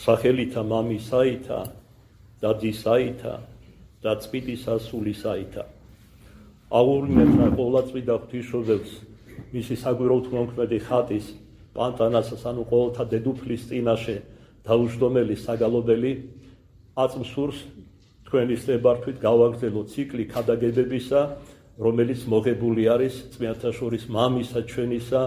სახელითა მამისაითა და ძისაითა და წმინდისა სულისაითა. აღურმეთა ყოვლადწმიდა ღვთისმშობელს, მისი საგვირაო თქმამქმედი ხატის პანტანასას, ანუ ყოველთა დედუფლის წინაშე დაუჯდომელი საგალობელი აწმსურს თქვენის ნებართვით გავაგრძელოთ ციკლი ქადაგებებისა, რომელიც მოღებული არის წმინდანთა შორის მამისა ჩვენისა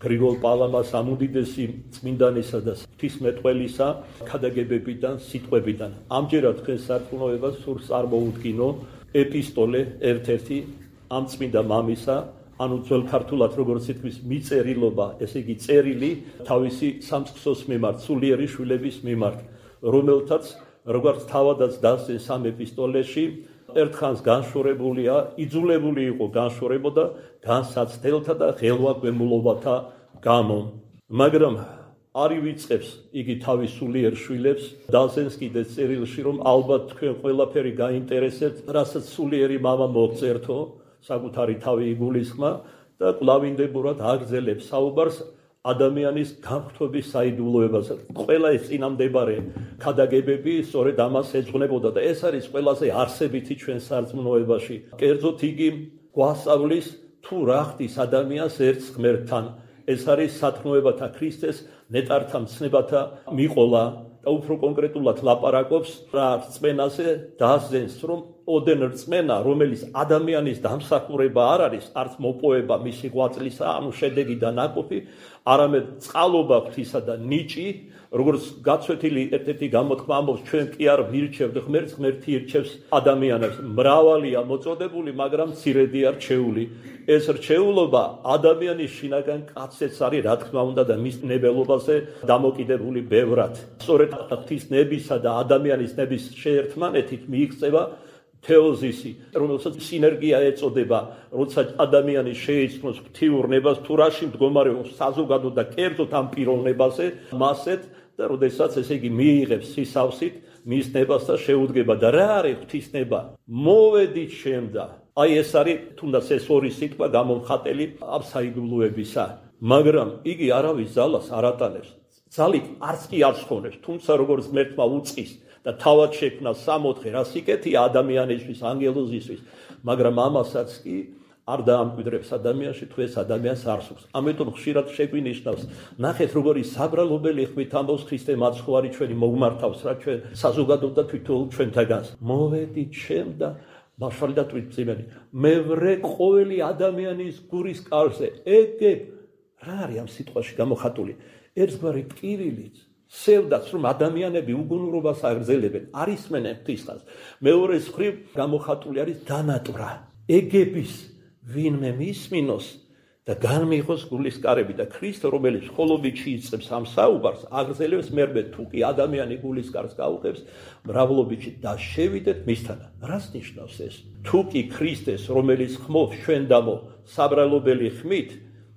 გრიგოლ პალამას ამუდიდესი წმინდანისა და ღვთისმეტყველისა ქადაგებებიდან, სიტყვებიდან. ამჯერად თქვენ სარწმუნოებას სურს წარმოუდგინო ეპისტოლე ერთ-ერთი ამ წმინდა მამისა, ანუ ძველ ქართულად როგორც ითქმის მიწერილობა, ესე იგი წერილი თავისი სამწყსოს მიმართ, სულიერი შვილების მიმართ, რომელთაც როგორც თავადაც დასძენს ამ ეპისტოლეში, ერთხანს განშორებულია, იძულებული იყო განშორებოდა განსაცდელთა და ღელვაგვემულობათა გამო. მაგრამ არ ივიწყებს იგი თავის სულიერ შვილებს, დასძენს კიდე წერილში, რომ ალბათ თქვენ ყველაფერი გაინტერესებთ, რასაც სულიერი მამა მოგწერთო, საკუთარი თავი იგულისხმა და კვლავინდებურად აგრძელებს საუბარს ადამიანის განხრთობის საიდუმლოებაზე. ყველა ეს წინამდებარე ქადაგებები სწორედ ამას ეძღვნებოდა და ეს არის ყველაზე არსებითი ჩვენ სარწმუნოებაში. კერძოდ იგი გვასწავლის თუ რა ხდის ადამიანს ერთს ღმერთთან. ეს არის სათქმოებათა ქრისტეს ნეტართა მცნებათა მიყოლა და უფრო კონკრეტულად ლაპარაკობს რა რწმენაზე დასძენს, რომ ოდენ რწმენა, რომელიც ადამიანის დამსახურება არ არის, არც მოპოვება მისი ღვაწლისა, ანუ შედეგი და ნაყოფი, არამედ წყალობა ღვთისა და ნიჭი, როგორც გაცვეთილი ერთ-ერთი გამოთქმა ამბობს, ჩვენ კი არ ვირჩევთ ღმერთს, ღმერთი ირჩევს ადამიანებს. მრავალია მოწოდებული, მაგრამ მცირედია რჩეული. ეს რჩეულობა ადამიანის შინაგან კაცებს არის, რა თქმა უნდა, და მის ნებელობაზე დამოკიდებული ბევრად. სწორედ ღვთის ნებისა და ადამიანის ნების შეერთმანეთით მიიღწევა თეოზისი, რომელსაც სინერგია ეწოდება, როცა ადამიანი შეიცნოს ღვთიურ ნებას, თუ რაში მდგომარეობს საზოგადო და კერძოდ ამ პიროვნებაზე, მასეთ და როდესაც ესე იგი მიიღებს სისავსით მის ნებას და შეუდგება. და რა არის ღვთის ნება? მოვედით შემდა. აი ეს არის თუნდაც ეს ორი სიტყვა გამომხატელი ამ საიდუმლოებისა. მაგრამ იგი არავის ძალას არ ატანებს. ძალით არც კი არ სხონებს, თუმცა როგორც ღმერთმა უწყის და თავად შექმნა 64 რა სიკეთეა ადამიანისთვის, ანგელოზისთვის, მაგრამ ამასაც კი არ დაამკვიდრებს ადამიანში, თუ ეს ადამიანს არ სურს. ამიტომ ხშირად შეგვინიშნავს, ნახეთ როგორი საბრალობელი ხმით ამბობს ქრისტე მაცხოვარი ჩვენი მოგმართავს რა ჩვენ საზოგადოდ და თვითონ ჩვენთაგანს. მოვედით შემდა მაშალი და თვითმცემელი. მე ვრე ყოველი ადამიანის გურის კარზე. ეგ რა არის ამ სიტყვაში გამოხატული? ერთგვარი ტკივილიც სევდაც, რომ ადამიანები უგუნურობას აგრძელებენ, არ ისმენენ ღვთისხანს. მეორე მხრივ გამოხატული არის დანატვრა. ეგების ვინმე მისმინოს და განმიღოს გულისკარები და ქრისტე, რომელიც მხოლობითში იწყებს ამ საუბარს, აგრძელებს მერმე თუ კი ადამიანი გულისკარს გაუღებს, მრავლობითში და შევიდეთ მისთან. რას ნიშნავს ეს? თუ კი ქრისტეს, რომელიც ხმობს ჩვენ დამო საბრალობელი ხმით,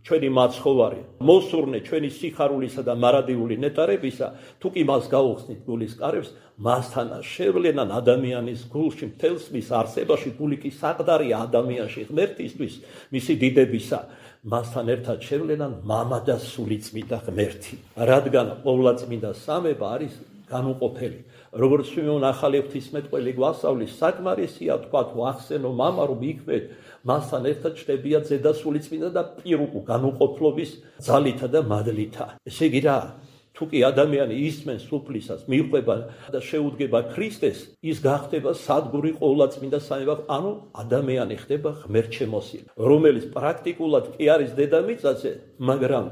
ჩვენი მაცხოვარი, მოსურნე ჩვენი სიხარულისა და მარადიული ნეტარებისა, თუ კი მას გაუხსნით გულისკარებს, მასთანა შევლენან ადამიანის გულში, მთელს მის არსებაში, გული კი საყდარია ადამიანში ღმერთისთვის, მისი დიდებისა, მასთან ერთად შევლენან მამა და სულიწმიდა ღმერთი. რადგან ყოვლადწმინდა სამება არის განუყოფელი. როგორც ჩვენ ახალი ღვთისმეტყველი გვასწავლის, საკმარისია თქვა ვახსენო მამა, რომ იქმეთ მასთან ერთად ჩნდებია ზედა სულიწმინდა და პირუკუ განუყოფლობის ძალითა და მადლითა. ესე იგი რა? თუ კი ადამიანი ისმენს სუფლისას, მიყვება და შეუდგება ქრისტეს, ის გახდება სადგური ყოვლადწმინდა სამება, ანუ ადამიანი ხდება ღმერთშემოსილი, რომელიც პრაქტიკულად კი არის დედამიწაზე, მაგრამ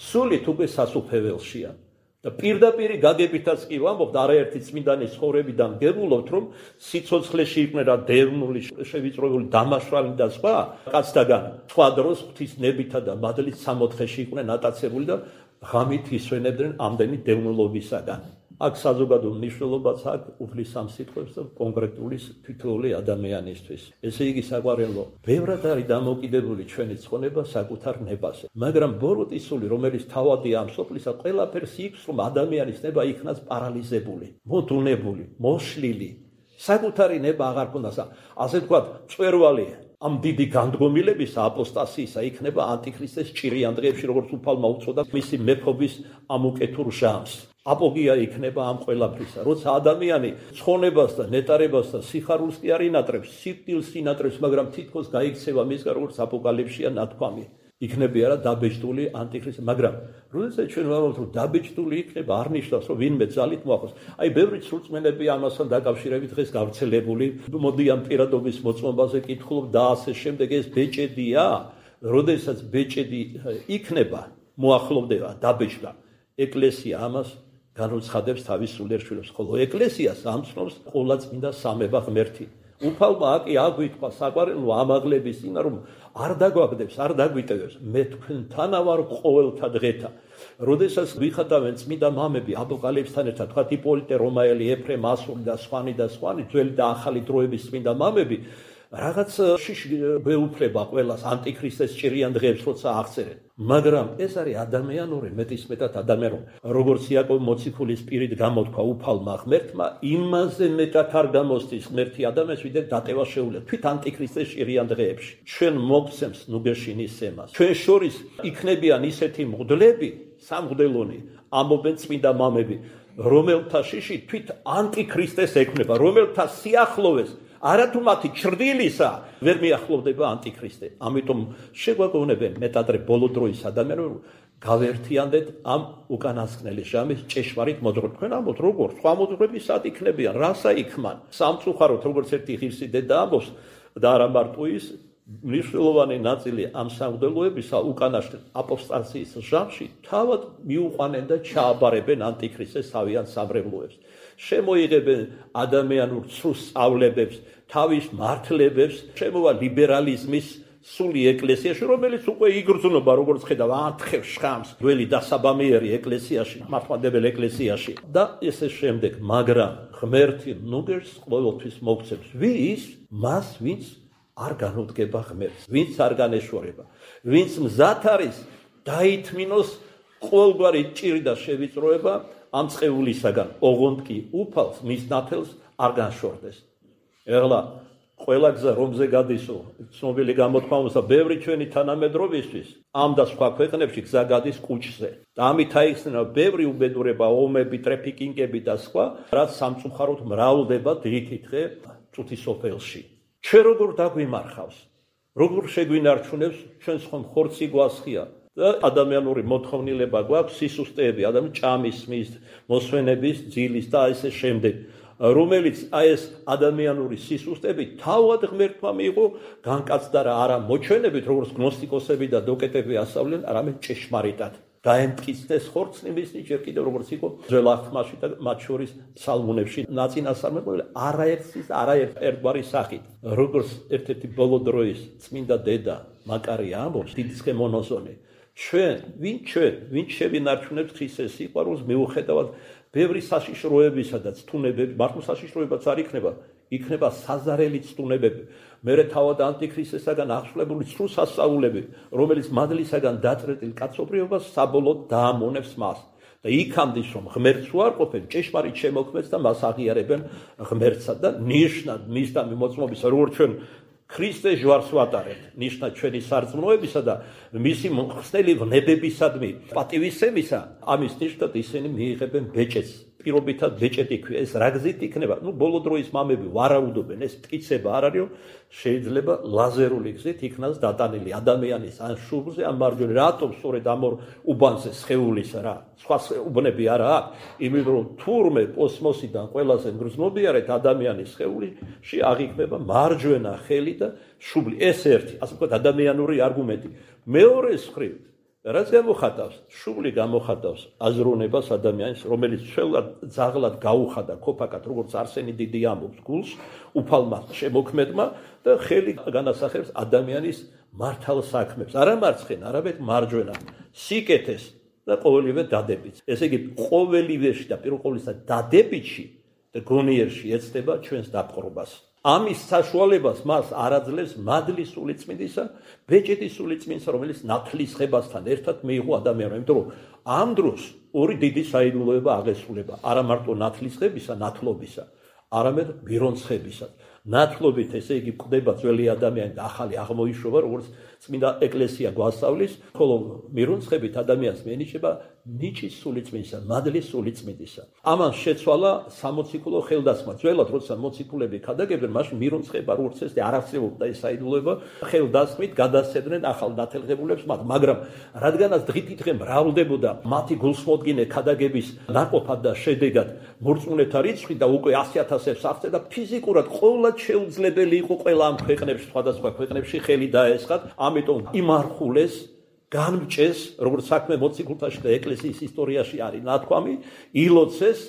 სულით უკვე სასუფეველშია. და პირდაპირ გაგებითაც კი ვამბობთ, არაერთი წმინდანის ცხოვრებიდან გებულობთ, რომ სიცოცხლეში იყვნენ რა დევნული, შევიწროებული, დამაშრალი და სხვა კაცთაგან სხვა დროს ღვთის ნებითა და მადლით სამოთხეში იყვნენ ატაცებული და ღამით ისვენებდნენ ამდენი დევნულობისაგან. აქ საზოგადო მნიშვნელობაც აქვს უფლის ამ სიტყვებს და კონკრეტული თითოეული ადამიანისთვის. ესე იგი საყვარელო, ბევრად არის დამოკიდებული ჩვენი ცხონება საკუთარ ნებაზე. მაგრამ ბოროტისული, რომელიც თავადია ამ სოფლისა, ყველაფერს იქს, რომ ადამიანის ნება იქნას პარალიზებული, მოდუნებული, მოშლილი. საკუთარი ნება აღარ ქონდას. ასე ვთქვათ, მწვერვალი ამ დიდი განდგომილებისა, აპოსტასიისა იქნება ანტიქრისტეს ჭირიან დღეებში, როგორც უფალმა უწოდა მისი მეფობის ამ უკეთურ ჟამს. აპოგეა იქნება ამ ყველაფრისა. როცა ადამიანი ცხონებას და ნეტარებას და სიხარულს კი არ ინატრებს, სიკვდილს ინატრებს, მაგრამ თითქოს გაიქცევა მისგან, როგორც აპოკალიფსია ნათქვამი. იქნება რა დაბეჭდული ანტიქრისტი, მაგრამ როდესაც ჩვენ ვამბობთ, რომ დაბეჭდული იქნება, არ ნიშნავს, რომ ვინმე ძალით მოახოს. აი, ბევრი სრულწმენები ამასთან დაკავშირებით დღეს გავრცელებული, მოდი ამ პირადობის მოწმობაზე კითხულობ და ასე შემდეგ, ეს ბეჭედია, როდესაც ბეჭედი იქნება, მოახლოვდება დაბეჭდა, ეკლესია ამას განუცხადებს თავის სულიერ შვილებს, ხოლო ეკლესიას ამცნობს ყოვლადწმინდა სამება ღმერთი. უფალმა აკი აგვითხვა საყვარელო ამაღლების წინა, რომ არ დაგვაგდებს, არ დაგვიტევებს, მე თქვენთანა ვარ ყოველთა დღეთა. როდესაც ვიხატავენ წმინდა მამები აპოკალიფსთან ერთად, თქვათ იპოლიტე რომაელი, ეფრემ ასური და სხვანი, ძველი და ახალი დროების წმინდა მამები, რაღაც შიში გვეუფლება ყველას ანტიქრისტეს ჭირიან დღეებს, როცა აღწერენ. მაგრამ ეს არის ადამიანური, მეტისმეტად ადამიანური. როგორც იაკობ მოციქულის პირით გამოთქვა უფალმა ღმერთმა, იმაზე მეტად არ გამოსდის ღმერთი ადამიანს, ვიდრე დატევა შეუძლია. თვით ანტიქრისტეს ჭირიან დღეებში. ჩვენ მოგცემს ნუგეშინის სემას. ჩვენ შორის იქნებიან ისეთი მღვდლები, სამღვდელონი, ამობენ წმინდა მამები, რომელთა შიში თვით ანტიქრისტეს ექმნება, რომელთა სიახლოვეს არათუ მათი ჩრდილისა ვერ მიახლოვდება ანტიქრისტე. ამიტომ შეგვაგონებენ მეტადრე ბოლო დროის ადამიანები გავერთიანდეთ ამ უკანასკნელი ჟამის ჭეშმარიტ მოძღვრებს. თქვენ ამბობთ, როგორ სხვა მოძღვრები სად იქნებიან, რასა იქმან. სამწუხაროდ, როგორც ერთი ღირსი დედა ამბობს და არა მარტო ის, მნიშვნელოვანი ნაწილი ამ სამღვდელოებისა უკანასკნელ აპოსტაციის ჟამში თავად მიუყვანენ და ჩააბარებენ ანტიქრისტეს თავიანთ სამრევლოებს. შემოიღებენ ადამიანურ ცრუს სწავლებებს, თავის მართლებებს, შემოვა ლიბერალიზმის სული ეკლესიაში, რომელიც უკვე იგრძნობა, როგორც ხედავ, ათხოვს შხამს ძველი დასაბამიერი ეკლესიაში, მართლმადებელ ეკლესიაში და ესე შემდეგ, მაგრამ ღმერთი ნუგერს ყოველთვის მოგცემს. ვის? მას, ვინც არ განუდგება ღმერთს, ვინც არ განეშორება, ვინც მზად არის დაითმინოს ყოველგვარი ჭირი და შევიწროება ამ წყეულისაგან, ოღონდ კი უფალს მის ნათელს არ განშორდეს. ეხლა ყველა გზა რომზე გადისო, ცნობილი გამოთქვამისა, ბევრი ჩვენი თანამედროვისთვის ამ და სხვა ქვეყნებში გზა გადის კუჭზე. და ამით აიხსნება ბევრი უბედურება, ომები, ტრეფიკინგები და სხვა, რაც სამწუხაროდ მრავლდება დღითი დღე წუთის სოფელში. ჩვენ როგორ დაგვიმარხავს, როგორ შეგვინარჩუნებს, ჩვენს ხომ ხორცი გვასხია. და ადამიანური მოთხოვნილება გვაქვს, სისუსტეები, ჭამის, მის, მოსვენების, ძილის და ესე შემდეგ, რომელიც ეს ადამიანური სისუსტეები თავად ღმერთმა მიიღო, განკაცდა არა მოჩვენებით, როგორც გნოსტიკოსები და დოკეტები ასწავლენ, არამედ ჭეშმარიტად. დაემტკიცდეს ხორცნი მისნი, ჯერ კიდევ როგორც იყო ძველ აღთქმაში და მათ შორის ფსალმუნებში ნაწინასწარმეტყველი არაერთგვარი სახით. როგორც ერთ-ერთი ბოლო დროის წმინდა დედა მაკარია ამბობს, დიდსხე მონოზონი, ვინ შევინარჩუნებთ ქრისტეს სიყვარულს მიუხედავად ბევრი საშიშროებისა და ცთუნებები, მართლა საშიშროებაც არ იქნება საზარელი ცთუნებები. მერე თავად ანტიქრისტესაგან აღსვლებული ცრუ სასწაულები, რომელიც მადლისაგან დაწყეწილ კაცობრიობას საბოლოოდ დაამონებს მას. და იქამდე რომ ღმერთს უარყოფენ, ჭეშმარიტ შემოქმედს და მას აღიარებენ ღმერთსა და ნიშნად მის და მოწმობის, როგორც ჩვენ ქრისტეს ჯვარს ვატარებთ, ნიშნად ჩვენი სარწმუნოებისა და მისი მხსნელი ვნებებისადმი პატივისცემისა, ამის ნიშნად ისინი მიიღებენ ბეჭედს. პირობითად ბეჭედი ქვია, ეს რა გზით იქნება? ბოლო დროის მამები ვარაუდობენ, ეს მტკიცება არ არის, შეიძლება ლაზერული გზით იქნას დატანილი ადამიანის ან შუბლზე, ან მარჯვენა. რატომ სწორედ ამ ორ უბანზე სხეულისა რა? სხვა უბნები არა აქვს, იმიტომ რომ თურმე კოსმოსიდან ყველაზე მგრძნობიარეთ ადამიანის სხეულში აღიქმება მარჯვენა ხელი და შუბლი. ეს ერთი, ასე ვთქვათ, ადამიანური არგუმენტი. მეორე მხრივ, რაც გამოხატავს, შუბლი გამოხატავს აზროვნებას ადამიანის, რომელიც ძაღლად გაუხადა ქოფაკად, როგორც არსენი დიდი ამბობს გულს, უფალმა შემოქმედმა და ხელი განასახებს ადამიანის მართალ საქმებს, არა მარცხენა, არამედ მარჯვენა, სიკეთეს და ყოველივე დადებითს. ესე იგი, ყოველივეში და პირველ ყოვლისა დადებითში და გონიერში ეცდება ჩვენს დაპყრობას. ამის საშუალებას მას არ აძლევს მადლის სულიწმინდისა, ბეჭედის სულიწმინდისა, რომელიც ნათლისღებასთან ერთად მიიღო ადამიანმა. იმიტომ რომ ამ დროს ორი დიდი საიდუმლოება აღესრულება, არა მარტო ნათლისღებისა, ნათლობისა, არამედ ბირონცხებისა. ნათლობით ესე იგი გვხვდება ძველი ადამიანი და ახალი აღმოიშვება, როგორც წმინდა ეკლესია გვასწავლის, ხოლო მირუნცხებით ადამიანს მიანიჭება ნიჭის სულიწმინდისა, მადლის სულიწმინდისა. ამან შეცვალა სამოციქულო ხელდასხმა. ძველად როცა მოციქულები ქადაგებდნენ, მაშინ მირუნცხება როგორც ეს არ არსებობდა ეს საიდუმლოება, ხელდასხმით გადასცემდნენ ახალ ნათელღებულებს მათ, მაგრამ რადგანაც დღითიდღე მრავლდებოდა მათი გულსმოდგინე ქადაგების ნაყოფად და შედეგად მორწმუნეთა რიცხვი და უკვე 100,000-ებს აღწევდა და ფიზიკურად ყოველად შეუძლებელი იყო ყველა ამ ქვეყნებში, სხვადასხვა ქვეყნებში ხელი დაესხათ, ამიტომ იმარხულეს განმჭეს, როგორც საქმე მოციქულთაში და ეკლესიის ისტორიაში არის ნათქვამი, ილოცეს,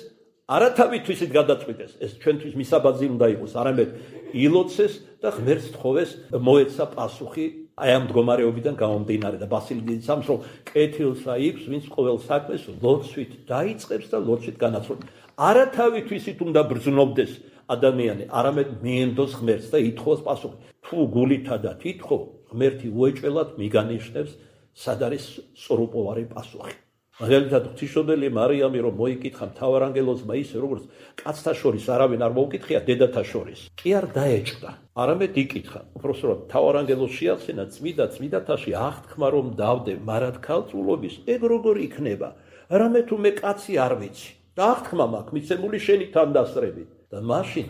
არა თავითვისით გადაწყვიტეს, ეს ჩვენთვის მისაბაძი უნდა იყოს, არამედ ილოცეს და ღმერთს თხოვეს მოეცა პასუხი აი ამ მდგომარეობიდან გამომდინარე და ბასილი დიდის ამს რომ კეთილს აიღებს, ვინც ყოველ საქმეს ლოცვით დაიწყებს და ლოცვით განაცვლებს. არა თავითვისით უნდა ბრძნობდეს ადამიანი, არამედ მიენდოს ღმერთს და ითხოვოს პასუხი. თუ გულითადად ითხოვ, ღმერთი უეჭველად მიგანიშნებს სად არის სწორუპოვარი პასუხი. მაგალითად ღვთისმშობელი მარიამი რომ მოიკითხა მთავარანგელოზმა ისე როგორც კაცთა შორის არავინ არ მოუკითხია დედათა შორის. კი არ დაეჭდა, არამედ იკითხა. უпроსტოდ მთავარანგელოზს შეახსენა წმიდათაში აღთქმა რომ დავდე მარად ქალწულობის, ეგ როგორ იქნება? რამე თუ მე კაცი არ ვიცი. და აღთქმა მაქვს მიცემული შენი თანდასწრებით. და მაშინ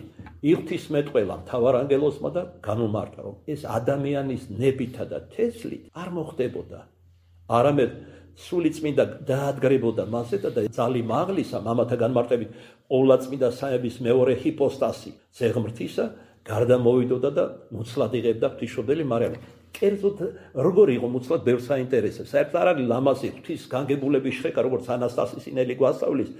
იღთისმეტყველა მთავარანგელოზმა და განუმარტა რომ ეს ადამიანის ნებითა და თესლით არ მოხდებოდა. არამედ სულიწმინდა დაადგრებოდა მასეთა და ძალი მაღლისა მამათა განმარტებით ყოვლადწმინდა საების მეორე ჰიპოსტასი ზეღმრთისა გარდა მოვიდოდა და მუცლად იღებდა ღვთისმშობელი მარიამი. კერძოდ როგორ იყო მუცლად ბევრს აინტერესებს. საერთოდ არ არის ლამაზი ღვთის განგებულების შრეკა, როგორც ანასტასის ინელი გვასწავლის,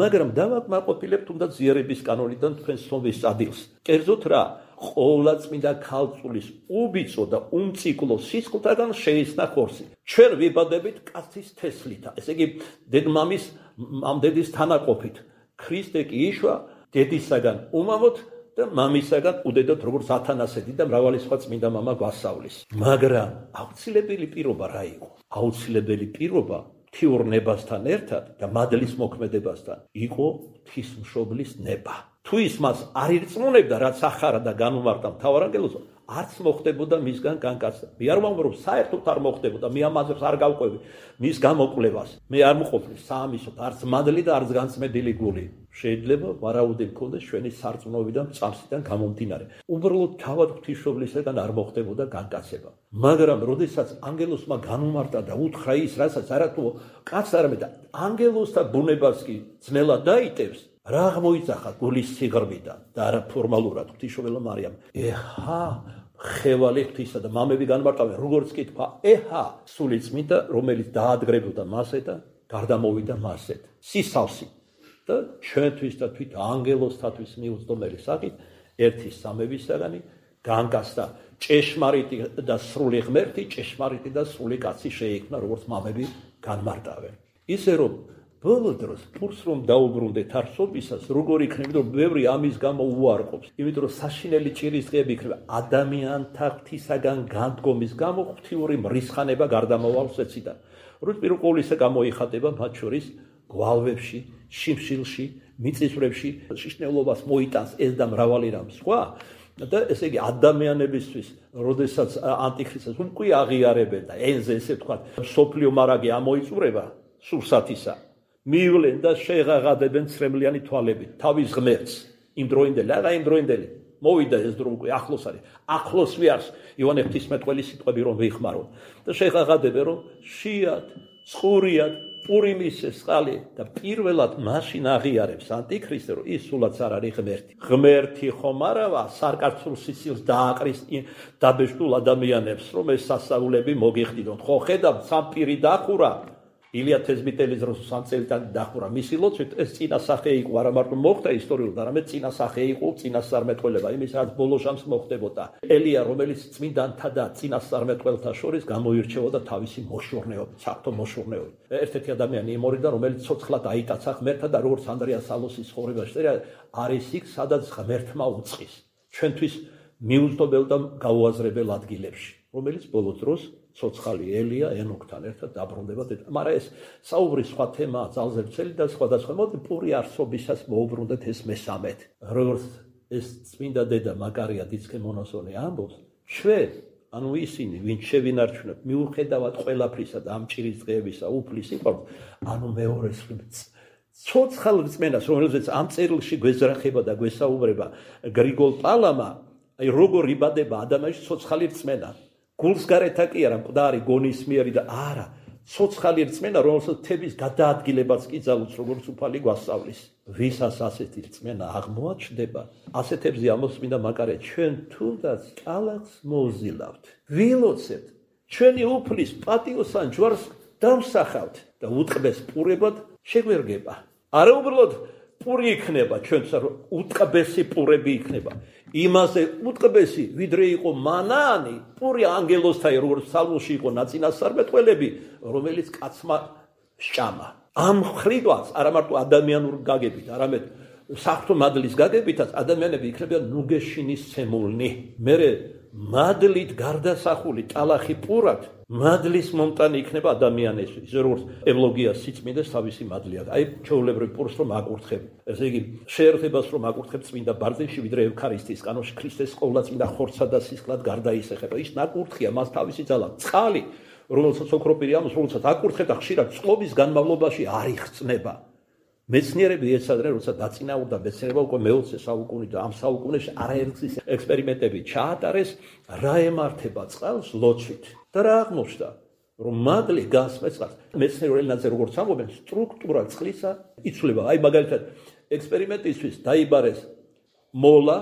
მაგრამ დავაკმაყოფილებ თუნდაც ზიარების კანონიდან თქვენ ცნობის წადილს. კერძოდ რა, ყოვლადწმინდა ქალწულის უბიწო და უმციკლო სისხლთაგან შეისნა ხორცი. ჩვენ ვიბადებით კაცის თესლითა, ესე იგი დედმამის მამდედის თანაყოფით. ქრისტე კი იშვა დედისაგან უმამოდ და მამისაგან უდედოთ როგორც ათანასეთი და მრავალი სხვა წმინდა მამა გვასწავლის. მაგრამ აუცილებელი პირობა რა იყო? აუცილებელი პირობა თიურნებასთან ერთად და მადლის მოქმედებასთან იყო ღვთისმშობლის ნება. თუ ის მას არ ირწმუნებდა, რაც ახარა და განუმარტა მთავარანგელოზმა, არც მოხდებოდა მისგან განკაცება. მე არ ვამბობ, რომ საერთოდ არ მოხდებოდა, მე ამაზრს არ გავყვევი მის გამოკვლევას. მე არ მყოფნის საამისოდ არც მადლი და არც განწმენდილი გული. შეიძლება ვარაუდი მქონდეს ჩვენი სარწმუნოებიდან წამსიდან გამომდინარე. უბრალოდ თავად ღვთისმშობლისგან არ მოხდებოდა განკაცება. მაგრამ როდესაც ანგელოზმა განუმარტა და უთხრა ის, რასაც არათუ კაც არამედ ანგელოზთა ბუნებას კი ძნელად დაიტევს, რა აღმოიძახა გულის სიღრმიდან და არა ფორმალურად ღვთისმშობელმა მარიამ. ეჰა ხევალი ღვთისა და მამები განმარტავენ, როგორც კითხვა, ეჰა სულიწმინდა, რომელიც დაადგრებოდა მასე და გარდამოვიდა მასეთ. სისავსი და ჩვენთვის და თვით ანგელოზთათვის მიუძდომელი საკით ერთი სამებისაგანი განკაცდა ჭეშმარიტი და სრული ღმერთი, ჭეშმარიტი და სრული კაცი შეიქმნა, როგორც მამები განმარტავენ. ისე რომ ბოლო დროს ფურს რომ დაუბრუნდეთ არსობისას, როგორ იქნება, რომ ბევრი ამის გამო უარყოფს. იმიტომ რომ საშინელი ჭირის დღეები იქნება ადამიანთა ღვთისაგან განდგომის გამო ღვთიური მრისხანება გარდამავალს ეციდან. როდის პირველ ყოვლისა გამოიხატება მათ შორის გვალვებში, შიმშილში, მიწისძვრებში, შიშნელობას მოიტანს ეს და მრავალი რამ სხვა. და ესე იგი ადამიანებისთვის, როდესაც ანტიქრისტს უკვე აღიარებენ და ენზე ესე ვთქვათ, სოფლიო მარაგი ამოიწურება სურსათისა. მივლენ და შეღაღადებენ ცრემლიანი თვალებით თავის ღმერთს. იმ დროინდელი, არა იმ დროინდელი. მოვიდა ეს დრო უკვე ახლოს არის. ახლოს ვიარს იოანე ღვთისმეტყველის სიტყვები რომ ვიხმაროთ. და შეღაღადებენ რომ შიათ, წყურიათ, პურიმის წყალი და პირველად მაშინ აღიარებს ანტიქრისტე რომ ის სულაც არ არის ღმერთი. ღმერთი ხომ არავა სარკაცრულ სიცილს დააყრის დაბეჭდულ ადამიანებს რომ ეს სასწაულები მოგიხდიდონ. ხო ხედავთ სამ პირი დახურა ილია თეზბიტელის დროს სამ წელიდან დახურა მისი ლოცვით ეს წინასახე იყო არა მარტო მოხდა ისტორიულად არამედ წინასახე იყო წინასწარმეტყველება იმის რაც ბოლო ჟამს მოხდებოდა. ელია რომელიც წმინდანთა და წინასწარმეტყველთა შორის გამოირჩეოდა თავისი მოშორნეობით, საფრთხო მოშორნეობით. ერთ-ერთი ადამიანი იმორიდან რომელიც ცოცხლად აიტაცა ღმერთთან და როგორც ანდრია სალოსის ცხოვრებაში წერია არის იქ სადაც ღმერთმა უწყის ჩვენთვის მიუძღობელ და გაუაზრებელ ადგილებში რომელიც ბოლო დროს ცოცხალი ელია ენოქთან ერთად დაბრუნდება დედა. მაგრამ ეს საუბრის სხვა თემაა, ძალზე ვრცელი და სხვადასხვა. მოდი პური არსობისას მოუბრუნდეთ ეს მესამედ. როგორც ეს წმინდა დედა მაკარია დიცკე მონოსონი ამბობს, ჩვენ, ანუ ისინი, ვინც შევინარჩუნებთ, მიუხედავად ყველაფრისა და ამ ჭირის დღეებისა, უფლის სიყვარულს, ანუ მეორეს ცოცხალ რწმენას, რომელზეც ამ წერილში გვეზრახება და გვესაუბრება გრიგოლ პალამა, აი როგორ იბადება ადამიანში ცოცხალი რწმენა. გულს გარეთა კი არა მკვდარი გონისმიერი და არა, ცოცხალი რწმენა, რომელსაც თების გადაადგილებაც კი ძალუც როგორც უფალი გვასწავლის. ვისაც ასეთი რწმენა აღმოაჩნდება, ასეთებზე ამოსმინდა მაკარია, ჩვენ თუნდაც კალათს მოვზილავთ, ვილოცებთ, ჩვენი უფლის პატიოსან ჯვარს დამსახავთ და უტყბეს პურებად შეგვერგება. არა უბრალოდ პური იქნება ჩვენც, უტყბესი პურები იქნება. იმაზე უტყბესი, ვიდრე იყო მანაანი, პური ანგელოსთაი, როგორც ფსალმოში იყო ნაწინასწარმეტყველები, რომელიც კაცმა სჭამა. ამ ხრიდვას არა მარტო ადამიანურ გაგებით, არამედ საღვთო მადლის გაგებითაც ადამიანები იქნებიან ნუგეშინისცემულნი. მერე მადლით გარდასახული ტალახი პურად მადლის მომტანი იქნება ადამიანისთვის, ისე როგორც ევლოგიას სიწმინდეს თავისი მადლია. აი ჩვეულებრივ პურს რომ აკურთხებ, ესე იგი შეერთებას რომ აკურთხებ წმინდა ბარძიმში, ვიდრე ევქარისტიის კანონში ქრისტეს ყოვლადწმინდა ხორცსა და სისხლად გარდაისახება. ის ნაკურთხია, მას თავისი ძალა, წყალი, რომელსაც ოქროპირი ამოს, რომელსაც აკურთხებ და ხშირად წყობის განმავლობაში არ იხსნება. მეცნიერები ეცადნენ, როცა დაწინაურდა მეცნიერება უკვე მე-20 საუკუნით და ამ საუკუნეში არაერთი ექსპერიმენტები ჩაატარეს, რა ემართება წყალს ლოცვით. და რა აღმოჩნდა, რომ მადლი გასმეს წყალს. მეცნიერულ ენაზე როგორც ამბობენ, სტრუქტურა წყლისა იცვლება. აი მაგალითად, ექსპერიმენტისთვის დაიბარეს მოლა,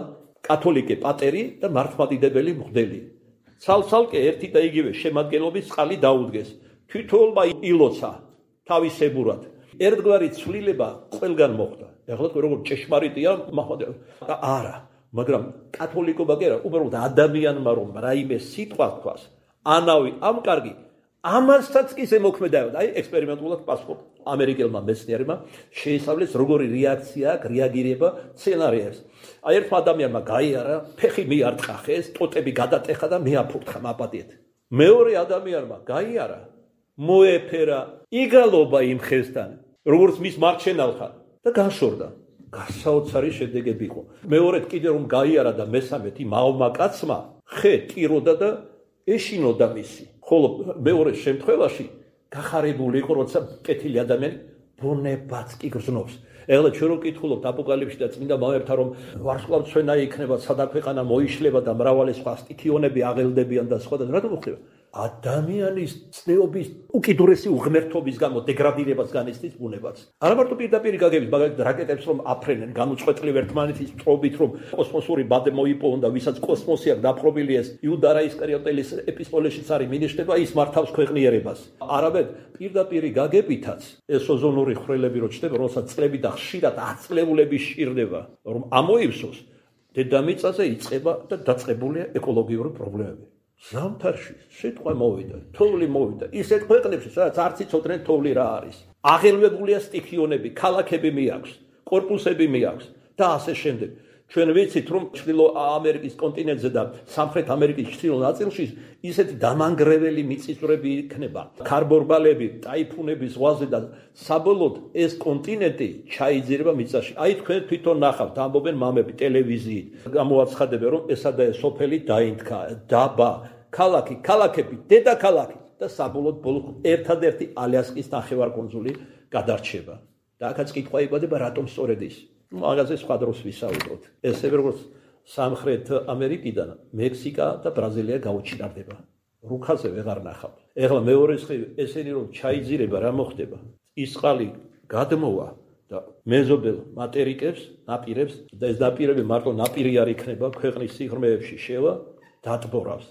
კათოლიკე პატერი და მართლმადიდებელი მღვდელი. ცალ-ცალკე ერთი და იგივე შემადგენლობის წყალი დაუდგეს. თვითონმა ილოცა თავისებურად. ერთგვარი ცვლილება ყველგან მოხდა. ეხლა როგორც ჭეშმარიტია, და არა, მაგრამ კათოლიკობა კი არა, უბრალოდ ადამიანმა რომ რაიმე სიტყვა თქვას, ანავი ამ კარგი, ამასაც კი ზემოქმედავდა. აი ექსპერიმენტულად პასპორტ ამერიკელმა მეცნიერებმა შეისწავლეს როგორი რეაქცია აქვს, რეაგირება სცენარიებს. აი ერთმა ადამიანმა გაიარა, ფეხი მიარტყა ხეს, ტოტები გადატეხა და მეაფურთხა მაპატიეთ. მეორე ადამიანმა გაიარა, მოეფერა იგალობა იმ ხესთან, როგორც მის მარჩენალთან და გაშორდა. გასაოცარი შედეგები იყო. მეორედ კიდე რომ გაიარა და მესამედ იმ აუმა კაცმა ხე ტიროდა და ეშინოდა მისი. ხოლო მეორე შემთხვევაში გახარებული იყო, როცა კეთილი ადამიანი ბუნებაც კი გრძნობს. ეხლა ჩვენ რო ვკითხულობთ აპოკალიფსში და წმინდა მამებთან, რომ ვარსკვლავთმცვენა იქნება, სადა ქვეყანა მოიშლება და მრავალი სხვა სტიქიონები აღელდებიან და სხვა და რატომ ხდება? ადამიანის ცნეობის უკიდურესი უღმერთობის გამო დეგრადირებას განიცდის ბუნებაც. არა მარტო პირდაპირ გაგებით, მაგალითად რაკეტებს რომ აფრენენ, განუწყვეტლივ ერთმანეთის წრობით რომ კოსმოსური ბადე მოიპოვონ და ვისაც კოსმოსი აქვს დაპყრობილი ეს იუდა ისკარიოტელის ეპისტოლეშიც არის მინიშნება, ის მართავს ქვეყნიერებას. არამედ პირდაპირ გაგებითაც ეს ოზონური ხვრელები რო ჩნდება, რომელსაც წლები და ხშირად აწლეულები სჭირდება, რომ ამოივსოს, დედამიწაზე იწყება და დაწყებულია ეკოლოგიური პრობლემები. ზამთარში სიტყვა მოვიდა, თოვლი მოვიდა. ისეთ ქვეყნებში, სადაც არც იცოდნენ თოვლი რა არის. აღელვებულია სტიქიონები, ქალაქები მიაქვს, კორპუსები მიაქვს და ასე შემდეგ. ჩვენ ვიცით, რომ ჩრდილო ამერიკის კონტინენტზე და სამხრეთ ამერიკის ჩრდილო ნაწილში ისეთი დამანგრეველი მიწისძვრები იქნება, ქარბორბალები, ტაიფუნები ზღვაზე და საბოლოოდ ეს კონტინენტი ჩაიძირება მიწაში. აი თქვენ თვითონ ნახავთ, ამბობენ მამები ტელევიზიით, გამოაცხადებენ, რომ ესა და ეს სოფელი დაინთქა, დაბა, ქალაქი, ქალაქები, დედაქალაქი და საბოლოოდ ბოლოს ერთადერთი ალიასკის ნახევარკუნძული გადარჩება. და აქაც კითხვა იბადება, რატომ სწორედ ის? მაგაზე სხვა დროს ვისაუბროთ. ესევე როგორც სამხრეთ ამერიკიდან მექსიკა და ბრაზილია გაუჩინარდება. რუქაზე ვეღარ ნახავთ. ეხლა მეორე სხივი ესენი რომ ჩაიძირება, რა მოხდება? ის წყალი გადმოვა და მეზობელ მატერიკებს, ნაპირებს და ეს ნაპირები მარტო ნაპირი არ იქნება, ქვეყნის სიღრმეებში შევა, დატბორავს.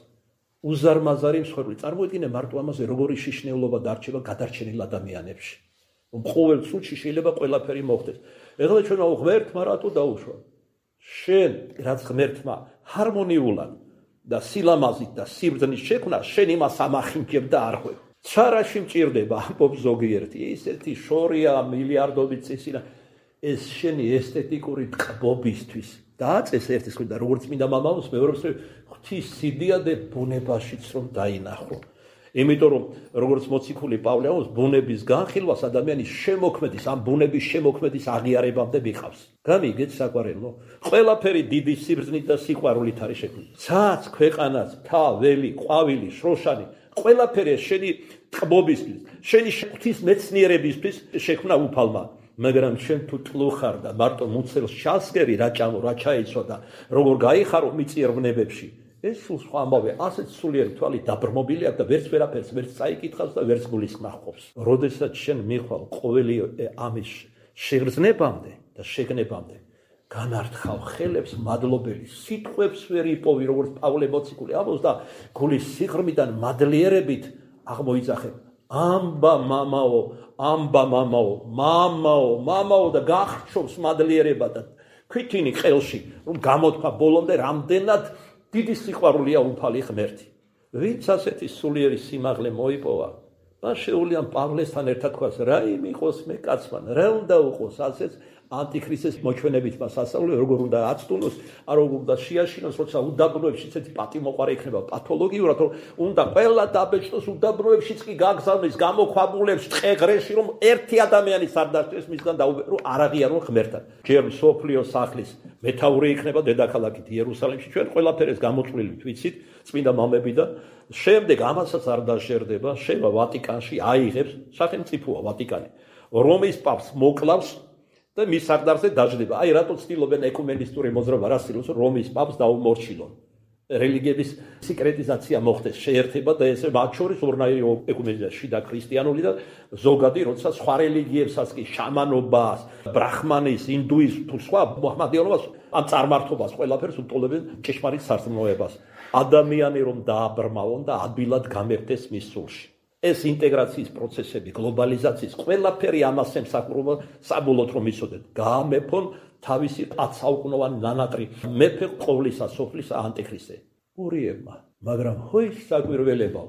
უზარმაზარი მსხვერპლი. წარმოიდგინე მარტო ამაზე როგორი შიშნეულობა დარჩება გადარჩენილ ადამიანებში. ყოველ წუთში შეიძლება ყველაფერი მოხდეს. ეხლა ჩვენ ღმერთმა რატო დაუშვა? შენ რაც ღმერთმა ჰარმონიულად და სილამაზით და სიბრძნის შექმნა, შენ იმას ამახინჯებ და არ ხვევ. ცარაში მჭირდება, ამბობს ზოგიერთი, ისეთი შორია მილიარდობით წისინა, ეს შენი ესთეტიკური ტკბობისთვის. დააწეს ერთის ხვი და როგორც წმინდა მამამოს მეორეს ღვთის სიდიადე ბუნებაშიც რომ დაინახო. იმიტომ რომ როგორც მოციქული პავლე ამბობს, ბუნების განხილვას ადამიანის შემოქმედის, ამ ბუნების შემოქმედის აღიარებამდე მიყავს. გამიგეთ საყვარელო? ყველაფერი დიდი სიბრძნით და სიყვარულით არის შექმნილი. ცაც, ქვეყანაც, მთა, ველი, ყვავილი, შროშანი, ყველაფერი შენი ტყბობისთვის, შენი ღვთის მეცნიერებისთვის შექმნა უფალმა. მაგრამ შენ თუ ტლუხარ და მარტო მუცელს ჩასგერი რა ჭამო, რა ჩაიცვა და როგორ გაიხარო მიწიერ ვნებებში, ეს სულ სხვა ამბავია, ასეთ სულიერი თვალით დაბრმობილი აქვს და ვერც ვერაფერს ვერც წაიკითხავს და ვერც გულისხმას ყოფს. როდესაც შენ მიხვალ ყოველი ამის შეგრძნებამდე და შეგნებამდე, განართხავ ხელებს მადლობელი, სიტყვებს ვერ იპოვი, როგორც პავლე მოციქული ამბობს და გულის სიღრმიდან მადლიერებით აღმოიძახებ. ამბა მამაო, ამბა მამაო და გახრჩობს მადლიერება და ქვითინი ყელში, რომ გამოთქვა ბოლომდე რამდენად დიდი სიყვარულია უფალი ღმერთი. ვინც ასეთი სულიერი სიმაღლე მოიპოვა, მას შეუძლია პავლესთან ერთად თქვას, რა იმიყოს მე კაცმა, რა უნდა უყოს ასეც ანტიქრისტეს მოჩვენებით მას ასწავლე, როგორ უნდა აცტუნოს, როგორ უნდა შეაშინოს, როცა უდაბნოებში ესეთი პატიმოყარე იქნება პათოლოგიურად, რომ უნდა ყველა დაბეჭდოს უდაბნოებშიც კი გაგზავნეს გამოქვაბულებს ტყეღრეში, რომ ერთი ადამიანის არ დასწრეს მისგან დაუბერო, არ აღიარონ ღმერთთან. ჯერ სოფლიოს სახლის მეთაური იქნება დედაქალაქით იერუსალიმში, ჩვენ ყველაფერს გამოწვლილით ვიცით, წმინდა მამები და შემდეგ ამასაც არ დაშერდება, შევა ვატიკანში აიღებს, სახელმწიფოა ვატიკანი, რომის პაპს მოკლავს და მის სარდარზე დაждდება. აი რატო ცდილობენ ეკუმენისტური მოძრაობა რა ცდილობს, რომის პაპს დაუმორჩილონ. რელიგიების სიკრეტიზაცია მოხდეს, შეერთება და ესე მათ შორის ორნაირი ეკუმენიზაცია, შიდა ქრისტიანული და ზოგადი, როცა სხვა რელიგიებსაც კი შამანობას, ბრაჰმანის, ინდუიზმს თუ სხვა მოჰმადიანობას, ამ წარმართობას ყველაფერს უტოლებენ ჭეშმარიტ სარწმუნოებას. ადამიანი რომ დააბრმავონ და ადვილად გამერდეს მის სულში. ეს ინტეგრაციის პროცესები, გლობალიზაციის ყველაფერი ამას ემსახურება საბოლოოდ რომ იცოდეთ. გაამეფონ თავისი 10 საუკუნოვანი ნანატრი მეფე ყოვლისა სოფლისა ანტიქრისტე. ურიებმა, მაგრამ ხოის საკვირველებო,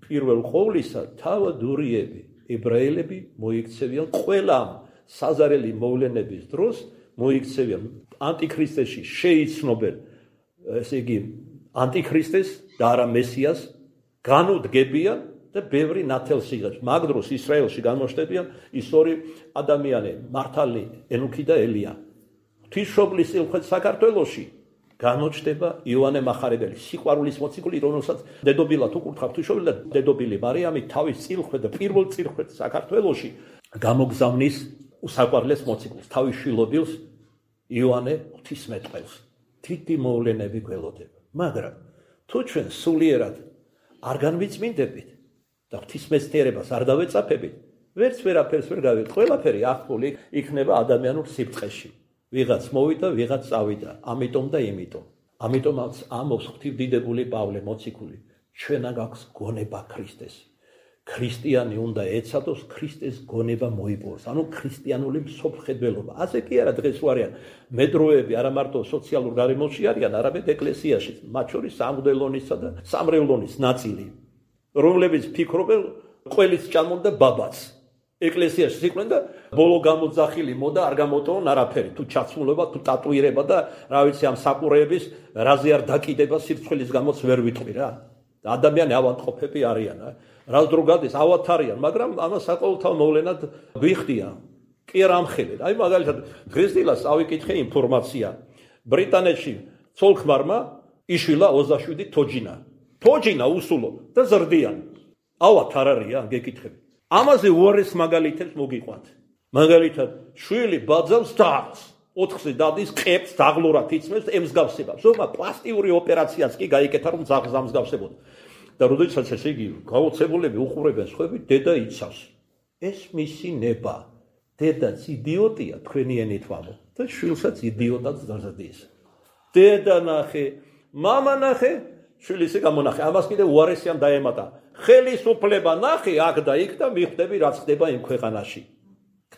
პირველ ყოვლისა თავად ურიები, ებრაელები მოიქცევიან ყველამ საზარელი მოვლენების დროს მოიქცევიან ანტიქრისტეში შეიცნობენ, ესე იგი ანტიქრისტეს და არა მესიას განუდგებიან და ბევრი ნათელს იღებს. მაგ დროს ისრაელში გამოჩნდებიან ის ორი ადამიანი, მართალი, ენუქი და ელია. ღვთისმშობლის სილხეთ საქართველოში გამოჩნდება იოანე მახარებელი, სიყვარულის მოციქული, რომელსაც დედობილად უკურთხა ღვთისმშობელი და დედობილი მარიამი თავის სილხეთ და პირველ სილხეთ საქართველოში გამოგზავნის უსაყვარლეს მოციქულს, თავის შვილობილს იოანე ღვთისმეტყველს. დიდი მოვლენები გველოდება. მაგრამ თუ ჩვენ სულიერად არ განვიწმინდებით და ღვთისმეცნიერებას არ დავეწაფებით, ვერც ვერაფერს ვერ გავიგებთ. ყველაფერი ახლული იქნება ადამიანურ სიბრწყეში. ვიღაც მოვიდა, ვიღაც წავიდა, ამიტომ და იმიტომ. ამიტომაც ამბობს ღვთისდიდებული პავლე მოციქული, ჩვენა გაქვს გონება ქრისტეს. ქრისტიანი უნდა ეცადოს ქრისტეს გონება მოიპოვოს, ანუ ქრისტიანული მსოფლმხედველობა. ასე კი არა დღეს ვარიან მედროები, არა მარტო სოციალურ გარემოში არიან, არამედ ეკლესიაში, მათ შორის სამღვდელონისა და სამრევლონის ნაწილი, რომლებიც ფიქრობენ ყველის ჭამონ და ბაბაც. ეკლესიაში იყვნენ და ბოლო გამოძახილი მოდა არ გამოტოვონ არაფერი, თუ ჩაცმულობა, თუ ტატუირება და რა ვიცი ამ საყურეების რაზე არ დაკიდება სირცხვილის გამოც ვერ ვიტყვი რა. ადამიანი ავადმყოფები არიან, რას დრო გადის ავათარიან, მაგრამ ამას საყოველთაო მოვლენად ვიხდიან. კი არ ამხელეთ. აი მაგალითად დღესდილას ავიკითხე ინფორმაცია. ბრიტანეთში ცოლ-ქმარმა იშვილა 27 თოჯინა. თოჯინა უსულო და ზრდიან. ავათ არ არიან, გეკითხები. ამაზე უარეს მაგალითებს მოგიყვანთ. მაგალითად, შვილი ბაძავს დარს, 4-ზე დადის, ყებს დაღლურად იწმებს, ემსგავსება. ზოგმა პლასტიკური ოპერაციაც კი გაიკეთა, რომ ძაღლს ამსგავსებოდა. და როდესაც ესე იგი გაოცებულები უყურებენ სხვები, დედა იცავს. ეს მისი ნება. დედაც იდიოტია, თქვენი ენით ვამბობ. და შვილსაც იდიოტად დაზრდის. დედა ნახე, მამა ნახე, შვილის გამონახე. ამას კიდე უარესიან დაემატა. ხელისუფლება ნახე აქ და იქ და მიხვდები რაც ხდება იმ ქვეყანაში.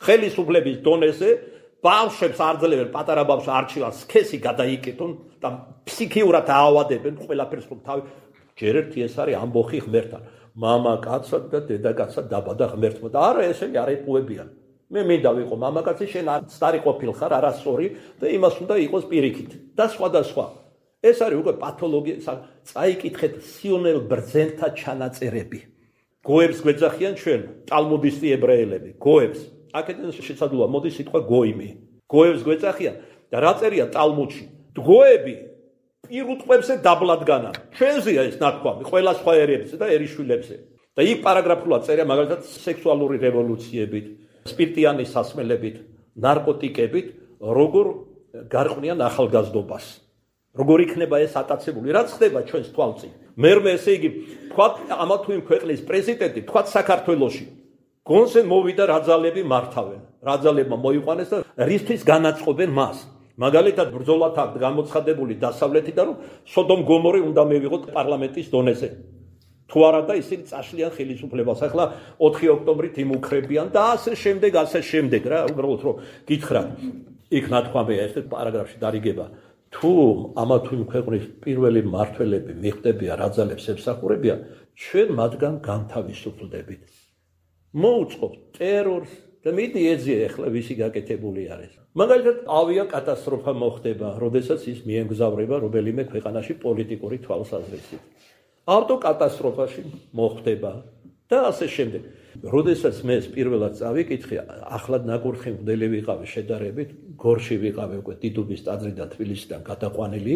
ხელისუფლების დონეზე ბავშვებს არძლებენ, პატარა ბავშვს არჩევან სქესი გადაიკეთონ და ფსიქიურად აავადებენ ყველაფერს, რომ თავი ჯერ ერთი ეს არის ამბოხი ღმერთთან. მამა კაცად და დედა კაცად დაბადა ღმერთმა და არა ესენი არ ეპუებიან. მე მინდა ვიყო მამაკაცი, შენ სტარი ყოფილ ხარ, არასწორი და იმას უნდა იყოს პირიქით და სხვა. ეს არის უკვე პათოლოგია, წაიკითხეთ სიონელ ბრძენთა ჩანაწერები. გოებს გვეძახიან ჩვენ ტალმუდისტი ებრაელები, გოებს. აქედან შესაძლოა მოდის სიტყვა გოიმი. გოებს გვეძახიან და რა წერია ტალმუდში? გოები პირუტყვებზე დაბლადგანა. ჩვენზეა ეს ნათქვამი, ყველა სხვა ერებზე და ერიშვილებზე. და იქ პარაგრაფულად წერია მაგალითად სექსუალური რევოლუციებით, სპირტიანი სასმელებით, ნარკოტიკებით, როგორ გარყვნიან ახალგაზრდობას. როგორ იქნება ეს ატაცებული? რაც ხდება ჩვენს თვალწინ. მერმე ესე იგი, თქვათ ამა თუ იმ ქვეყნის პრეზიდენტი, თქვათ საქართველოში. გონზე მოვიდა რაძალები მართავენ. რაძალებმა მოიყვანეს და რისთვის განაწყობენ მას. მაგალითად ბრძოლათ აქვს გამოცხადებული დასავლეთიდან, რომ სოდომ გომორი უნდა მივიღოთ პარლამენტის დონეზე. თუ არა და ისინი წაშლიან ხელისუფლებას. ახლა 4 ოქტომბრით იმუქრებიან და ასე შემდეგ რა, უბრალოდ რომ გითხრათ. იქ ნათქვამია ეს პარაგრაფში დარიგება. თუ ამა თუ იმ ქვეყნის პირველი მმართველები მიხდებიან რაძალებს ემსახურებიან, ჩვენ მათგან განთავისუფლდებით. მოუწყობთ ტერორს და მიდი ეძია ახლა ვისი გაკეთებული არის. მაგალითად ავიაკატასტროფა მოხდება, როდესაც ის მიემგზავრება რომელიმე ქვეყანაში პოლიტიკური თვალსაზრისით. ავტოკატასტროფაში მოხდება და ასე შემდეგ. როდესაც მე პირველად წავიკითხე, ახლად ნაკურთხი მღვდელი ვიყავი შედარებით, გორში ვიყავი უკვე დიდუბის ტაძრიდან თბილისიდან გადაყვანილი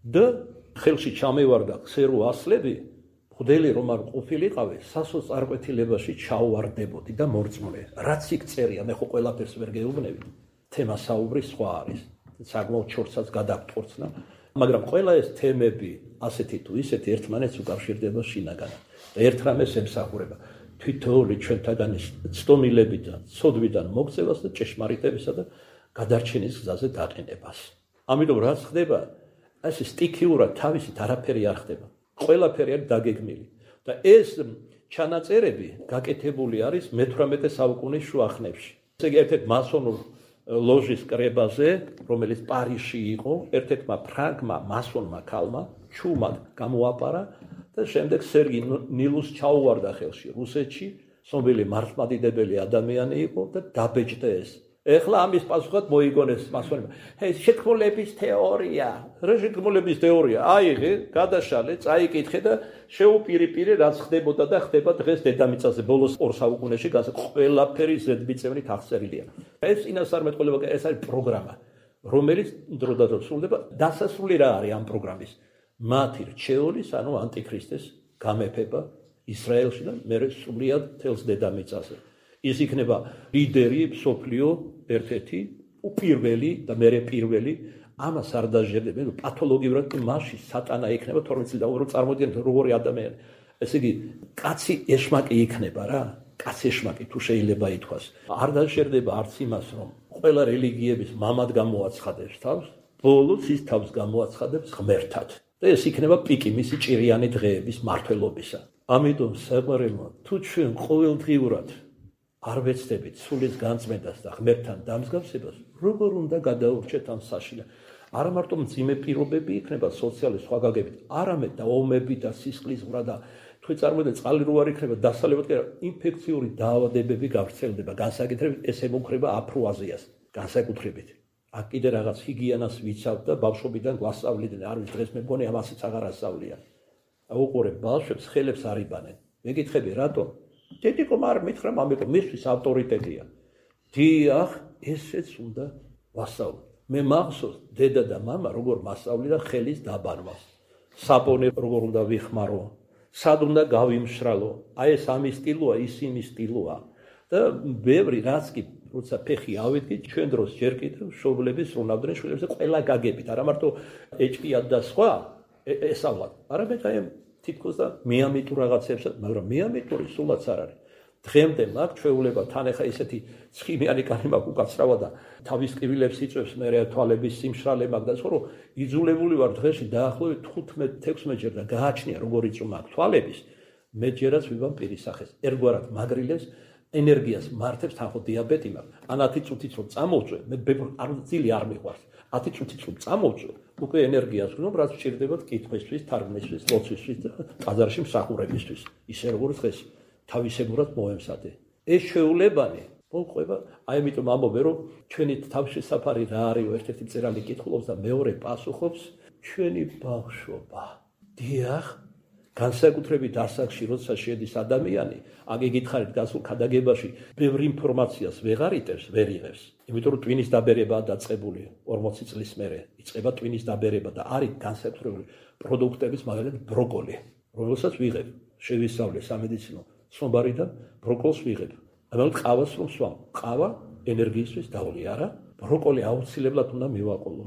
და ხელში ჩამევარდა ქსერო ასლები, მღვდელი რომ არ ყოფილიყავი, სასო წარკვეთილებაში ჩავვარდებოდი და მორწმუნე. რაც იქ წერია, მე ხო ყველაფერს ვერ გეუბნები. თემა საუბრის სხვა არის. საკმაოდ ჩორცაც გადაგტყორცნა, მაგრამ ყველა ეს თემები ასეთი თუ ისეთი ერთმანეთს უკავშირდება შინაგანად. და ერთ რამეს ემსახურება თითოეული ჩვენთაგანი ცდომილებიდან, ცოდვიდან მოქცევას და ჭეშმარიტებისა და გადარჩენის გზაზე დაყენებას. ამიტომ რაც ხდება, ეს სტიქიურად თავისით არაფერი არ ხდება. ყველაფერი არის დაგეგმილი. და ეს ჩანაწერები გაკეთებული არის მე-18 საუკუნის შუა ხნებში. ესე იგი ერთ-ერთ მასონურ ლოჟის კრებაზე, რომელიც პარიზში იყო, ერთ-ერთმა ფრანგმა მასონმა ქალმა ჩუმად გამოაპარა და შემდეგ სერგი ნილუს ჩაუვარდა ხელში რუსეთში, ცნობილი მართლმადიდებელი ადამიანი იყო და დაბეჭდა ეს. ეხლა ამის პასუხად მოიგონეს მასონებმა. შეთქმულების თეორია. რა შეთქმულების თეორია? აიღე, გადაშალე, წაიკითხე და შეუპირიპირე რაც ხდებოდა და ხდება დღეს დედამიწაზე ბოლოს 2 საუკუნეში ყველაფერი ზედმიწევნით აღწერილია. ეს წინასწარმეტყველება, ეს არის პროგრამა, რომელიც დროდადრო სრულდება. დასასრული რა არის ამ პროგრამის? მათი რჩეულის, ანუ ანტიქრისტეს გამეფება ისრაელში და მერე სრულიად თელს დედამიწაზე. ის იქნება ლიდერი, მსოფლიო ერთ-ერთი უპირველი და მერე პირველი, ამას არ დაჟერდებენ, პათოლოგიურად მასში სატანა იქნება 12 წელი და უბრალოდ წარმოდიდგენთ როგორი ადამიანი. ესე იგი, კაცი ეშმაკი იქნება რა, კაცი ეშმაკი თუ შეიძლება ითქვას. არ დაჟერდება არც იმას, რომ ყველა რელიგიების მამად გამოაცხადებს თავს, ბოლოს ის თავს გამოაცხადებს ღმერთად. და ეს იქნება პიკი მისი ჭირიანი დღეების მართლობისა. ამიტომ საყვარელო, თუ ჩვენ ყოველდღიურად არ ვეცდებით სულის განწმენდას და ღმერთთან დამსგავსებას, როგორ უნდა გადაურჩეთ ამ საშინელ? არა მარტო მძიმე პირობები იქნება სოციალური სხვა გაგებით, არამედ და ომები და სისხლისღვრა და თუ წარმოდეთ წყალი რო არ იქნება დასალევად კი ინფექციური დაავადებები გავრცელდება, განსაკუთრებით ეს ემუქრება აფრო-აზიას, განსაკუთრებით. აქ კიდე რაღაც ჰიგიენას ვიცავთ და ბავშვობიდან გვასწავლიდნენ, არ ვიცი დღეს მე მგონი ამასაც აღარ ასწავლიან. აუყურებ ბავშვებს, ხელებს არ იბანენ. მეკითხები რატომ? დედიკომ არ მითხრა, ამიტომ მისთვის ავტორიტეტია. დიახ, ესეც უნდა ვასწავლო. მე მახსოვს დედა და მამა როგორ მასწავლიდა ხელის დაბანვას. საპონე როგორ უნდა ვიხმარო, სად უნდა გავიმშრალო. აი ეს ამის სტილოა, ის იმის სტილოა. და ბევრი რაც კი როცა ფეხი ავიდგით, ჩვენ დროს ჯერ კიდევ მშობლები სრულავდნენ შვილებს და ყველა გაგებით, არა მარტო ეჭვია და სხვა ესწავლათ. არამედ აი თითქოს და მეამიტურ რაღაცებსაც, მაგრამ მეამიტური სულაც არ არის. დღემდე მაგ ჩვეულება თან ახლა ისეთი ცხიმიანი კანი მაქვს უკაცრავა და თავის ყივილებს იწვევს მე თვალების სიმშრალე მაქვს და სხვა რომ იძულებული ვარ დღეში დაახლოებით 15-16 ჯერ და გააჩნია როგორ იწვმა აქ თვალების, მე ჯერაც ვიბამ პირის სახეს. ერგვარად მაგრილებს ენერგიას მართებს თან ხო დიაბეტი მაქვს. ან 10 წუთიც რომ წამოვწვე, მე არ ძილი არ მიყვარს. 10 წუთიც რომ წამოვწვე, უკვე ენერგიას ვგნობ, რაც სჭირდებათ კითხვისთვის, თარგმნისთვის, ლოცვისთვის და ტაძარში მსახურებისთვის. ისე როგორც დღეს თავისებურად მოემსადე. ეს შეულებანი მოყვება, აი ამიტომ ამბობენ, რომ ჩვენი თავშესაფარი რა არისო, ერთ-ერთი მწერალი კითხულობს და მეორე პასუხობს, ჩვენი ბავშვობა. დიახ, განსაკუთრებით ასაკში, როცა შედის ადამიანი, აქ იგითხარით გასულ ქადაგებაში, ბევრ ინფორმაციას ვერ იღებს, იმიტომ რომ ტვინის დაბერებაა დაწყებული 40 წლის მერე, იწყება ტვინის დაბერება და არის განსაკუთრებული პროდუქტების, მაგალითად ბროკოლი, რომელსაც ვიღებ, შევისწავლე სამედიცინო ცნობარიდან ბროკოლს ვიღებ. მაგრამ ყავას რომ სვამ, ყავა ენერგიისთვის დავლი, არა? ბროკოლი აუცილებლად უნდა მივაყოლო.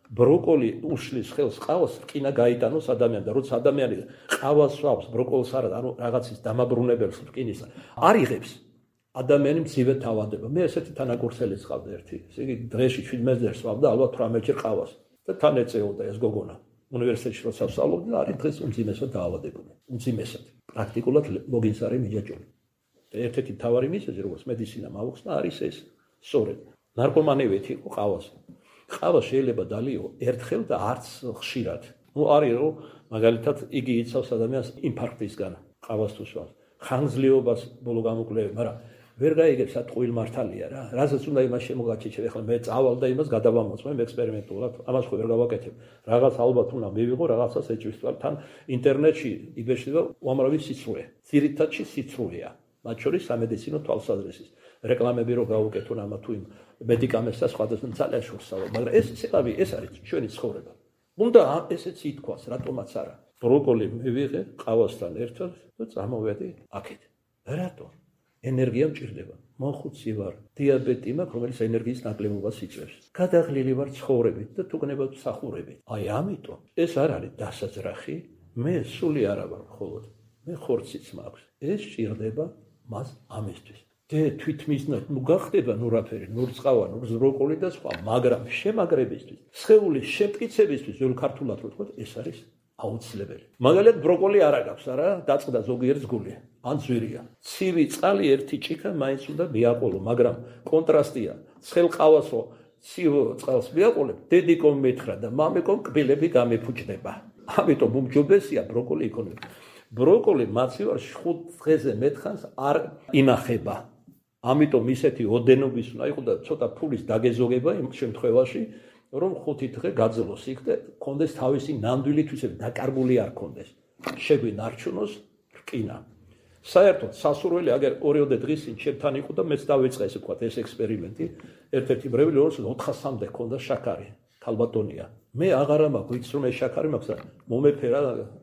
ბროკოლი უშლის ხელს ყავას რკინა გაიტანოს ადამიანს და როცა ადამიანი ყავას სვავს, ბროკოლს არა, ანუ რაღაცის დამაბრუნებელს რკინისა, არ იღებს. ადამიანი მძივე თავადება. მე ესეთი თანაკურსელი ხავდა ერთი. ესე იგი დღეში 17 სვავდა ალბათ 18-ჯერ ყავას და თან ეწეოდა ეს გოგონა. უნივერსიტეტში როცა ვსწავლობდი, არის დღეს უმძიმესად დაავადებული. უმძიმესად. პრაქტიკულად ლოგინს არის მიჯაჭვული. და ერთ-ერთი მთავარი მიზეზი, როგორც მედიცინამ აუხსნა, არის ეს. სწორედ. ნარკომანივეთი იყო ყავას. ყავა შეიძლება დალიო ერთხელ და არც ხშირად. არის რომ მაგალითად იგი იცავს ადამიანს ინფარქტისგან ყავას თუ სვავს. ხანგრძლივობას ბოლო გამოკვლევები, მაგრამ ვერ გაიგებს ატყუილ მართალია რა. რასაც უნდა იმას შემოგაჩეჩებ, ეხლა მე წავალ და იმას გადავამოწმე ექსპერიმენტულად, ამას ხო ვერ გავაკეთებ. რაღაც ალბათ უნდა მივიღო, რაღაცას ეჭვის თვალ. თან ინტერნეტში იბეჭდება უამრავი სიცრუე. ძირითადში სიცრუეა. მათ შორის სამედიცინო თვალსაზრისის. რეკლამები რო გავუკეთონ ამა თუ იმ მედიკამენტს და სხვადასხვა ძალიან შორსავა, მაგრამ ეს ცეკვავი ეს არის ჩვენი ცხოვრება. უნდა ესეც ითქვას, რატომაც არა. ბროკოლი მივიღე ყავასთან ერთად და წამოვედი აქეთ. რატო? ენერგია მჭირდება. მოხუცი ვარ, დიაბეტი მაქვს, რომელიც ენერგიის ნაკლებობას იწვევს. გადაღლილი ვარ ცხოვრებით და თუგნებად მსახურებით. აი ამიტომ ეს არ არის დასაძრახი, მე სული არა ვარ მხოლოდ. მე ხორციც მაქვს. ეს ჭირდება მას ამისთვის. და თვითმიზნად ნუ გახდება ნუ რაფერი, ნუ რწყავა, ნუ ბროკოლი და სხვა, მაგრამ შემაგრებისთვის, სხეულის შემტკიცებისთვის, ძველ ქართულად რო თქვათ, ეს არის აუცილებელი. მაგალითად ბროკოლი არა გაქვს, არა, დაწყდა ზოგიერთ გული, ან ძვირია. ცივი წყალი ერთი ჭიქა მაინც უნდა მიაყოლო, მაგრამ კონტრასტია. ცხელ ყავას რო ცივ წყალს მიაყოლებ, დედიკომ მეთხრა და მამიკომ კბილები გამეფუჭდება. ამიტომ უმჯობესია ბროკოლი იქონებოდა. ბროკოლი მაცივარში 5 დღეზე მეტხანს არ ინახება. ამიტომ ისეთი ოდენობის უნდა იყოს და ცოტა ფულის დაგეზოგება იმ შემთხვევაში, რომ 5 დღე გაძლოს იქ და კონდეს თავისი ნამდვილი თვისება, დაკარგული არ კონდეს. შეგვინარჩუნოს რკინა. საერთოდ სასურველი აგერ 2 დღის წინ ჩემთან იყო და მეც დავიწყე ესე ვთქვათ ეს ექსპერიმენტი. ერთ-ერთი მრევლი რომელსაც 400-მდე ჰქონდა შაქარი, ქალბატონია. მე აღარა მაქვს, ვიცი რომ ეს შაქარი მაქვს და მომეფერა,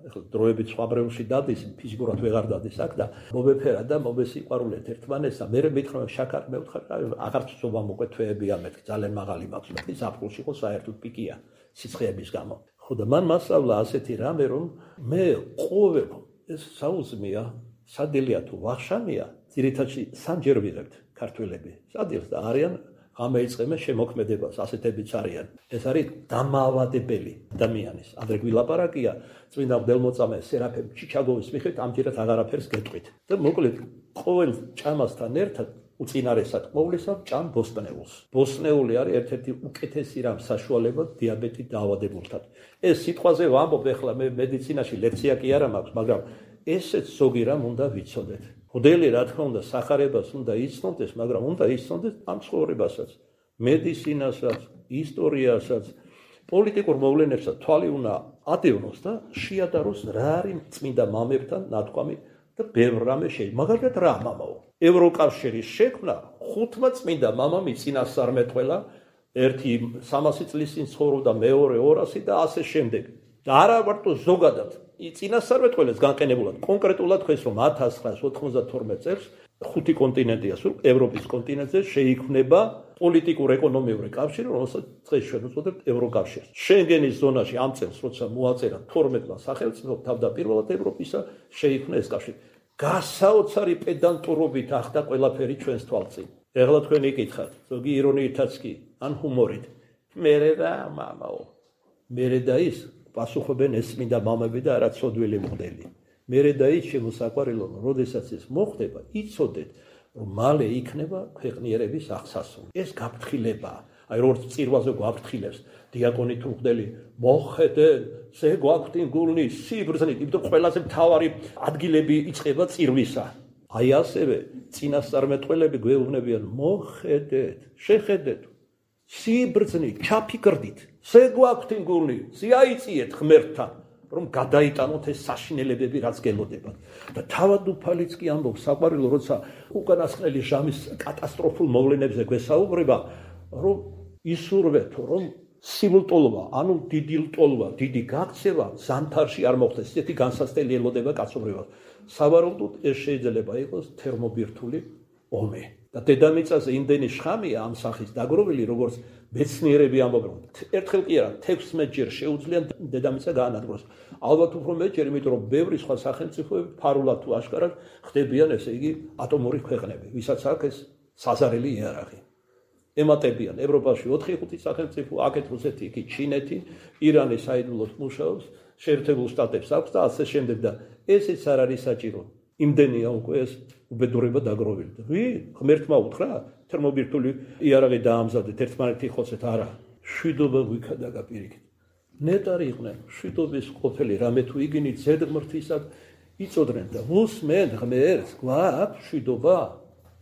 ეხლა დროებით სხვა ბრევლში დადის, ფიზიკურად ვეღარ დადის აქ და მომეფერა და მომესიყვარულეთ ერთმანეთს და მე მითხრა შაქარი მე ვთხარ, აღარ ცობა მოყვე თვეები ამეთქი, ძალიან მაღალი მაქვს, მაგრამ ზაფხულში ხო საერთოდ პიკია სიცხეების გამო. ხო და მან მასწავლა ასეთი რამე, რომ მე ყოველ ეს საუზმეა, სადელია თუ ვახშამია, ძირითადში სამჯერ ვიღებთ ქართველები. სადილს და არიან ამეიწყება შემოქმედებას, ასეთებიც არიან. ეს არის დამაავადებელი ადამიანის. ადრე გვილაპარაკია წმინდა მღვდელმოწამე სერაფიმ ჩიჩაგოვის მიხედვით ამჯერად აღარაფერს გეტყვით. და მოკლედ ყოველ ჭამასთან ერთად უწინარესად ყოვლისა ჭამ ბოსტნეულს. ბოსტნეული არის ერთ-ერთი უკეთესი რამ საშუალება დიაბეტით დაავადებულთან. ეს სიტყვაზე ვამბობ ეხლა მე მედიცინაში ლექცია კი არა მაქვს, მაგრამ ესეც ზოგი რამ უნდა ვიცოდეთ. მოდელი რა თქმა უნდა სახარებას უნდა იცნობდეს, მაგრამ უნდა იცნობდეს ამ ცხოვრებასაც, მედიცინასაც, ისტორიასაც, პოლიტიკურ მოვლენებსაც თვალი უნდა ადევნოს და შეადაროს რა არის წმინდა მამებთან ნათქვამი და ბევრ რამე შეიძლება. მაგალითად რა მამაო? ევროკავშირის შექმნა 5 წმინდა მამამ იწინასწარმეტყველა, ერთი 300 წლის წინ ცხოვრობდა, მეორე 200 და ასე შემდეგ. და არა მარტო ზოგადად წინასწარმეტყველებს განყენებულად კონკრეტულად ხეს რომ 1992 წელს 5 კონტინენტია სულ ევროპის კონტინენტზე შეიქმნება პოლიტიკურ-ეკონომიური კავშირი, რომელსაც დღეს ჩვენ უწოდებთ ევროკავშირს. შენგენის ზონაში ამ წელს როცა მოაწერა 12-მა სახელმწიფომ თავდაპირველად ევროპისა შეიქმნა ეს კავშირი. გასაოცარი პედანტურობით ახდა ყველაფერი ჩვენს თვალწინ. ეხლა თქვენ იკითხათ, ზოგი ირონიითაც კი, ან ჰუმორით. მერე რა მამაო? მერე და ის პასუხობენ ეს წმინდა მამები და არა ცოდვილი მღვდელი. მერე და ის შემოსაყვარელო, როდესაც ეს მოხდება, იცოდეთ, რომ მალე იქნება ქვეყნიერების აღსასრული. ეს გაფრთხილებაა. აი როგორც წირვაზე გვაფრთხილებს დიაკონი თუ მღვდელი, მოხედენ, ზე გვაქვთ გულნი სიბრძნით, იმიტომ ყველაზე მთავარი ადგილები იწყება წირვისა. აი ასევე წინასწარმეტყველები გვეუბნებიან, მოხედეთ, შეხედეთ, სიბრძნით, ჩაფიქრდით, ზე გვაქვთ გულნი, ზიაიწიეთ ღმერთთან, რომ გადაიტანოთ ეს საშინელებები, რაც გელოდებათ. და თავად უფალიც კი ამბობს საყვარელო, როცა უკანასკნელი ჟამის კატასტროფულ მოვლენებზე გვესაუბრება, რომ ისურვეთო, რომ სიულტოლობა, ანუ დიდი ლტოლვა, დიდი გაქცევა ზამთარში არ მოხდეს. ესეთი განსაცდელი ელოდება კაცობრიობას. სავარაუდოდ ეს შეიძლება იყოს თერმობირთული ომი. და დედამიწაზე იმდენი შხამია ამ სახის დაგროვილი, როგორც მეცნიერები ამბობენ. ერთხელ კი არა, 16 ჯერ შეუძლია დედამიწა გაანადგუროს. ალბათ უფრო მეტჯერ, იმიტომ რომ ბევრი სხვა სახელმწიფოები ფარულად თუ აშკარად ხდებიან, ესე იგი, ატომური ქვეყნები, ვისაც აქვს ეს საზარელი იარაღი. ემატებიან ევროპაში 4-5 სახელმწიფო, აქეთ რუსეთი, იქ ჩინეთი, ირანი საიდუმლოდ მუშაობს, შეერთებულ შტატებს აქვს და ასე შემდეგ და ესეც არ არის საჭირო. იმდენია უკვე ეს უბედურება დაგროვილი. ღმერთმა უთხრა, თერმობირთული იარაღი დაამზადეთ, ერთმანეთი ხოცეთ, არა. შვიდობა გვიქადაგა პირიქით. ნეტარი იყვნენ, შვიდობის ყოფილი რამე თუ იგინით ზედღმრთისად იწოდნენ და უსმენ ღმერთს, გვაქვს შვიდობა?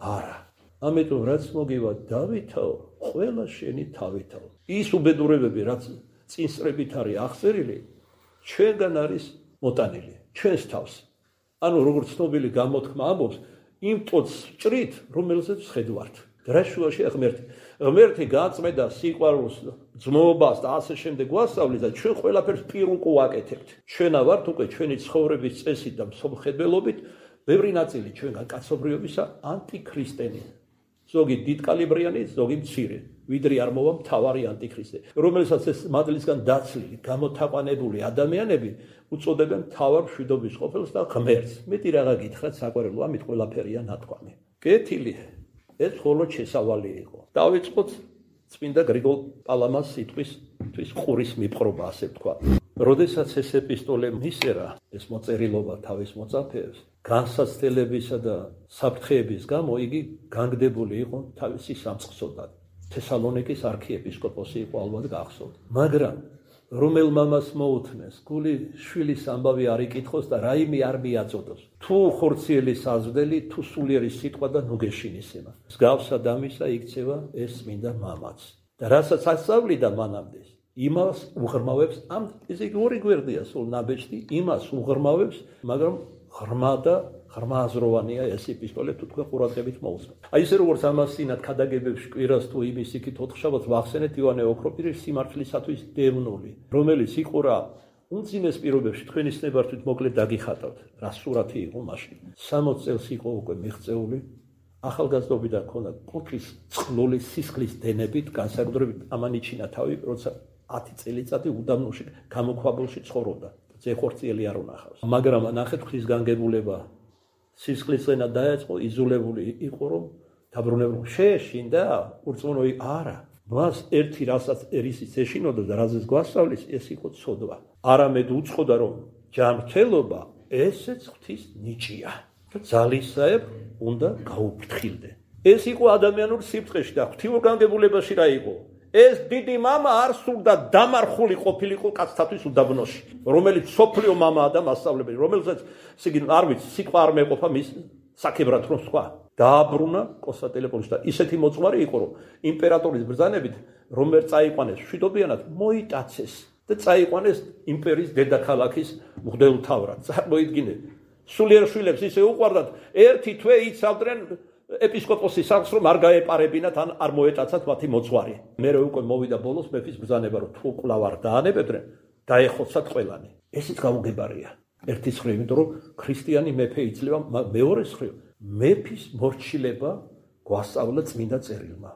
არა. ამიტომ რაც მოგივა დავითაო, ყველა შენი თავითაო. ის უბედურებები, რაც წინსწრებით არის აღწერილი, ჩვენგან არის მოტანილი, ჩვენს თავს. ანუ როგორც ცნობილი გამოთქმა ამბობს, იმ ტოტს ჭრით, რომელზეც ვხედავთ. რა შუაშია ღმერთი? ღმერთი გაწმენდა სიყვარულს, ძმობას და ასე შემდეგ გვასწავლის და ჩვენ ყველაფერს პირუკ ვაკეთებთ. ჩვენა ვართ უკვე ჩვენი ცხოვრების წესით და მსოფლმხედველობით, ბევრი ნაწილი ჩვენგან კაცობრიობისა ანტიქრისტენი. ზოგი დიდკალიბრიანი, ზოგი მცირე. ვიდრე არ მოვა მთავარი ანტიქრისტე, რომელსაც ეს მადლისგან დაცლილი, გამოთაყვანებული ადამიანები უწოდებენ მთავარ მშვიდობის ყოფილს და ღმერთს. მეტი რაღა გითხრათ საყვარელო, ამით ყველაფერია ნათქვამი. კეთილი, ეს მხოლოდ შესავალი იყო. დავიწყოთ წმინდა გრიგოლ პალამას სიტყვის ყურის მიპყრობა, ასე ვთქვა. როდესაც ეს ეპისტოლე მისერა, ეს მოწერილობა თავის მოწაფეებს, განსაცდელებისა და საფრთხეების გამო იგი განგდებული იყო თავისი სამწყსოდან. თესალონიკის არქიეპისკოპოსი იყო ალბათ გახსოვთ. მაგრამ რომელ მამას მოუთმეს, გული შვილის ამბავი არ იკითხოს და რაიმე არ მიაწოდოს. თუ ხორციელი საზრდელი, თუ სულიერი სიტყვა და ნუგეშინისება. მსგავსად ამისა იქცევა ეს წმინდა მამაც. და რასაც ასწავლიდა მანამდე, იმას უღრმავებს, ამ ესე იგი ორი გვერდია სულ ნაბეჭდი, იმას უღრმავებს, მაგრამ ღრმა და ღრმააზროვანია ეს ეპისტოლე თუ თქვენ ყურადღებით მოусმენთ. აი ესე როგორც ამას წინათ ქადაგებებში კვირას თუ იმის იქით ოთხშაბათს ვახსენეთ ივანე ოქროპირის სიმართლისათვის დევნული, რომელიც იყურა უმძიმეს პირობებში თქვენის ნებართვით მოკლედ დაგიხატავთ, რა სურათი იყო მაშინ. 60 წელს იყო უკვე მიღწეული, ახალგაზრდობიდან ქონდა კუთრის წყლული სისხლის დენებით, განსაკუთრებით ამანიჩინა თავი, როცა 10 წელიწადი უდაბნოში გამოქვაბულში ცხოვრობდა. ზეხორციელი არ უნახავს. მაგრამ ნახეთ ხის განგებულება სისხლისენა დაეწყო, იზოლებული იყო, რომ დაბრუნებულ შეეშინდა, ურწმუნოი არა. მას ერთი რასაც ერისიც ეშინოდა და რაზეც გვასწავლის, ეს იყო ცოდვა. არამედ უწყოდა, რომ ჯანმრთელობა ესეც ღვთის ნიჭია. ძალისაებ უნდა გაუფრთხილდე. ეს იყო ადამიანურ სიფრთხეში და ღვთიურ განგებულებაში რა იყო? ეს დიდი მამა არ სურდა დამარხული ყოფილიყო კაცთათვის უდაბნოში, რომელიც სოფლიო მამაა და მასწავლებელი, რომელსაც არ ვიცი, სიტყვა არ მეყოფა მის საკებრად რომ სხვა. დააბრუნა კონსტანტინოპოლში და ისეთი მოწვარი იყო, რომ იმპერატორის ბრძანებით რომ ვერ წაიყვანეს მშვიდობიანად, მოიტაცეს და წაიყვანეს იმპერიის დედაქალაქის მღვდელმთავრად. წარმოიდგინეთ, სულიერ შვილებს ისე უყვარდათ, ერთი თვე იცავდნენ ეპისკოპოსის სახლს, რომ არ გაეპარებინათ ან არ მოეტაცათ მათი მოწვარი. მერე უკვე მოვიდა ბოლოს მეფის ბრძანება, რომ თუ კვლავ არ დაანებებდნენ, დაეხოცათ ყველანი. ესიც გაუგებარია. ერთი მხრივ, იმიტომ რომ ქრისტიანი მეფე იძლევა, მეორე მხრივ, მეფის მორჩილება გვასწავლა წმინდა წერილმა.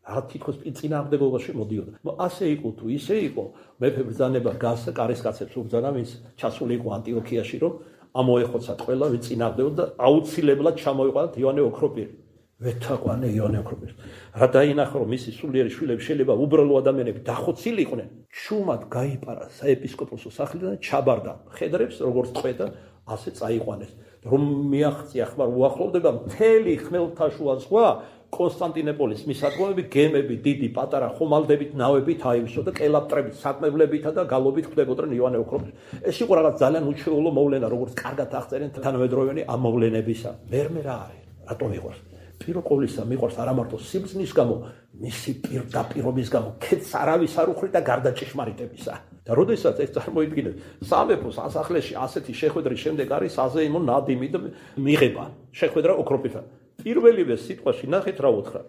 რა თითქოს წინააღმდეგობაში მოდიოდა. ასე იყო თუ ისე იყო, მეფე ბრძანება გასცა კარისკაცებს უბრძანა, ვინც ჩასული იყო ანტიოქიაში, რომ ამოეხოცათ ყველა, ვინც წინააღმდეგებდა და აუცილებლად ჩამოიყვანათ ივანე ოქროპირი. ვეთაყვანე ივანე ოქროპირის. რა დაინახა, რომ მისი სულიერი შვილები შეიძლება უბრალო ადამიანები დახოცილიყვნენ, ჩუმად გაიპარა საეპისკოპოსო სახლიდან და ჩაბარდა მხედრებს, როგორც წვედა, ასე წაიყვანეს. რომ მიაღწია ხმარ უახლოვდება მთელი ხმელთაშუა ზღვა, კონსტანტინოპოლის მისადგომები, გემები, დიდი, პატარა ხომალდებით, ნავებით აივსო და კელაპტრებით, საკმებლებითა და გალობით ხდებოდნენ ივანე ოქროპირის. ეს იყო რაღაც ძალიან უჩვეულო მოვლენა, როგორც კარგად აღწერენ თანამედროვენი ამ მოვლენებისა. მერმე რა არის? რატომ იყოს? პირველ ყოვლისა მიყვარს არა მარტო სიბრძნის გამო, მისი პირდაპირობის გამო, ქეთს არავის არ უხრით და გარდა ჭეშმარიტებისა. და როდესაც ეს წარმოიდგინეთ, სამეფოს ასახლეში ასეთი შეხვედრის შემდეგ არის აზეიმო ნადიმი და მიღება, შეხვედრა ოქროპირთან. პირველივე სიტყვაში ნახეთ რა უთხრა.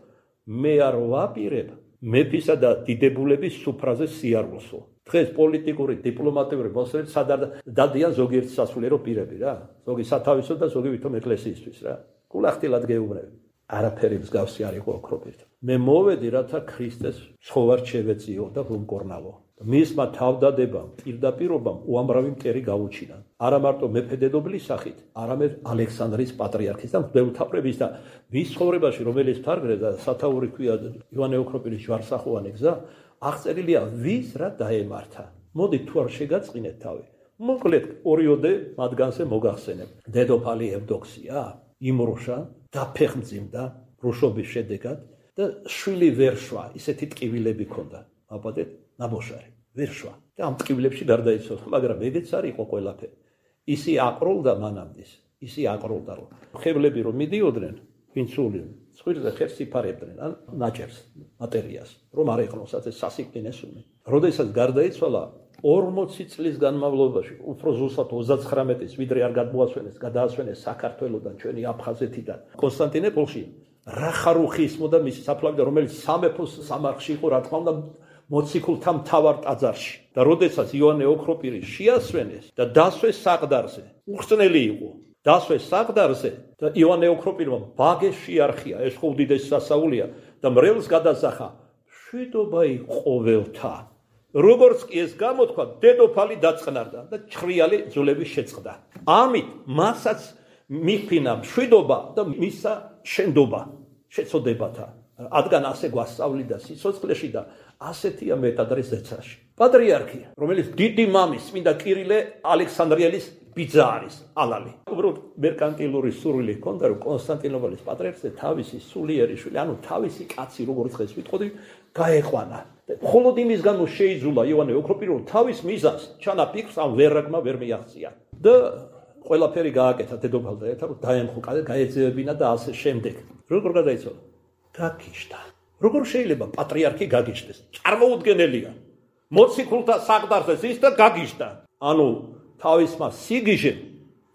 მე არ ვაპირებ მეფისა და დიდებულების სუფრაზე სიარულსო. დღეს პოლიტიკური, დიპლომატიური მოსვლები სადარ დადიან ზოგიერთი სასულიერო პირები რა. ზოგი სათავისო და ზოგი ვითომ ეკლესიისთვის რა. გულახდილად გეუბნები. არაფერი მსგავსი არ იყო ოქროპირთან. მე მოვედი რათა ქრისტეს ცხოვარ შევეწიო და ვუმკორნავო. მისმა თავდადებამ, პირდაპირობამ უამრავი მტერი გაუჩინა. არა მარტო მეფე-დედობლის სახით, არამედ ალექსანდრიის პატრიარქის და მღვდელმთავრების და მის ცხოვრებაში, რომელიც თარგმნეს და სათაური ქვია ივანე ოქროპირის ჯვარსახოვანი გზა, აღწერილია ვის რა დაემართა. მოდით თუ არ შეგაწყინეთ თავი. მოკლედ ორიოდე მათგანზე მოგახსენებ. დედოფალი ევდოქსია იმრუშა დაფეხმძიმდა რუშობის შედეგად და შვილი ვერ შვა, ისეთი ტკივილები ჰქონდა. აბადეთ ნაბოშარი ვერ შვა და ამ ტკივილებში გარდაიცვალა, მაგრამ ეგეც არ იყო ყველაფერი. ისი აყროლდა მანამდის, ისი აყროლდა რომ ხებლები რომ მიდიოდნენ, ვინც სული ცხვირზე ხერს იფარებდნენ, ან ნაჭერს, მატერიას, რომ არ ეყნოსათ ეს სასიკვდინე სული. როდესაც გარდაიცვალა 40 წლის განმავლობაში, უფრო ზუსტად 39-ის, ვიდრე არ გადაასვენეს საქართველოდან, ჩვენი აფხაზეთიდან, კონსტანტინოპოლში, რახარუხი ისმოდა მისი საფლავი, რომელიც სამეფოს სამარხში იყო, რა თქმა უნდა, მოციქულთა მთავარ ტაძარში. და როდესაც ივანე ოქროპირი შეასვენეს და დასვეს საყდარზე, უხსნელი იყო. დასვეს საყდარზე და ივანე ოქროპირმა ბაგე შეარხია, ეს ხო უდიდესი სასაულია და მრევლს გადასახა. მშვიდობა იყვოველთა. როგორც კი ეს გამოთქვა, დედოფალი დაწყნარდა და ჩხრიალი ძულები შეწყდა. ამით მასაც მიფინა მშვიდობა და მისა შენდობა შეწოდებათა. რადგან ასე გვასწავლიდა სიცოცხლეში და ასეთია მეტადრე ზეცაში. პატრიარქი, რომელიც დიდი მამის წმინდა კირილე ალექსანდრიელის ბიძა არის, ალალი. უბრალოდ მერკანტილური სურვილი ჰქონდა, რომ კონსტანტინოპოლის პატრიარქზე თავისი სულიერი შვილი, ანუ თავისი კაცი, როგორც ხეს ვიტყოდი, გაეყვანა. მხოლოდ იმის გამო შეიძულა ივანე ოქროპირი, რომ თავის მიზანს, ჩანაფიქრს ამ ვერაგმა ვერ მიაღწია. და ყველაფერი გააკეთა დედოფალთან ერთად, რომ დაემხო, გაეძევებინა და ასე შემდეგ. როგორ გადაიცვალა? გაგიჟდა. როგორ შეიძლება პატრიარქი გაგიჟდეს? წარმოუდგენელია. მოციქულთა საყდარზე ზის და გაგიჟდა. ანუ თავისმა სიგიჟემ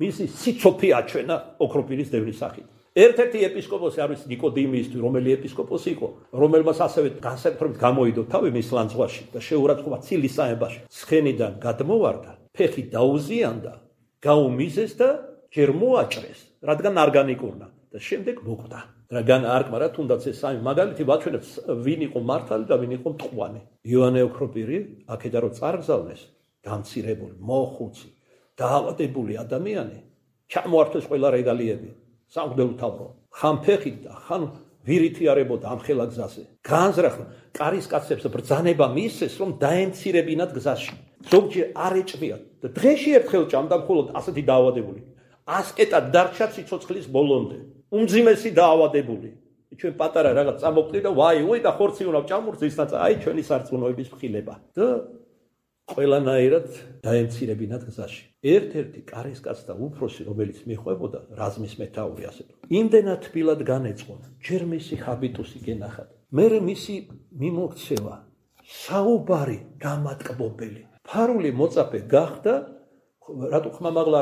მისი სიცოფი აჩვენა ოქროპირის დევნის სახით. ერთ-ერთი ეპისკოპოსი არის ნიკოდიმიისთვის, რომელი ეპისკოპოსი იყო, რომელმაც ასევე განსაკუთრებით გამოიდო თავი მის ლანძღვაში და შეურაცხყოფა ცილის საემბაში. ცხენიდან გადმოვარდა, ფეხი დაუზიანდა, გაუმიზეს და ჯერ მოაჭრეს, რადგან არ განიკურნა და შემდეგ მოკვდა. რადგან არ კმარა, თუნდაც ეს სამი მაგალითი ვაჩვენებს, ვინ იყო მართალი და ვინ იყო მტყვანი. ივანე ოქროპირი აქედან რომ წარგზავნეს, დამცირებული, მოხუცი, დაავადებული ადამიანი, ჩამოართვეს ყველა რეგალიები. სამღვდელმთავრო, ხან ფეხით და ხან ვირითი არებოდა ამ ხელა გზაზე. განზრახა კარისკაცებს ბრძანება მისცეს, რომ დაემცირებინათ გზაში. ზოგჯერ არ ეჭვიათ და დღეში ერთხელ ჭამდა მხოლოდ ასეთი დაავადებული. ასკეტად დარჩა სიცოცხლის ბოლომდე. უმძიმესი დაავადებული. ჩვენ პატარა რაღაც წამოკვდი და ვაი და ხორცი უნდა ჭამურს ისნაცა, აი ჩვენი სარწმუნოების მხილება. და ყველანაირად დაემცირებინათ გზაში. ერთ-ერთი კარისკაც და უფროსი, რომელიც მიხვებოდა რაზმის მეთაური ასე. იმდენად თბილად განეწყონა, ჯერ მისი ჰაბიტუსი გენახათ. მერე მისი მიმოქცევა, საუბარი დამატკბობელი. ფარული მოწაფე გახდა, რატო ხმამაღლა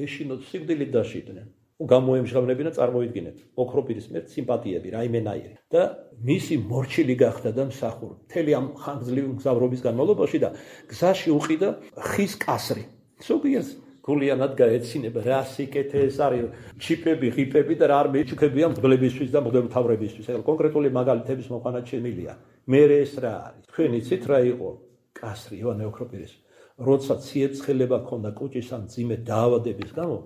ეშინოთ სიკვდილით დაშიდნენ. გამოემჟღავნებინა, წარმოიდგინეთ, ოქროპირის მიერ სიმპათიები, რაიმენაირი და მისი მორჩილი გახდა და მსახური. მთელი ამ ხანგრძლივი მგზავრობის განმავლობაში და გზაში უყიდა ხის კასრი. ზოგიერთს გულიანად გაეცინება, რა სიკეთე ეს არის, ჩიპები, ღიპები და რა არ მეჩუქებია მგლებისთვის და მგლებმთავრებისთვის. ეგ კონკრეტული მაგალითების მოყვანა შემილია. მე ეს რა არის? თქვენ იცით რა იყო კასრი ივანე ოქროპირის? როცა ციებცხელება ჰქონდა კუჭის ან მძიმე დაავადების გამო,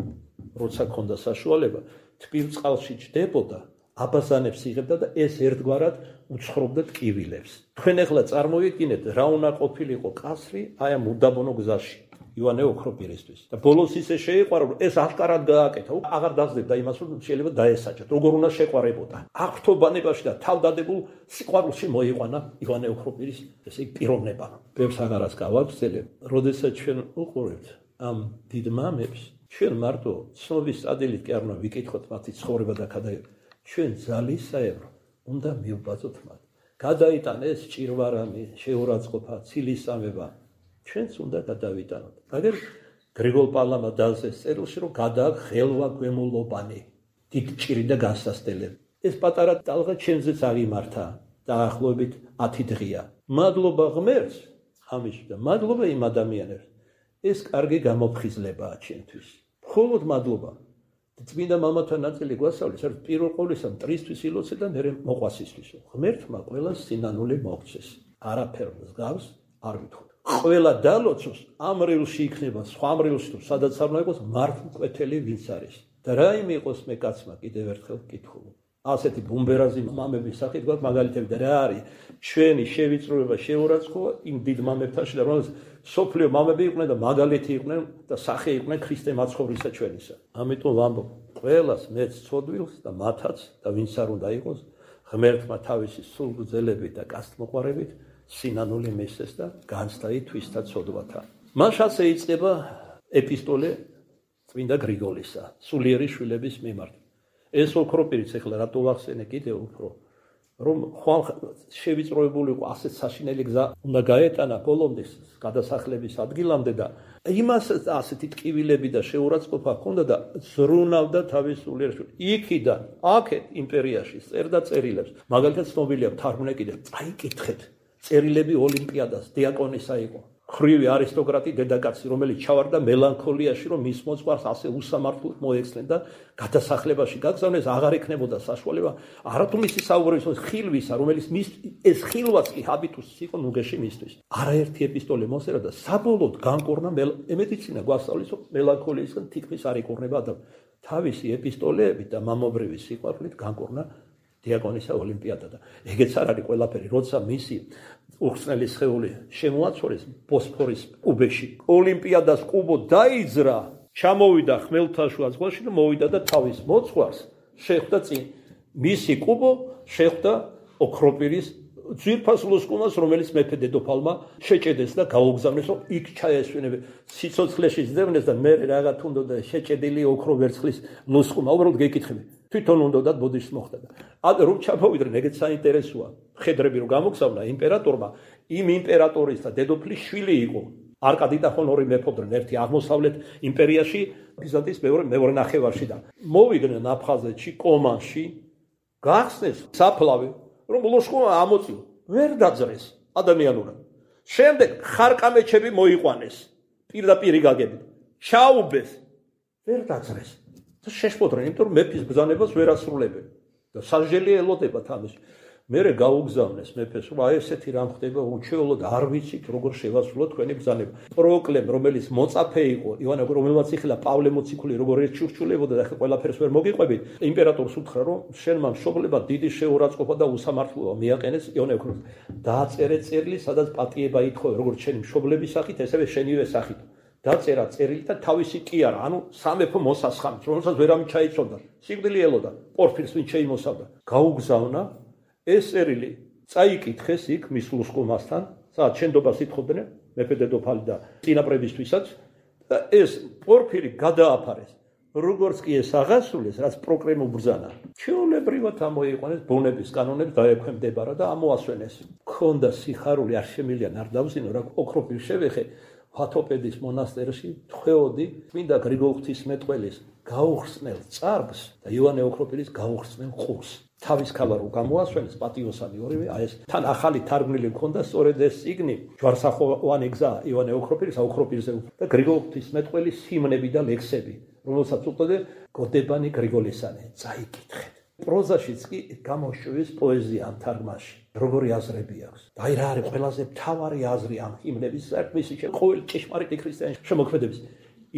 როცა ჰქონდა საშუალება, თბილ წყალში ჯდებოდა, აბაზანებს იღებდა და ეს ერთგვარად უცხრობდა ტკივილებს. თქვენ ახლა წარმოიდგინეთ, რა უნდა ყოფილიყო კასრი აი ამ უდაბნო გზაში. ივანე ოქროპირისთვის. და ბოლოს ისე შეიყვარა, რომ ეს აშკარად გააკეთა, აღარ დაძლებდა იმას, რომ შეიძლება დაესაჯათ, როგორ უნდა შეყვარებოდა. აღთობანებაში და თავდადებულ სიყვარულში მოიყვანა ივანე ოქროპირის ესე პიროვნება. ბევრს აღარას გავაგრძელებ, როდესაც ჩვენ უყურებთ ამ დიდ მამებს, ჩვენ მარტო ცნობის ადილით კი არ უნდა ვიკითხოთ მათი ცხოვრება და ჩვენ ძალისაებრ უნდა მივბაძოთ მათ. გადაიტანეს ჭირვარამი, შეურაცხყოფა, ცილისამება. ჩვენც უნდა გადავიტანოთ. მაგერ გრიგოლ პალამა დალს ეს წერილში რომ გადააქვს ხელვა გვემულობანი, დიდ ჭირი და განსასწრებელი. ეს პატარა ტალღა ჩვენზეც აღიმართა. დაახლოებით 10 დღეა. მადლობა ღმერთს ამის და მადლობა იმ ადამიანებს. ეს კარგი გამოფხიზლებაა ჩვენთვის. მხოლოდ მადლობა. წმინდა მამათა ნაწილი გვასწავლის, რომ პირველ ყოვლისა მტრისთვის ილოცე და მერე მოყვასისთვისო. ღმერთმა ყველას სინანული მოგვცეს. არაფერ მსგავს არ ვითხოვთ. ყველა დალოცოს ამ რილში იქნება, სხვა რილში თუ სადაც არ უნდა იყოს მართლმკვეთელი ვინც არის. და რაიმე იყოს მე კაცმა კიდევ ერთხელ ვკითხულობ. ასეთი ბუმბერაზი მამების სახით გვაქვს მაგალითები და რა არის ჩვენი შევიწროება შეურაცხყოფა იმ დიდ მამებთანში და რომელსაც სოფლიო მამები იყვნენ და მაგალითი იყვნენ და სახე იყვნენ ქრისტე მაცხოვრისა ჩვენისა. ამიტომ ვამბობ ყველას მეც ცოდვილს და მათაც და ვინც არ უნდა იყოს ღმერთმა თავისი სულგრძელებით და კასტმოყვარებით სინანული მისცეს და განცდა თვისთა ცოდვათა. მას ასე იწყება ეპისტოლე წმინდა გრიგოლისა სულიერი შვილების მიმართ. ეს ოქროპირიც ეხლა რატო ვახსენე კიდევ უფრო რომ ხვალ შევიწროებული იყო ასეთ საშინელი გზა უნდა გაეტანა ბოლომდე გადასახლების ადგილამდე და იმას ასეთი ტკივილები და შეურაცხყოფა ჰქონდა და ზრუნავდა თავის სულიერ შვილს. იქიდან აქეთ იმპერიაში წერდა წერილებს. მაგალითად ცნობილია თარგმნე კიდევ წაიკითხეთ წერილები ოლიმპიადას დიაკონისა იყო. ხრივი არისტოკრატი დედაკაცი რომელიც ჩავარდა მელანქოლიაში რომ მის მოძღვარს ასე უსამართლოდ მოექცნენ და გადასახლებაში გაგზავნეს აღარ ექნებოდა საშუალება არათუ მისი საუბრისო ხილვისა რომელიც ეს ხილვაც კი ჰაბიტუსი იყო ნუგეში მისთვის. არაერთი ეპისტოლე მოსერა და საბოლოოდ განკურნა მედიცინა გვასწავლის რომ მელანქოლიისგან თითქმის არ იკურნება და თავისი ეპისტოლეები და მამობრივი სიყვარულით განკურნა დიაკონისა ოლიმპიადა და ეგეც არ არის ყველაფერი როცა მისი უხსნელი სხეული შემოაცურეს ბოსფორის უბეში ოლიმპიადას კუბო დაიძრა ჩამოვიდა ხმელთაშუა ზღვაში და მოვიდა და თავის მოძღვარს შეხვდა წინ მისი კუბო შეხვდა ოქროპირის ძვირფას ლუსკუნას რომელიც მეფე დედოფალმა შეჭედეს და გაუგზავნეს რომ იქ ჩაესვენებენ სიცოცხლეში ზდევნეს და მე რაღაც უნდა შეჭედილი ოქრო ვერცხლის ლუსკუნა უბრალოდ გეკითხები თვითონ უნდა ბოდიშს მოხდა და რომ ჩამოვიდნენ ეგეც საინტერესოა ხედრები რომ გამოგზავნა იმპერატორმა იმ იმპერატორის და დედოფლის შვილი იყო არკადი და ხონორი მეფობდნენ ერთი აღმოსავლეთ იმპერიაში ბიზანტიის მეორე ნახევარში და მოვიდნენ აფხაზეთში კომანში გახსნეს საფლავი რომ ლოშკონა ამოწიო ვერ დაძრეს ადამიანურად შემდეგ ხარკამეჩები მოიყვანეს პირდაპირ გაგებით ჩაუბეს ვერ დაძრეს და შეშფოთდნენ იმიტომ რომ მეფის ბრძანებას ვერ ასრულებენ და სასჯელი ელოდებათ ამის მერე გაუგზავნეს მეფეს რომ აი ესეთი რამ ხდება უჩვეულოდ არ ვიცით როგორ შევასრულოთ თქვენი ბრძანება პროკლემ რომელიც მოწაფე იყო ივანე რომელმაც იხილა პავლე მოციქული როგორ ეჩურჩულებოდა და ყველაფერს ვერ მოგიყვებით იმპერატორს უთხრა რომ შენმა მშობლებმა დიდი შეურაცხყოფა და უსამართლობა მიაყენეს ივანე დააწერე წერილი სადაც პატიება ითხოვე როგორც შენი მშობლების სახით ესევე შენივე სახით დაწერა წერილი და თავისი კი არა ანუ სამეფო მოსასხამს რომელსაც ვერავინ ჩაიცოდა სიკვდილი ელოდა პორფირს ვინ შეიმოსავდა გაუგზავნა ეს წერილი წაიკითხეს იქ მის ლუსკუმასთან სადაც შენდობას ითხოვდნენ მეფე დედოფალი და წინაპრებისთვისაც და ეს პორფირი გადააფარეს როგორც კი ეს აღასრულეს რაც პროკლემ უბრძანა ჩვეულებრივად ამოიყვანეს ბუნების კანონებს დაექვემდებარა და ამოასვენეს ქონდა სიხარული არ შემილიან არ დავზინო რა ოქროპირ შევეხე ფათოპედის მონასტერში თხოვდი წმინდა გრიგოლ ღვთისმეტყველის გაუხსნელ წარბს და ივანე ოქროპირის გაუხსნელ ყურს თავის ქალა რო გამოასვენეს პატიოსანი ორივე აი ეს თან ახალი თარგმნილი მქონდა სწორედ ეს წიგნი ჯვარსახოვანი გზა ივანე ოქროპირის აოქროპირზე და გრიგოლ ღვთისმეტყველის ჰიმნები და ლექსები რომელსაც უწოდე გოდებანი გრიგოლისანი წაიკითხეთ პროზაშიც კი გამოშვეს პოეზია ამ თარგმანში როგორი აზრები აქვს და აი რა არის ყველაზე მთავარი აზრი ამ ჰიმნების საერთმისი ყოველ ჭეშმარიტი ქრისტიანის შემოქმედების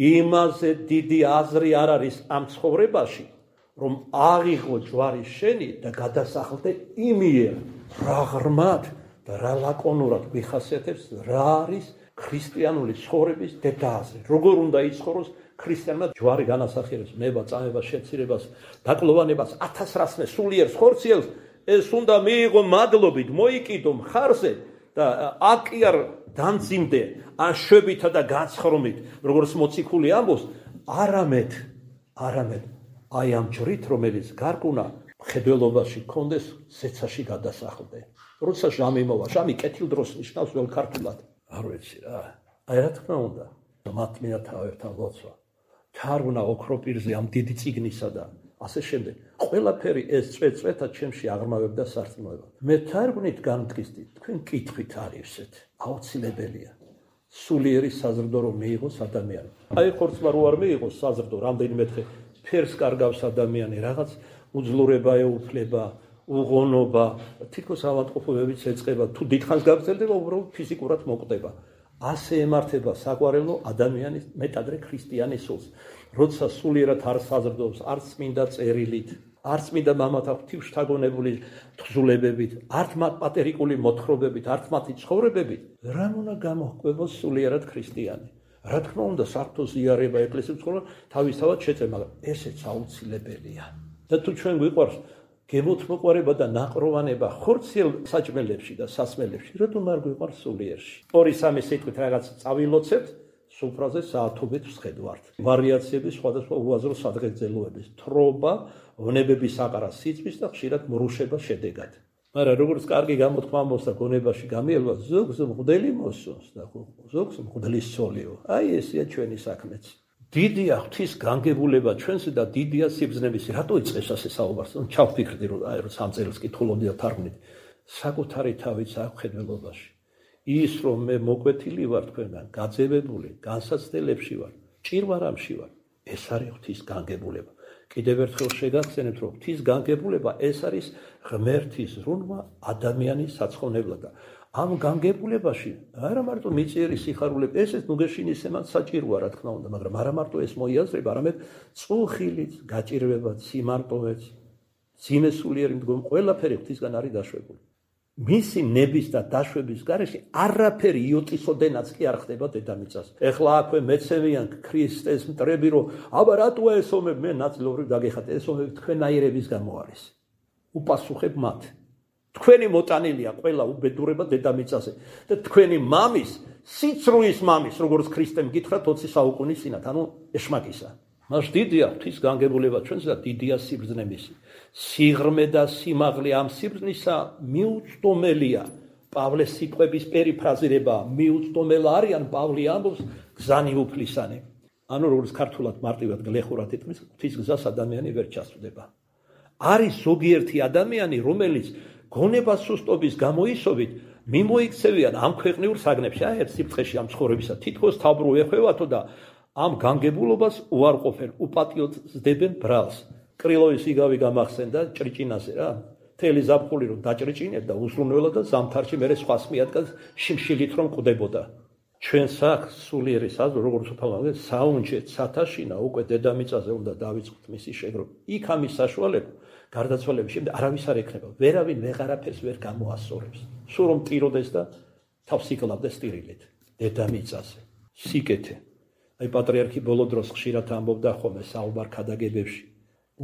იმაზე დიდი აზრი არ არის ამ ცხოვრებაში რომ აღიღო ჯვარი შენი და გადასახლდე იმიერ რა ღრმად და რა ლაკონურად მიხასიათებს რა არის ქრისტიანული ცხოვრების დედააზრი როგორ უნდა იცხოვროს ქრისტიანმა ჯვარი განასახიერებს ნება წამება შეცირებას დაკლოვანებას 1000 რასმე სულიერ ხორციელს ეს უნდა მიიღო მადლობით მოიკიდო მხარზე და აქ კი არ დამძიმდე ან შვებითა და განცხრომით როგორც მოციქული ამბობს არამედ აი ამ ჯვრით რომელიც გარკუნა მხედველობაში გქონდეს, ზეცაში გადასახლდე. როცა ჟამი მოვა, ჟამი კეთილ დროს ნიშნავს ველქართულად. არ ვიცი რა. აი რა თქმა უნდა, მათმინა თავებთან ლოცვა. თარგმნა ოქროპირზე ამ დიდი წიგნისა და ასე შემდეგ. ყველაფერი ეს წვეწვეთა ჩემში აღრმავებდა სარწმუნოებად. მე თარგმნით განმტკიცდით, თქვენ კითხვით არის ესეთ. აუცილებელია. სულიერი საზრდო რომ მიიღოს ადამიანი. აი ხორცმა რო არ მიიღოს საზრდო, რამდენიმე დღე ფერს კარგავს ადამიანი, რაღაც უძლურება ეუფლება, უღონობა, თითქოს ავადმყოფობებიც ეწყება, თუ დიდხანს გაგრძელდება, უბრალოდ ფიზიკურად მოკვდება. ასე ემართება საყვარელო ადამიანის მეტადრე ქრისტიანის სულს. როცა სულიერად არ საზრდოობს, არც წმინდა წერილით, არც წმინდა მამათა ღვთივშთაგონებული თხზულებებით, არც პატერიკული მოთხრობებით, არც მათი ცხოვრებებით, რა უნდა გამოჰყვებოს სულიერად ქრისტიანი. რა თქმა უნდა, საერთო ზიარება ეკლესიის ცხოვრება თავისთავად შეწევ, მაგრამ ესეც აუცილებელია. და თუ ჩვენ გვიყვარს გემოთმოყვარება და ნაყროვანება ხორციელ საჭმელებში და სასმელებში, რატომ არ გვიყვარს სულიერში? 2-3 სიტყვით რაღაც წავილოცებთ, სუფრაზე საათობით ვსხედვართ. ვარიაციები სხვადასხვა უაზრო სადღეგრძელოების, თრობა, ვნებების აყარა სიწვის და ხშირად მრუშება შედეგად. მაგრამ როგორც კარგი გამოთქმა მოსა გონებაში გამიელვა, ზოგს მღვდელი მოსწონს და ზოგს მღვდლის სოლიო. აი ესეა ჩვენი საქმეც. დიდია ღვთის განგებულება ჩვენზე და დიდია სიბრძნების. რატო იწყეს ასე საუბარს? ჩავფიქრდი რომ აი რომ 3 წელს კითხულობდი და თარგმნით. საკუთარი თავიც აქვს ხედველობაში. ის რომ მე მოკვეთილი ვარ თქვენგან, გაძევებული, განსაცდელებში ვარ, ჭირვარამში ვარ. ეს არის ღვთის განგებულება. კიდევ ერთხელ შეგახსენებთ რომ ღვთის განგებულება ეს არის ღმერთის რუნმა ადამიანის საცხოვნებლად. ამ განგებულებაში არა მარტო მიწიერი სიხარულები, ესეც ნუგეშინის ემან საჭიროა რა თქმა უნდა, მაგრამ არა მარტო ეს მოიაზრება, არამედ წუხილიც, გაჭირვებაც, სიმარტოვეც, ძიმესულიერი მდგომი, ყველაფერი ღვთისგან არის დაშვებული. მისი ნების და დაშვების გარეშე არაფერი იოტისოდენაც კი არ ხდება დედამიწას. ეხლა აქვე მეცემიან ქრისტეს მტრები რომ აბა რატოა ეს ომები, მე ნაწილობრივ დაგეხატე, ეს ომები თქვენაირების გამო არის. უპასუხებ მათ. თქვენი მოტანილია ყველა უბედურება დედამიწაზე და თქვენი მამის, სიცრუის მამის, როგორც ქრისტემ გითხრა 20 საუკუნის წინათ, ანუ ეშმაკისა. მას დიდია ღვთის განგებულება ჩვენს და დიდია სიბრძნე მისი. სიღრმე და სიმაღლე ამ სიბრძნისა მიუწვდომელია. პავლეს სიტყვების პერიფრაზირება მიუწვდომელ არიან, პავლე ამბობს გზანი უფლისანი. ანუ როგორც ქართულად მარტივად გლეხურად იტყვის, ღვთის გზას ადამიანი ვერ ჩასწვდება. არის ზოგიერთი ადამიანი, რომელიც გონება სუსტობის გამოისობით მიმოიქცევიან ამ ქვეყნიურ საგნებში, აი ერთ სიფრთხეში ამ ცხოვრებისა, თითქოს თავბრუ ეხვევათო და ამ განგებულობას უარყოფენ, უპატიოცდებენ ბრალს. კრილოვის იგავი გამახსენდა ჭრიჭინაზე რა. მთელი ზაფხული რომ დაჭრიჭინებდა უსრულნელად და ზამთარში მერე სხვას მიადგას შიმშილით რომ ყვდებოდა. ჩვენ საქმს სულიერი საზრო როგორც უფალმაგე საუნჯეთ სათაშინა უკვე დედამიწაზე უნდა დავიწყოთ მისი შეგროვა. იქ ამის საშუალება გარდაცვალების შემდეგ არავის არ ექნება, ვერავინ ვეღარაფერს ვერ გამოასწორებს. სულ რომ ტიროდეს და თავს იკლავდეს ტირილით დედამიწაზე. სიკეთე. აი პატრიარქი ბოლო დროს ხშირად ამბობდა ხოლმე საუბარ ქადაგებებში.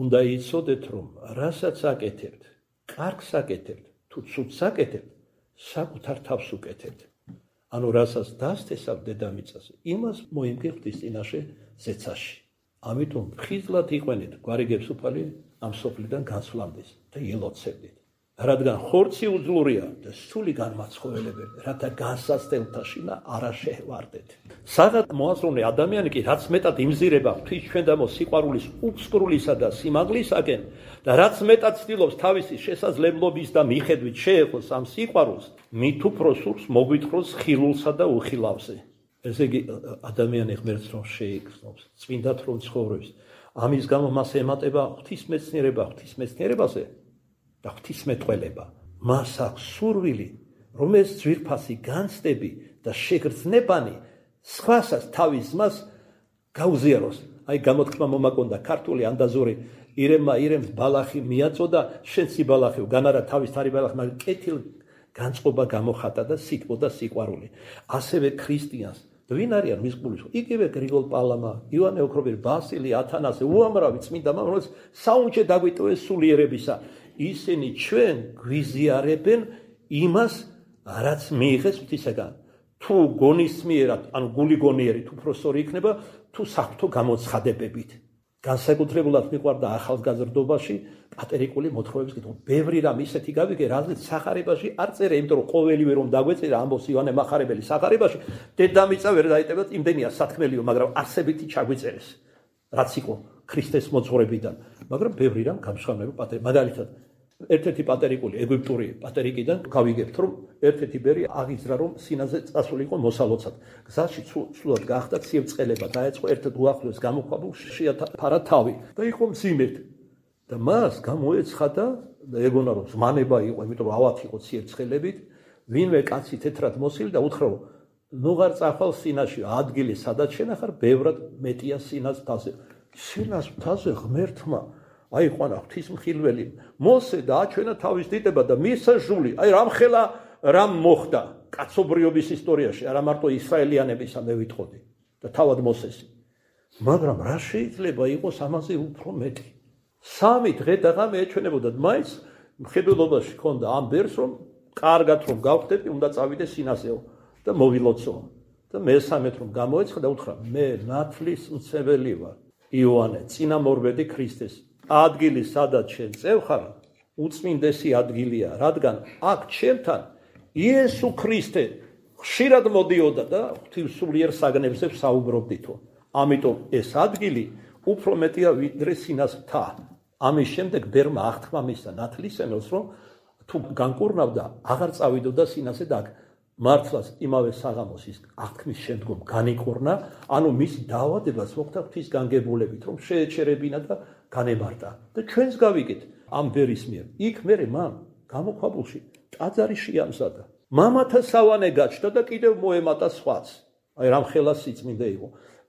უნდა იცოდეთ რომ რასაც აკეთებთ, კარგს აკეთებთ, თუ ცუდს აკეთებთ, საკუთარ თავს უკეთებთ. ანუ რასაც დასთესავ დედამიწაზე, იმას მოიმგე ღვთის წინაშე ზეცაში. ამიტომ ხიზლად იყვენეთ გვარიგებს უფალი ამ სოფლიდან განსვლამდეს და ილოცებდით. რადგან ხორცი უძლურია და სული განმაცხოველებელი, რათა განსაცდელთაში და არა შეჰვარდეთ. საღად მოაზროვნე ადამიანი კი რაც მეტად იმზირება ღვთის ჩვენდამო სიყვარულის უფსკრულისა და სიმაღლისაკენ და რაც მეტად ცდილობს თავისი შესაძლებლობის და მიხედვით შეეხოს ამ სიყვარულს, მით უფრო სურს მოგვითხროს ხილულსა და უხილავზე. ესე იგი ადამიანი ღმერთს რომ შეიგრძნობს, წმინდად რომ ცხოვრობს, ამის გამო მას ემატება ღვთისმეცნიერებაზე და ღვთისმეტყველება. მას აქვს სურვილი, რომ ეს ძვირფასი განცდები და შეგრძნებანი სხვასაც თავის ძმას გაუზიაროს. აი გამოთქმა მომაკონდა ქართული ანდაზური ირემს ბალახი მიაწოდა, შენ სიბალახი განარა თავის თარი ბალახი, მაგრამ კეთილ განწყობა გამოხატა და სიტყვა და სიყვარული. ასევე ქრისტიანს ვინ არიან მის გულის? იგივე გრიგოლ პალამა, ივანე ოქროპირი, ბასილი, ათანასე, უამრავი წმინდა მამები, რომელიც საუნჯე დაგვიტოვეს სულიერებისა. ისინი ჩვენ გვიზიარებენ იმას, რაც მიიღეს ღვთისაგან. თუ გონისმიერად, ანუ გული გონიერი, თუ პროსორი იქნება, თუ საფრთხო გამოცხადებებით. განსაკუთრებულად მიყვარდა ახალგაზრდობაში პატერიკული მოთხრობების კითხვა. ბევრი რამ ისეთი გავიგე, რაზეც სახარებაში არ წერე, იმიტომ რომ ყოველივე რომ დაგვეწერა ამბობს ივანე მახარებელი სახარებაში, დედამიწა ვერ დაიტევათ, იმდენია სათქმელიო, მაგრამ არსებითი ჩაგვიწერეს, რაც იყო ქრისტეს მოძღვრებიდან. მაგრამ ბევრი რამ გამშრალება პატერიკ. მაგალითად, ერთ-ერთი პატერიკული ეგვიპტური პატერიკიდან გავიგებთ, რომ ერთ-ერთი ბერი აღიძრა, რომ სინაზე წასულიყო მოსალოცად. გზაში სულად გაახდა ციებ-წყელება, დაეწყო ერთ უახლოეს გამოქვაბულ შეაფარა თავი და იყო მძიმედ. და მას გამოეცხადა და ეგონა რომ ზმანება იყო, იმიტომ რომ ავათი იყო ციებ-წყელებით, ვინმე კაცი თეთრად მოსილი და უთხრა რომ ნუღარ წახვალ სინაში, ადგილი სადაც შენახარ, ბევრად მეტია სინას თაზე. სინას თაზე ღმერთმა აიყვანა ღვთისმხილველი მოსე და აჩვენა თავის დიდება და მისა ჟული. აი რამხელა რამ მოხდა კაცობრიობის ისტორიაში, არა მარტო ისრაელიანებისა მე ვიტყოდი და თავად მოსესი. მაგრამ რა შეიძლება იყოს ამაზე უფრო მეტი? 3 დღე და ღამე ეჩვენებოდა მაინც მხედველობაში ქონდა ამ ბერს რომ კარგად რომ გავხდები, უნდა წავიდე სინასეო და მოვილოცო. და მესამედ რომ გამოეცხა და უთხრა მე ნათლის მცემელი ვარ. იოანე, წინამორბედი ქრისტეს. ადგილი სადაც შენ წევხარ, უწმინდესი ადგილია, რადგან აქ ჩემთან იესო ქრისტე ხშირად მოდიოდა და ღვთისმსულიერ საგნებზე საუბრობდითო. ამიტომ ეს ადგილი უფრო მეტია ვიდრე სინას მთა. ამის შემდეგ ბერმა აღთქმა მისცა ნათლისმცემელს, რომ თუ განკურნავდა, აღარ წავიდოდა სინაზე და აქ მართლაც იმავე საღამოს ის აღთქმის შემდგომ განიკურნა, ანუ მის დაავადებას მოხდა ღვთის განგებულებით, რომ შეეჩერებინა და განემარტა. და ჩვენს გავიგეთ ამ ბერის მიერ. იქ მერე მან გამოქვაბულში ტაძარი შეამზადა. მამათა სავანე გაჩნდა და კიდევ მოემატა სხვაც. აი რამხელა სიწმინდე იყო.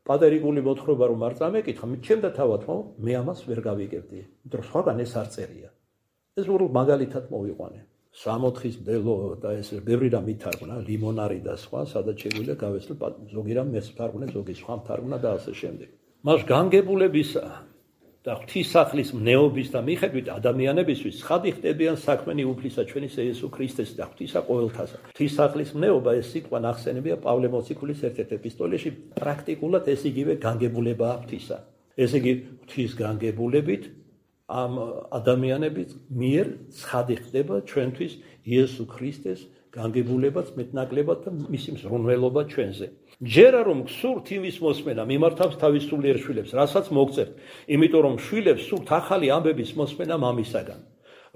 პატერიკული მოთხრობა რომ არ წამეკითხა, ჩემდა თავადმა მე ამას ვერ გავიგებდი. იმიტომ რომ სხვაგან ეს არ წერია. ეს უბრალოდ მაგალითად მოვიყვანე. 64-ის მდელო და ეს ბევრი რამ ითარგმნა, ლიმონარი და სხვა, სადაც შეგვიძლია გავეცლო, ზოგი რამ მეც ვთარგმნე, ზოგი სხვა ვთარგმნა და ასე შემდეგ. მას განგებულებისა და ღვთისახლის მნეობის და მიხედვით ადამიანებისთვის ცხადი ხდებიან საქმენი უფლისა ჩვენისა იესო ქრისტეს და ღვთისა ყოველთასა. ღვთისახლის მნეობა ეს სიტყვა ნახსენებია პავლე მოციქულის ერთ-ერთ ეპისტოლეში, პრაქტიკულად ეს იგივე განგებულებაა ღვთისა. ესე იგი ღვთის განგებულებით ამ ადამიანების მიერ ცხადი ხდება ჩვენთვის იესო ქრისტეს განგებულებაც მეტნაკლებად და მისი მზრუნველობა ჩვენზე. ჯერა რომ გსურთ იმის მოსმენა მიმართავს თავის სულიერ შვილებს, რასაც მოგწერთ, იმიტომ რომ შვილებს სურთ ახალი ამბების მოსმენა მამისაგან.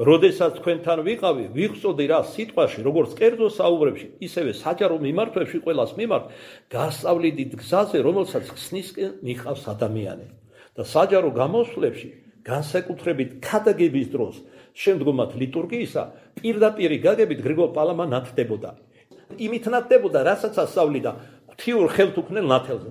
როდესაც თქვენთან ვიყავი, ვიხსოვდი რა სიტყვაში, როგორც კერძო საუბრებში, ისევე საჯარო მიმართვებში ყველას მიმართ, გასწავლიდით გზაზე, რომელსაც ხსნისკენ მიყავს ადამიანი. და საჯარო გამოსვლებში განსაკუთრებით ქადაგების დროს, შემდგომად ლიტურგიისა, პირდაპირი გაგებით გრიგოლ პალამა ნათდებოდა. იმით ნათდებოდა, რასაც ასწავლიდა ღვთიურ ხელთუქმნელ ნათელზე.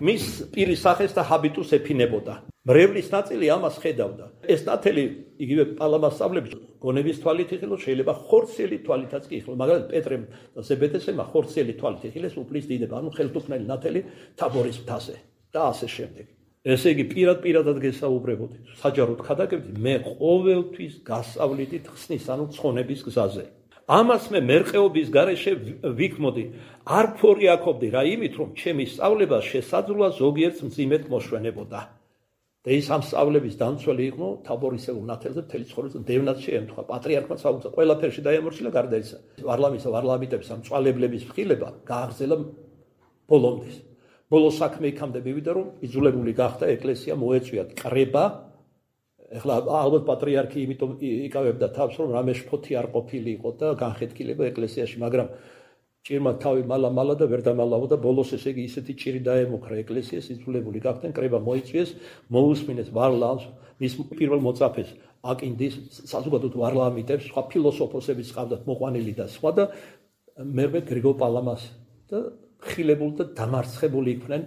მის პირის სახეს და ჰაბიტუს ეფინებოდა. მრევლის ნაწილი ამას ხედავდა. ეს ნათელი იგივე პალამას სწავლებს გონების თვალით იხილოს, შეიძლება ხორციელი თვალითაც კი იხილოს. მაგალითად პეტრემ და ზებედესმა ხორციელი თვალით იხილეს უფლის დიდება, ანუ ხელთუქმნელი ნათელი თაბორის მთაზე და ასე შემდეგ. ესე იგი პირადად გესაუბრებოდი, საჯაროდ ხადაგებდი, მე ყოველთვის გასწავლიდით ხსნის, ანუ ცხონების გზაზე. ამას მე მერყეობის გარეშე ვიქმოდი, არ ფორიაქობდი რა იმით, რომ ჩემი სწავლება შესაძლოა ზოგიერთ მძიმედ მოშვენებოდა. და ის ამ სწავლების დამცველი იყო თაბორისეულ ნათელზე მთელი ცხოვრება დევნაც შეემთხვა, პატრიარქმა საუბცა, ყველაფერში დაემორჩილა გარდა ისა. ვარლამიტების ამ წვალებლების მხილება გააგრძელა ბოლომდის. ბოლო საქმე იქამდე მივიდა, რომ იძულებული გახდა ეკლესია მოეწვიათ კრება. ეხლა ალბათ პატრიარქი იმიტომ იკავებდა თავს, რომ რამე შფოთი არ ყოფილი იყო და განხეთქილება ეკლესიაში, მაგრამ ჭირმა თავი მალა და ვერ დამალავდა, ბოლოს ესე იგი ისეთი ჭირი დაემუქრა ეკლესიას, იძულებული გახდნენ კრება მოიწვიეს, მოусმინეს ვარლამს, მის პირველ მოწაფეს აკინდის, საზოგადოებრივ ვარლამიტებს, სხვა ფილოსოფოსებიც ყავდათ მოყვანილი და სხვა და მერვე გრიგოლ პალამას და ხილებული და დამარცხებული იყვნენ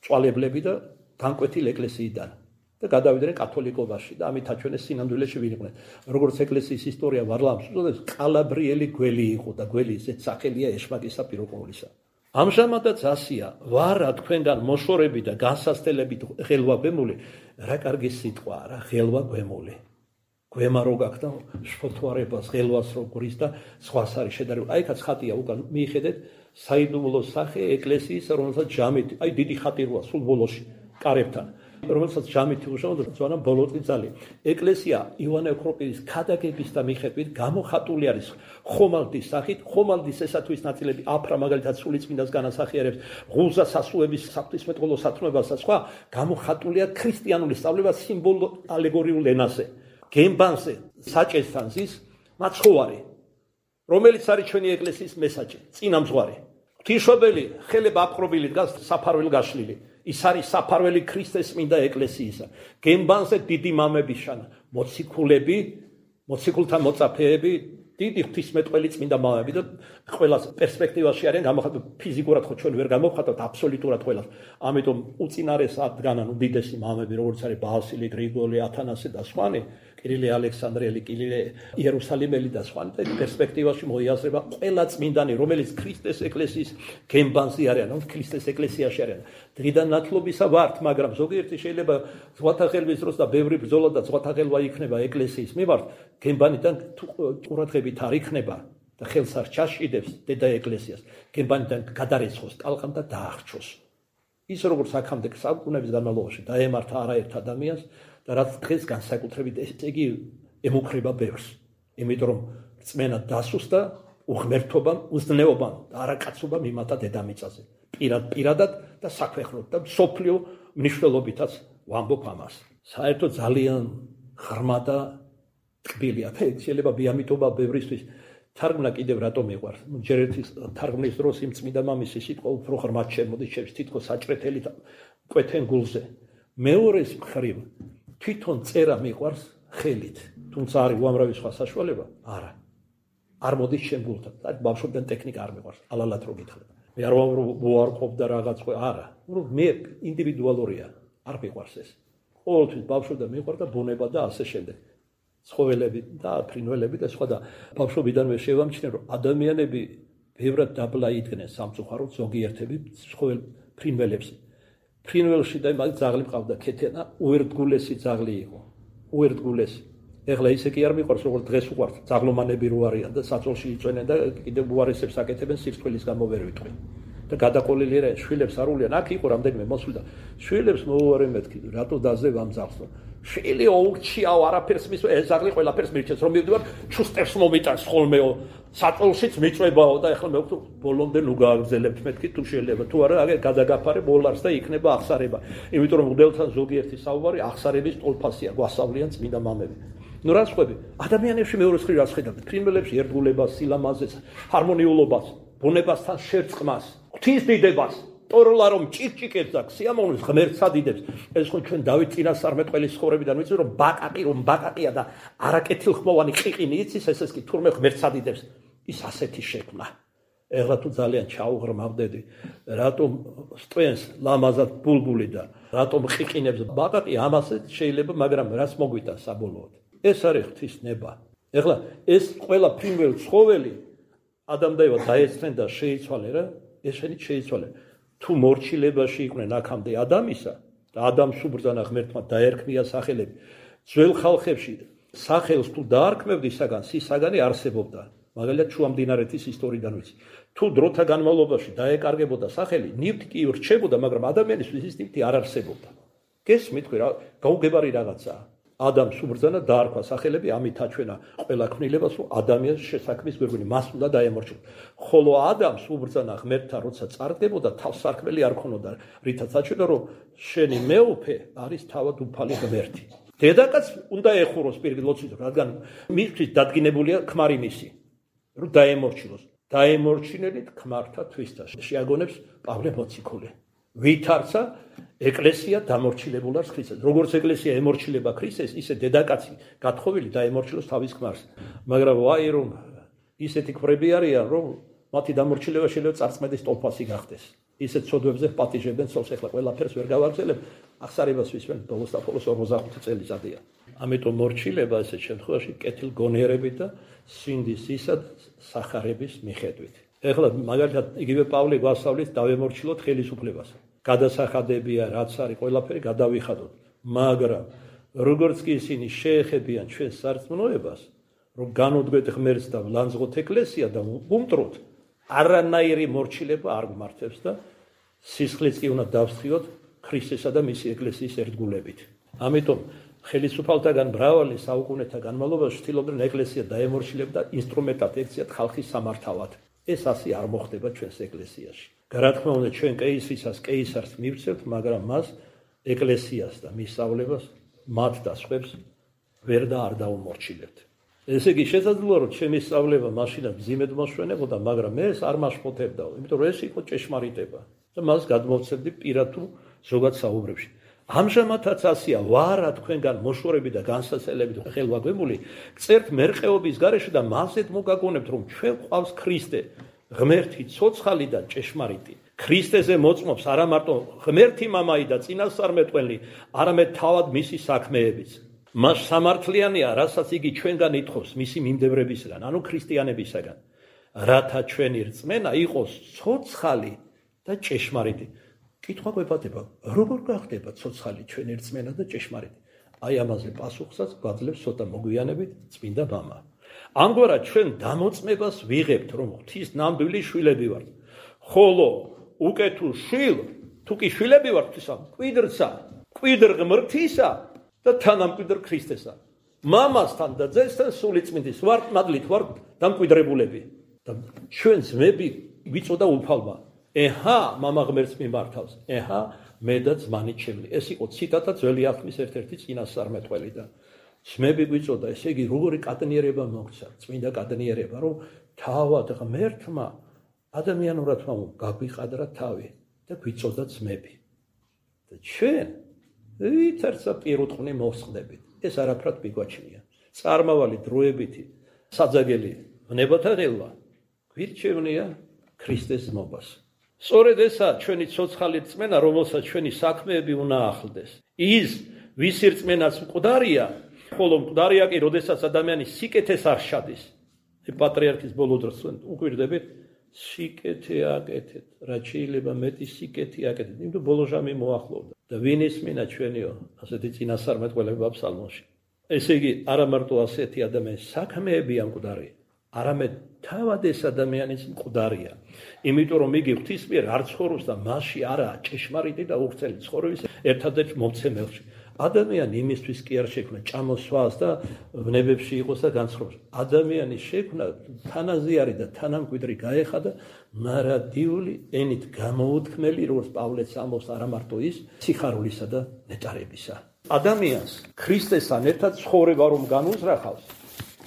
წვალებლები და განკვეთილ ეკლესიიდან და გადავიდნენ კათოლიკობაში და ამით აჩვენეს სინამდვილეში ვინ იყვნენ. როგორც ეკლესიის ისტორია ვარლამს უწოდებს, კალაბრიელი გველი იყო და გველი ისეთ სახელია ეშმაკისა პიროყოლისა. ამჟამადაც ასია, ვარა თქვენგან მოშორები და განსასწელებით ღელვა გვემული, რა კარგი სიტყვაა რა, ღელვა გვემული. გვემა რო გაქდა შფოთვარებას, ღელვას რო გვრის და სხვას არის შედარება. აი ხაც ხატია უკან მიიხედეთ საიდუმლო სახე ეკლესიის, რომელსაც ჯამით, აი დიდი ხატი როა სულ ბოლოში კარებთან. რომელსაც ჯამითი უშავდა ძვანამ ბოლოტი ძალი. ეკლესია ივანე ოქროპირის ქადაგების და მიხედვით გამოხატული არის ხომალდის სახით. ხომალდის ესათვის ნაწილები აფრა მაგალითად სულიწმინდას განასახიერებს ღულზა სასუების საფრთხისმეტყველო სათნოებას და სხვა გამოხატულია ქრისტიანული სწავლება სიმბოლო ალეგორიულ ენაზე. გემბანზე საჭესთან ზის მაცხოვარი, რომელიც არის ჩვენი ეკლესიის მესაჭე, წინამძღვარი. ღვთისმშობელი ხელება აპყრობილი დგას საფარველი გაშლილი. ის არის საფარველი ქრისტეს წმინდა ეკლესიისა. გემბანზე დიდი მამების შანა, მოციქულები, მოციქულთა მოწაფეები, დიდი ღვთისმეტყველი წმინდა მამები და ყველა პერსპექტივაში არიან გამოხატული ფიზიკურად ხო ჩვენ ვერ გამოვხატავთ აბსოლუტურად ყველას. ამიტომ უწინარესად დგანან უდიდესი მამები, როგორც არის ბასილი, გრიგოლი, ათანასე და სხვანი, კირილე ალექსანდრიელი, კირილე იერუსალიმელი და სხვანი და პერსპექტივაში მოიაზრება ყველა წმინდანი, რომელიც ქრისტეს ეკლესიის გემბანზე არიან, ქრისტეს ეკლესიაში არიან. დღიდან ნათლობისა ვართ, მაგრამ ზოგიერთი შეიძლება ზღვათა ხელვის დროს და ბევრი ბრძოლა და ზღვათა ხელვა იქნება ეკლესიის მიმართ, გემბანიდან ყურადღებით არ იქნება და ხელს არ ჩაშიდებს დედა ეკლესიას, გემბანიდან გადარეცხოს ტალღამ და დაახრჩოს. ის როგორც აქამდე საუკუნეების განმავლობაში დაემართა არაერთ ადამიანს და რაც დღეს განსაკუთრებით ესე იგი ემუქრება ბევრს. იმიტომ რომ რწმენა დასუსტა უღმერთობამ, უზნეობამ და არაკაცობამ იმატა დედამიწაზე. პირადად და საქვეყნოდ და მსოფლიო მნიშვნელობითაც ვამბობ ამას. საერთოდ ძალიან ღრმა და ტკბილია. შეიძლება ბიამიტობა ბევრისთვის თარგმნა კიდევ რატომ მიყვარს. ჯერ ერთი თარგმნის დროს იმ წმინდა მამის სიტყვა უფრო ღრმად შემოდის, თითქოს საჭრეთელი კვეთენ გულზე. მეორეს მხრივ თვითონ წერა მიყვარს ხელით, თუმცა არის უამრავი სხვა საშუალება, არა. არ მოდის შენ გულთან. ბავშვობიდან ტექნიკა არ მიყვარს, ალალად რო გითხრა. მე არ ვარყოფ და რაღაც არა. მე ინდივიდუალურია, არ მიყვარს ეს. ყოველთვის ბავშვობიდან მიყვარდა ბუნება და ასე შემდეგ. ცხოველები და ფრინველები და სხვა და ბავშვობიდანვე შევამჩნიე რომ ადამიანები ბევრად დაბლა იდგნენ სამწუხაროდ ზოგიერთები ცხოველ ფრინველებს. ფრინველში და მაგ ძაღლი მყავდა ქეთენა, უერთგულესი ძაღლი იყო. უერთგულესი. ეხლა ისე კი არ მიყვარს როგორც დღეს უყვარს. ძაღლომანები რო არიან და საწოლში იწვენენ და კიდევ უარესებს აკეთებენ სირცხვილის გამო ვერ ვიტყვი. და გადაყოლილი რა შვილებს არულიან. აქ იყო რამდენიმე მოსვლიდა. შვილებს მოუარე მეთქი, რატო დაზევ ამ ძაღლს? შვილი ოუჩიაო არაფერს მის ეს ზაღლი ყველაფერს მირჩეს რომ მივდივარ ჩუსტერს მომიტანს ხოლმეო საწოლშიც მიწვებაო და ეხლა მე ვთქვი ბოლომდე ნუ გააგრძელებთ მეთქი თუ შეიძლება თუ არა აგერ გადაგაფარე ბოლარს და იქნება აღსარება იმიტომ რომ მგდელთან ზოგიერთი საუბარი აღსარების ტოლფასია გვასავლიან წმინდა მამები ნუ რა სხვები ადამიანებში მეორე მხრივ რა ხედავთ ფრინველებში ერთგულებას სილამაზეს ჰარმონიულობას ბუნებასთან შერწყმას ღვთის დიდებას ტოროლა რომ ჭიკჭიკებს და სიამოვნებს ღმერთს ადიდებს ეს ხო ჩვენ დავით წინასწარმეტყველის ცხოვრებიდან ვიცი რომ ბაკაკია და არაკეთილხმოვანი ყიყინი იცის ეს კი თურმე ღმერთს ადიდებს ის ასეთი შექმნა ეხლა თუ ძალიან ჩაუღრმავდები რატომ სტვენს ლამაზად ბულბული და რატომ ყიყინებს ბაკაკი ამასე შეიძლება მაგრამ რაც მოგვიტა საბოლოოდ ეს არის ღვთის ნება ეხლა ეს ყველა ფრინველ ცხოველი ადამიანმა დაეცნენ და შეიცვალე რა ესენით შეიცვალე თუ მორჩილებაში იყვნენ აქამდე ადამიანისა და ადამიანს უბრძანა ღმერთმა დაერქმია სახელები ძველ ხალხებში სახელს თუ დაარქმევდი საგანი არსებობდა მაგალითად შუამდინარეთის ისტორიიდან ვიცი თუ დროთა განმავლობაში დაეკარგებოდა სახელი ნივთი კი რჩებოდა მაგრამ ადამიანისთვის ის ნივთი არ არსებობდა გესმით რა გაუგებარი რაღაცაა ადამიანს უბრძანა დაარქვა სახელები ამით აჩვენა ყველა ქმნილებას რომ ადამიანის შესაქმის გვერდით მას უნდა დაემორჩილოს ხოლო ადამიანს უბრძანა ღმერთთან როცა წარდგებოდა თავს სარქმელი არ ქონოდა რითაც აჩვენა რომ შენი მეუფე არის თავად უფალი ღმერთი დედაკაც უნდა ეხუროს პირიქით ლოცვით რადგან მისთვის დადგინებულია ქმარი მისი რომ დაემორჩილოს დაემორჩინელით ქმართა თვისთა შეაგონებს პავლე მოციქული ვითარცა ეკლესია დამორჩილებულ არის ქრისტეს. როგორც ეკლესია ემორჩილება ქრისტეს, ისე დედაკაცი გათხოვილი დაემორჩილოს თავის ქმარს. მაგრამ ვაი რომ ისეთი ქმრები არიან, რომ მათი დამორჩილება შეიძლება წარწმედის ტოლფასი გახდეს. ისეთ ცოდვებზე პატიჟებენ ცოლს ეხლა ყველაფერს ვერ გავაგრძელებ. აღსარებას ვისვენ ბოლოს და ბოლოს 45 წელიწადია. ამიტომ მორჩილება ესეთ შემთხვევაში კეთილ გონიერებით და სინდის ისა სახარების მიხედვით. ეხლა მაგალითად იგივე პავლე გვასწავლის დავემორჩილოთ ხელისუფლებას. გადასახადებია რაც არის ყველაფერი გადავიხადოთ მაგრამ როგორც კი ისინი შეეხებიან ჩვენს სარწმუნოებას რომ განუდგეთ ღმერთს და ვლანძღოთ ეკლესია და უმტროთ არანაირი მორჩილება არ გმართებს და სისხლიც კი უნდა დავსხიოთ ქრისტესა და მისი ეკლესიის ერთგულებით. ამიტომ ხელისუფალთაგან მრავალი საუკუნეთა განმავლობაში ცდილობდნენ ეკლესია დაემორჩილებდა ინსტრუმენტად ექციათ ხალხის სამართავად. ეს ასე არ მოხდება ჩვენს ეკლესიაში. რა თქმა უნდა, ჩვენ კეისრისას კეისარს მივცევთ, მაგრამ მას ეკლესიას და მისავლებას მათ და სხვებს ვერ და არ დაუმორჩილებთ. ესე იგი, შესაძლოა რომ ჩემი სწავლება მაშინაც მძიმედ მოშვენებოდა, მაგრამ ეს არ მაშფოთებდაო, იმიტომ რომ ეს იყო ჭეშმარიტება და მას გადმოვცემდი პირად თუ ზოგად საუბრებში. ამჟამადაც ასეა, ვარა თქვენგან მოშორები და განსაცდელებით ხელვაგვებული, წერთ მერყეობის გარეშე და მასეთ მოგაგონებთ, რომ ჩვენ ყავს ქრისტე, ღმერთი, ცოცხალი და ჭეშმარიტი. ქრისტეზე მოწმობს არა მარტო ღმერთი მამაი და წინასწარმეტყველი, არამედ თავად მისი საქმეებიც. მას სამართლიანია, რასაც იგი ჩვენგან ითხოვს მისი მიმდევრებისგან, ანუ ქრისტიანებისგან, რათა ჩვენი რწმენა იყოს ცოცხალი და ჭეშმარიტი. კითხვა გვეპატება, როგორ გახდება ცოცხალი ჩვენი რწმენა და ჭეშმარიტი? აი ამაზე პასუხსაც გვაძლევს ცოტა მოგვიანებით წმინდა მამა. ამგვარად ჩვენ დამოწმებას ვიღებთ, რომ ღვთის ნამდვილი შვილები ვართ. ხოლო უკვე თუ შვილ, თუ კი შვილები ვართ ღვთისა, მკვიდრცა, მკვიდრ ღმრთისა და თანამკვიდრ ქრისტესა. მამასთან და ძესთან სულიწმინდის ვართ მადლით ვართ დამკვიდრებულები. და ჩვენ ძმები ვიწოდა უფალმა. ეჰა, მამა ღმერთს მიმართავს. ეჰა, მე და ძმანი ჩემნი. ეს იყო ციტატა ძველი აღთქმის ერთ-ერთი წინასწარმეტყველიდან. ძმები გვიწოდა, ესე იგი, როგორი კადნიერება მოგცა, წმინდა კადნიერება, რომ თავად ღმერთმა ადამიანურად გაგვიყადრა თავი და გვიწოდა ძმები. და ჩვენ ვითარცა პირუტყვნი მოვსხდებით. ეს არაფრად მიგვაჩნია. წარმავალი დროებითი საძაგელი ვნებათა ღელვა გვირჩევნია ქრისტეს ძმობას. სწორედ ესაა ჩვენი ცოცხალი რწმენა, რომელსაც ჩვენი საქმეები უნდა ახლდეს. ის, ვისი რწმენაც მკვდარია, ხოლო მკვდარია კი, როდესაც ადამიანი სიკეთეს არ შადის. პატრიარქის ბოლო დროს უკვირდებით, სიკეთე აკეთეთ, რაც შეიძლება მეტი სიკეთი აკეთეთ, იმიტომ ბოლო ჟამი მოახლოვდა. და ვინ ისმინა ჩვენიო, ასეთი წინასწარმეტყველება ფსალმოში. ესე იგი, არა მარტო ასეთი ადამიანის საქმეებია მკვდარი, არამედ თავად ეს ადამიანის მკვდარია. იმიტომ რომ იგი ღვთის მიერ არ ცხოვრობს და მასში არაა ჭეშმარიტი და უხრწელი ცხოვრების ერთადერთ მომცემელში. ადამიანი იმისთვის კი არ შექმნა ჭამოსვას და ვნებებში იყოს და განცხრობს. ადამიანის შექმნა თანაზიარი და თანამკვიდრი გაეხადა მარადიული ენით გამოუთქმელი, როგორც პავლეც ამბობს, არა მარტო ის, სიხარულისა და ნეტარებისა. ადამიანს ქრისტესთან ერთად ცხოვრება რომ განუზრახავს,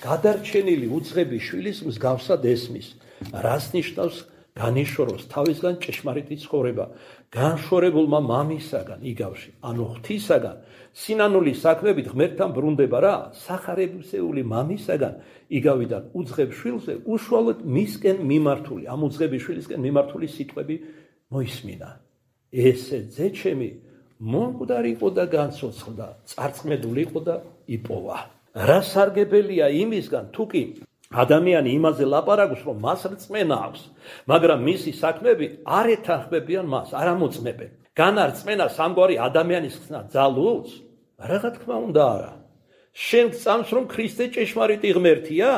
გადარჩენილი უძღები შვილის მსგავსად ესმის, რას ნიშნავს განიშოროს თავისგან ჭეშმარიტი ცხოვრება, განშორებულმა მამისაგან იგავში, ანუ ღვთისაგან, სინანული საქმებით ღმერთთან ბრუნდება რა, სახარებისეული მამისაგან იგავიდან უძღებ შვილზე უშუალოდ მისკენ მიმართული, ამ უძღები შვილისკენ მიმართული სიტყვები მოისმინა. ესე ძეჩემი მომკვდარი იყო და განცოცხლდა, წარწმედული იყო და იპოვა. რა სარგებელია იმისგან, თუ კი ადამიანი იმაზე ლაპარაკობს, რომ მას რწმენა აქვს, მაგრამ მისი საქმეები არ ეთანხმებიან მას, არ ამოწმებენ. განარწმენა სამგვარი ადამიანის ხსნა ძალუძს? რა თქმა უნდა არა. შენ გწამს, რომ ქრისტე ჭეშმარიტი ღმერთია?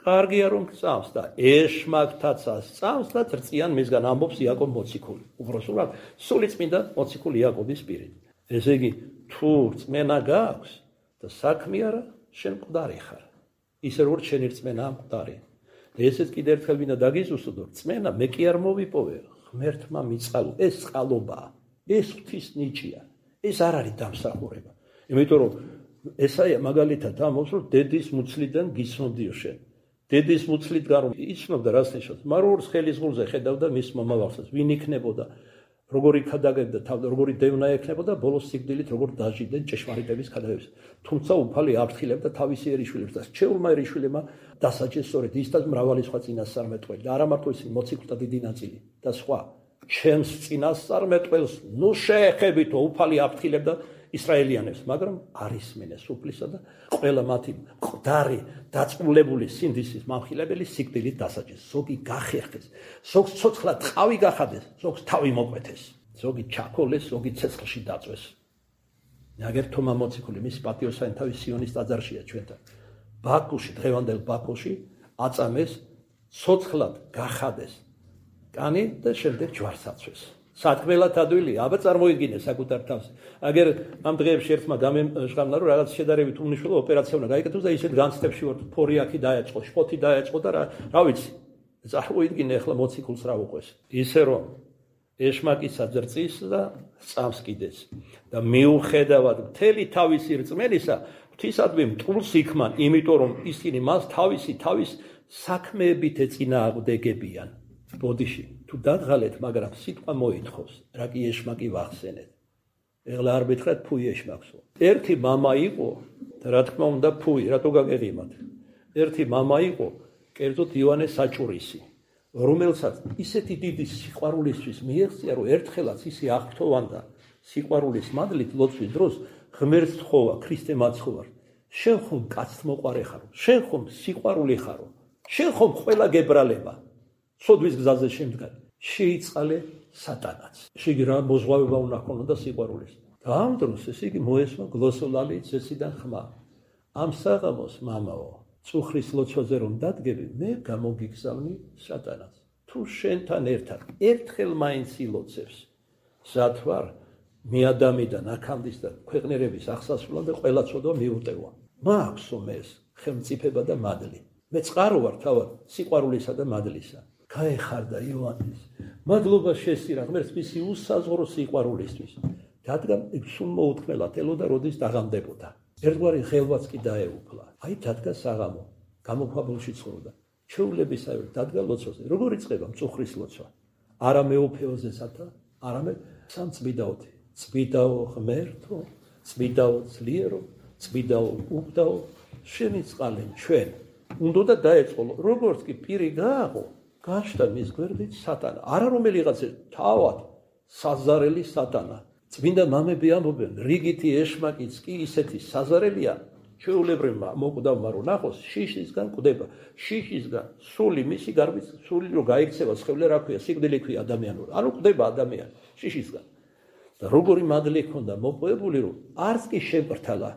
კარგია რომ გწამს და ეშმაკთაც ასწამს და წრწიან მისგან, ამბობს იაკობ მოციქული. უბრალოდ სულიწმინდა მოციქული იაკობის პირით. ესე იგი, თუ რწმენა გაქვს და საქმე არა, შენ მკვდარი ხარ. ისე როგორც შენი რწმენა მკვდარი. ესეც კიდევ ერთხელ მინდა დაგიზუსტო, რწმენა მე კი არ მოვიპოვე, ღმერთმა მიწყალო, ეს წყალობაა, ეს ღვთის ნიჭია, ეს არ არის დამსახურება. იმიტომ რომ ესაა მაგალითად ამბობს, რომ დედის მუცლიდან გიცნობდიო შენ. დედის მუცლიდან რომ იცნობდა რას ნიშნავს, მაგრამ როგორც ხელის ღრუზე ხედავდა მის მომავალსაც, ვინ იქნებოდა, როგორი ქადაგებდა თავი, როგორი დევნა ექნებოდა, ბოლოს სიკვდილით როგორ დაჟიდნენ ჭეშმარიტების ქადაგებას. თუმცა უფალი აფრთხილებდა თავისი ერიშვილებს და რჩეულმა ერიშვილებმა დასაჯეს სწორედ ის და მრავალი სხვა წინასწარმეტყველი და არა მარტო ისინი, მოციქულთა დიდი ნაწილი და სხვა. ჩემს წინასწარმეტყველს ნუ შეეხებითო, უფალი აფრთხილებდა ისრაელიანებს, მაგრამ არ ისმენეს უფლისა და ყველა მათი მკვდარი დაწმულებული სინდისის მამხილებელი სიკვდილით დასაჯეს. ზოგი გახერხეს, ზოგს ცოცხლად ტყავი გახადეს, ზოგს თავი მოკვეთეს, ზოგი ჩაქოლეს, ზოგი ცეცხლში დაწვეს. ნაგერ თომა მოციქული მისი პატიოსანი თავის სიონის ტაძარშია ჩვენთან. ბაქოში, დღევანდელ ბაქოში აწამეს, ცოცხლად გახადეს კანი და შემდეგ ჯვარს აწვეს. სათქმელად ადვილია, აბა წარმოიდგინე საკუთარ თავს. აგერ ამ დღეებში ერთმა გამემჟღავნა, რომ რაღაც შედარებით უმნიშვნელო ოპერაცია უნდა გაიკეთოს და ისეთ განცდებში ვარ, ფორი აქი დაეწყო, შფოთი დაეწყო და რა ვიცი. წარმოიდგინე ახლა მოციქულს რა უყვეს. ისე რომ ეშმაკისა ძრწის და სწამს კიდეც. და მიუხედავად მთელი თავისი რწმენისა, ღვთისადმი მტყუილს იქმან, იმიტომ რომ ისინი მას თავის საქმეებით ეწინააღმდეგებიან. ბოდიში თუ დაღალეთ, მაგრამ სიტყვა მოითხოვს, რა კი ეშმაკი ვახსენეთ. ეხლა არ მითხრათ ფუი ეშმაკსო. ერთი მამა იყო და რა თქმა უნდა ფუი, რატო გაგეღიმათ? ერთი მამა იყო, კერძოდ იოანე საჭურისი, რომელსაც ისეთი დიდი სიყვარულისთვის მიეღწია, რომ ერთხელაც ისე აღფრთოვანდა სიყვარულის მადლით ლოცვის დროს ღმერთს თხოვა, ქრისტე მაცხოვარ. შენ ხომ კაცთ მოყარე ხარო, შენ ხომ სიყვარული ხარო, შენ ხომ ყველა გებრალება. სოდვის გზაზე შემდგარ. შეიწყალე სატანაც. შეგი რა მოზღვავება უნდა ჰქონოდა სიყვარულის. და ამ დროს ეს იგი მოესმა გლოსოლალი ცეციდან ხმა. ამ საღამოს მამაო, წუხრის ლოცვაზე რომ დადგები, მე გამოგიგზავნი სატანაც. თუ შენთან ერთად ერთხელ მაინც ილოცებს, სად ვარ მიადამიდან აქამდის და ქვეყნერების აღსასრულად და ყველა ცოდვა მიუტევა. მააქვსო მეს ხელმწიფება და მადლი. მე წყარო ვარ თავად სიყვარულისა და მადლისა. გაეხარდა იოანეს. მადლობა შესწირა ღმერთს მისი უსაზღვრო სიყვარულისთვის. რადგან სულ მოუთმელად ელოდა, როდის დაღამდებოდა. ერთგვარი ხელვაც კი დაეუფლა. აი დადგა საღამო, გამოქვაბულში ცხოვრობდა. ჩვეულებისავე დადგა ლოცვაზე. როგორ იწყება მწუხრის ლოცვა? არა მეუფეოზესათა, არამედ სამწმიდაოთი. წმიდაო ღმერთო, წმიდაო ძლიერო, წმიდაო უგდაო, შენი წყალე ჩვენ. უნდა დაეწყო, როგორც კი პირი გააღო, გაჩნდა მის გვერდით სატანა. არა რომელიღაც თავად საზარელი სატანა. წმინდა მამები ამბობენ, რიგითი ეშმაკიც კი ისეთი საზარელია, ჩვეულებრივმა მოკვდავმა რო ნახოს, შიშისგან კვდება. შიშისგან სული მისი გარბის სული რო გაიქცევა სხეულე რა ქვია, სიკვდილი ქვია ადამიანური. ანუ კვდება ადამიანი შიშისგან. და როგორი მადლი ჰქონდა მოპოვებული, რომ არც კი შემპრთალა.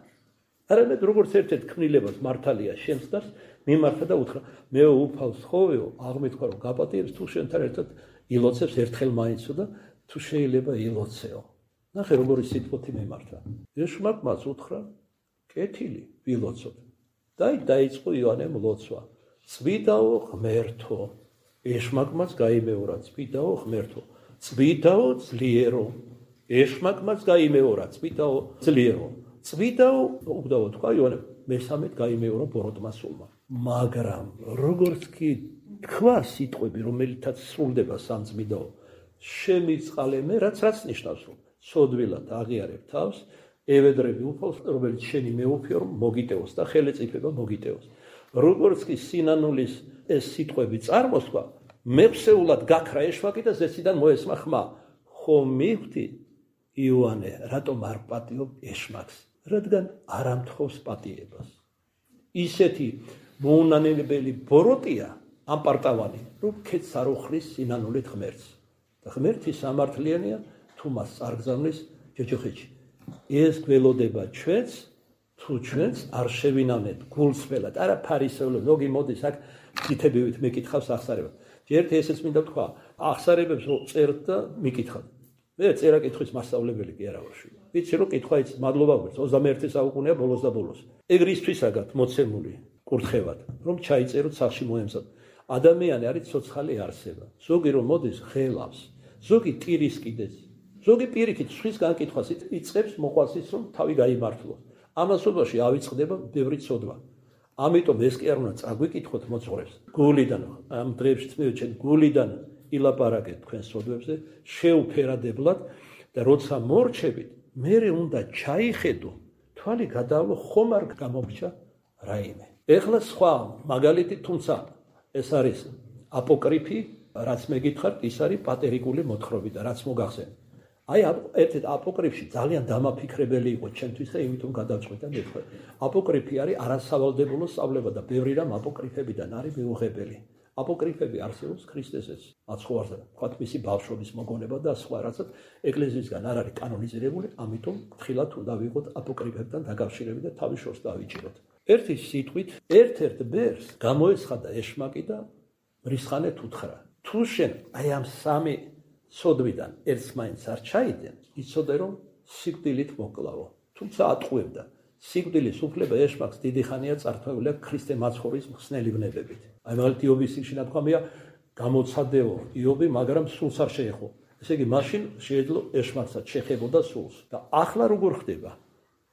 არამედ როგორც ერთ-ერთ ქმნილებას მართალია შემსდარს, მიმართა და უთხრა, მე უფალს ხოვეო, აღმეთქვა რომ გაპატიებს თუ შენთან ერთად ილოცებს ერთხელ მაინცო და თუ შეიძლება ილოცეო. ნახე როგორი სიტყვოთი მიმართა. ეშმაკმაც უთხრა, კეთილი ვილოცოთ. და დაიწყო იოანემ ლოცვა. წმიდაო ღმერთო, ეშმაკმაც გაიმეორა, წმიდაო ღმერთო, წმიდაო ძლიერო, ეშმაკმაც გაიმეორა, წმიდაო ძლიერო. წმიდაო უგდაო თქვა იოანემ, მესამედ გაიმეორა ბოროტმა სულმა. მაგრამ როგორც კი თქვა სიტყვები, რომელთაც სრულდება სამწმიდაო, შემიწყალე მე, რაც ნიშნავს, რომ სოდვილად აღიარებ თავს, ევედრები უფალს, რომელიც შენი მეუფეო, რომ მოგიტევოს და ხელეწიფება მოგიტევოს. როგორც კი სინანულის ეს სიტყვები წარმოსქვა, მეფსეულად გაქრა ეშმაკი და ზეციდან მოესმა ხმა. ხომ მიხვდი იოანე, რატომ არ პატიობ ეშმაკს? რადგან არ ამთხოვს პატიებას. ისეთი მოუნანებელი ბოროტია ამ პარტავანი, რომ ქეთს არ უხრის სინანულით ღმერთს. და ღმერთი სამართლიანია, თუ მას წარგზავნის ჯოჯოხეთში. ეს გველოდება ჩვენს, თუ ჩვენს არ შევინანეთ გულსველად. არა ფარისევლად, მოგი მოდის აქ თითებივით მეკითხავს ახსარებად. ერთი ესეც მინდა თქვა, ახსარებებს რო წერთ და მიკითხავთ. მე წერა-კითხვის მასწავლებელი კი არა ვარ. ვიცი რომ კითხვა იცით, მადლობა გვერდს 21 საუკუნეა ბოლოს და ბოლოს. ეგრისთვისაგან მოცემული კურთხევად, რომ ჩაიწეროთ სახში მოემზად. ადამიანი არის ცოცხალი არსება. ზოგი რომ მოდის ღელავს, ზოგი ტირის კიდეც, ზოგი პირიქით სხვის განკითხვას იწყებს მოყვას ის რომ თავი გაიმართლოს. ამასობაში ავიწყდება ბევრი ცოდვა. ამიტომ ეს კი არ უნდა წაგვიკითხოთ მოწყურებს. გულიდან ამ დღეებში წმევჩენ გულიდან ილაპარაკეთ თქვენ სოდვებზე, შეუფერადებლად და როცა მორჩებით, მერე უნდა ჩაიხედო, თვალი გადავლო, ხომ არ გამომრჩა რაიმე. ეხლა სხვა მაგალითი, თუმცა ეს არის აპოკრიფი, რაც მეკითხართ, ის არის პატერიკული მოთხრობი და რაც მოგახსენეთ. აი ერთ-ერთ აპოკრიფში ძალიან დამაფიქრებელი იყო ჩემთვის და იმიტომ გადავწყვიტე მეთქვა. აპოკრიფი არის არასავალდებულო სწავლება და ბევრი რამ აპოკრიფებიდან არის მიუღებელი. აპოკრიფები არსებობს ქრისტესეც აცხოვარზე, თქვათ მისი ბავშვობის მოგონება და სხვა რასაც ეკლესიისგან არ არის კანონიზირებული, ამიტომ თხილად უნდა ვიყოთ აპოკრიფებთან დაკავშირებით და თავის შორს დავიჭიროთ. ერთი სიტყვით ერთ-ერთ ბერს გამოეცხადა ეშმაკი და მრისხანეთ უთხრა. თუ შენ აი ამ სამი სოდვიდან ერთს მაინც არ ჩაიდნენ, იცოდა რომ სიკვდილით მოკლავო. თუმცა ატყუებდა. სიკვდილის უფლება ეშმაკს დიდი ხანია წართმეული ქრისტე მაცხოვრის მხსნელი ვნებებით. აი მაგალითად იობის სიგში ნათქვამია გამოცადეო იობი, მაგრამ სულს არ შეეხო. ესე იგი მაშინ შეეძლო ეშმაკსაც შეხებოდა სულს. და ახლა როგორ ხდება?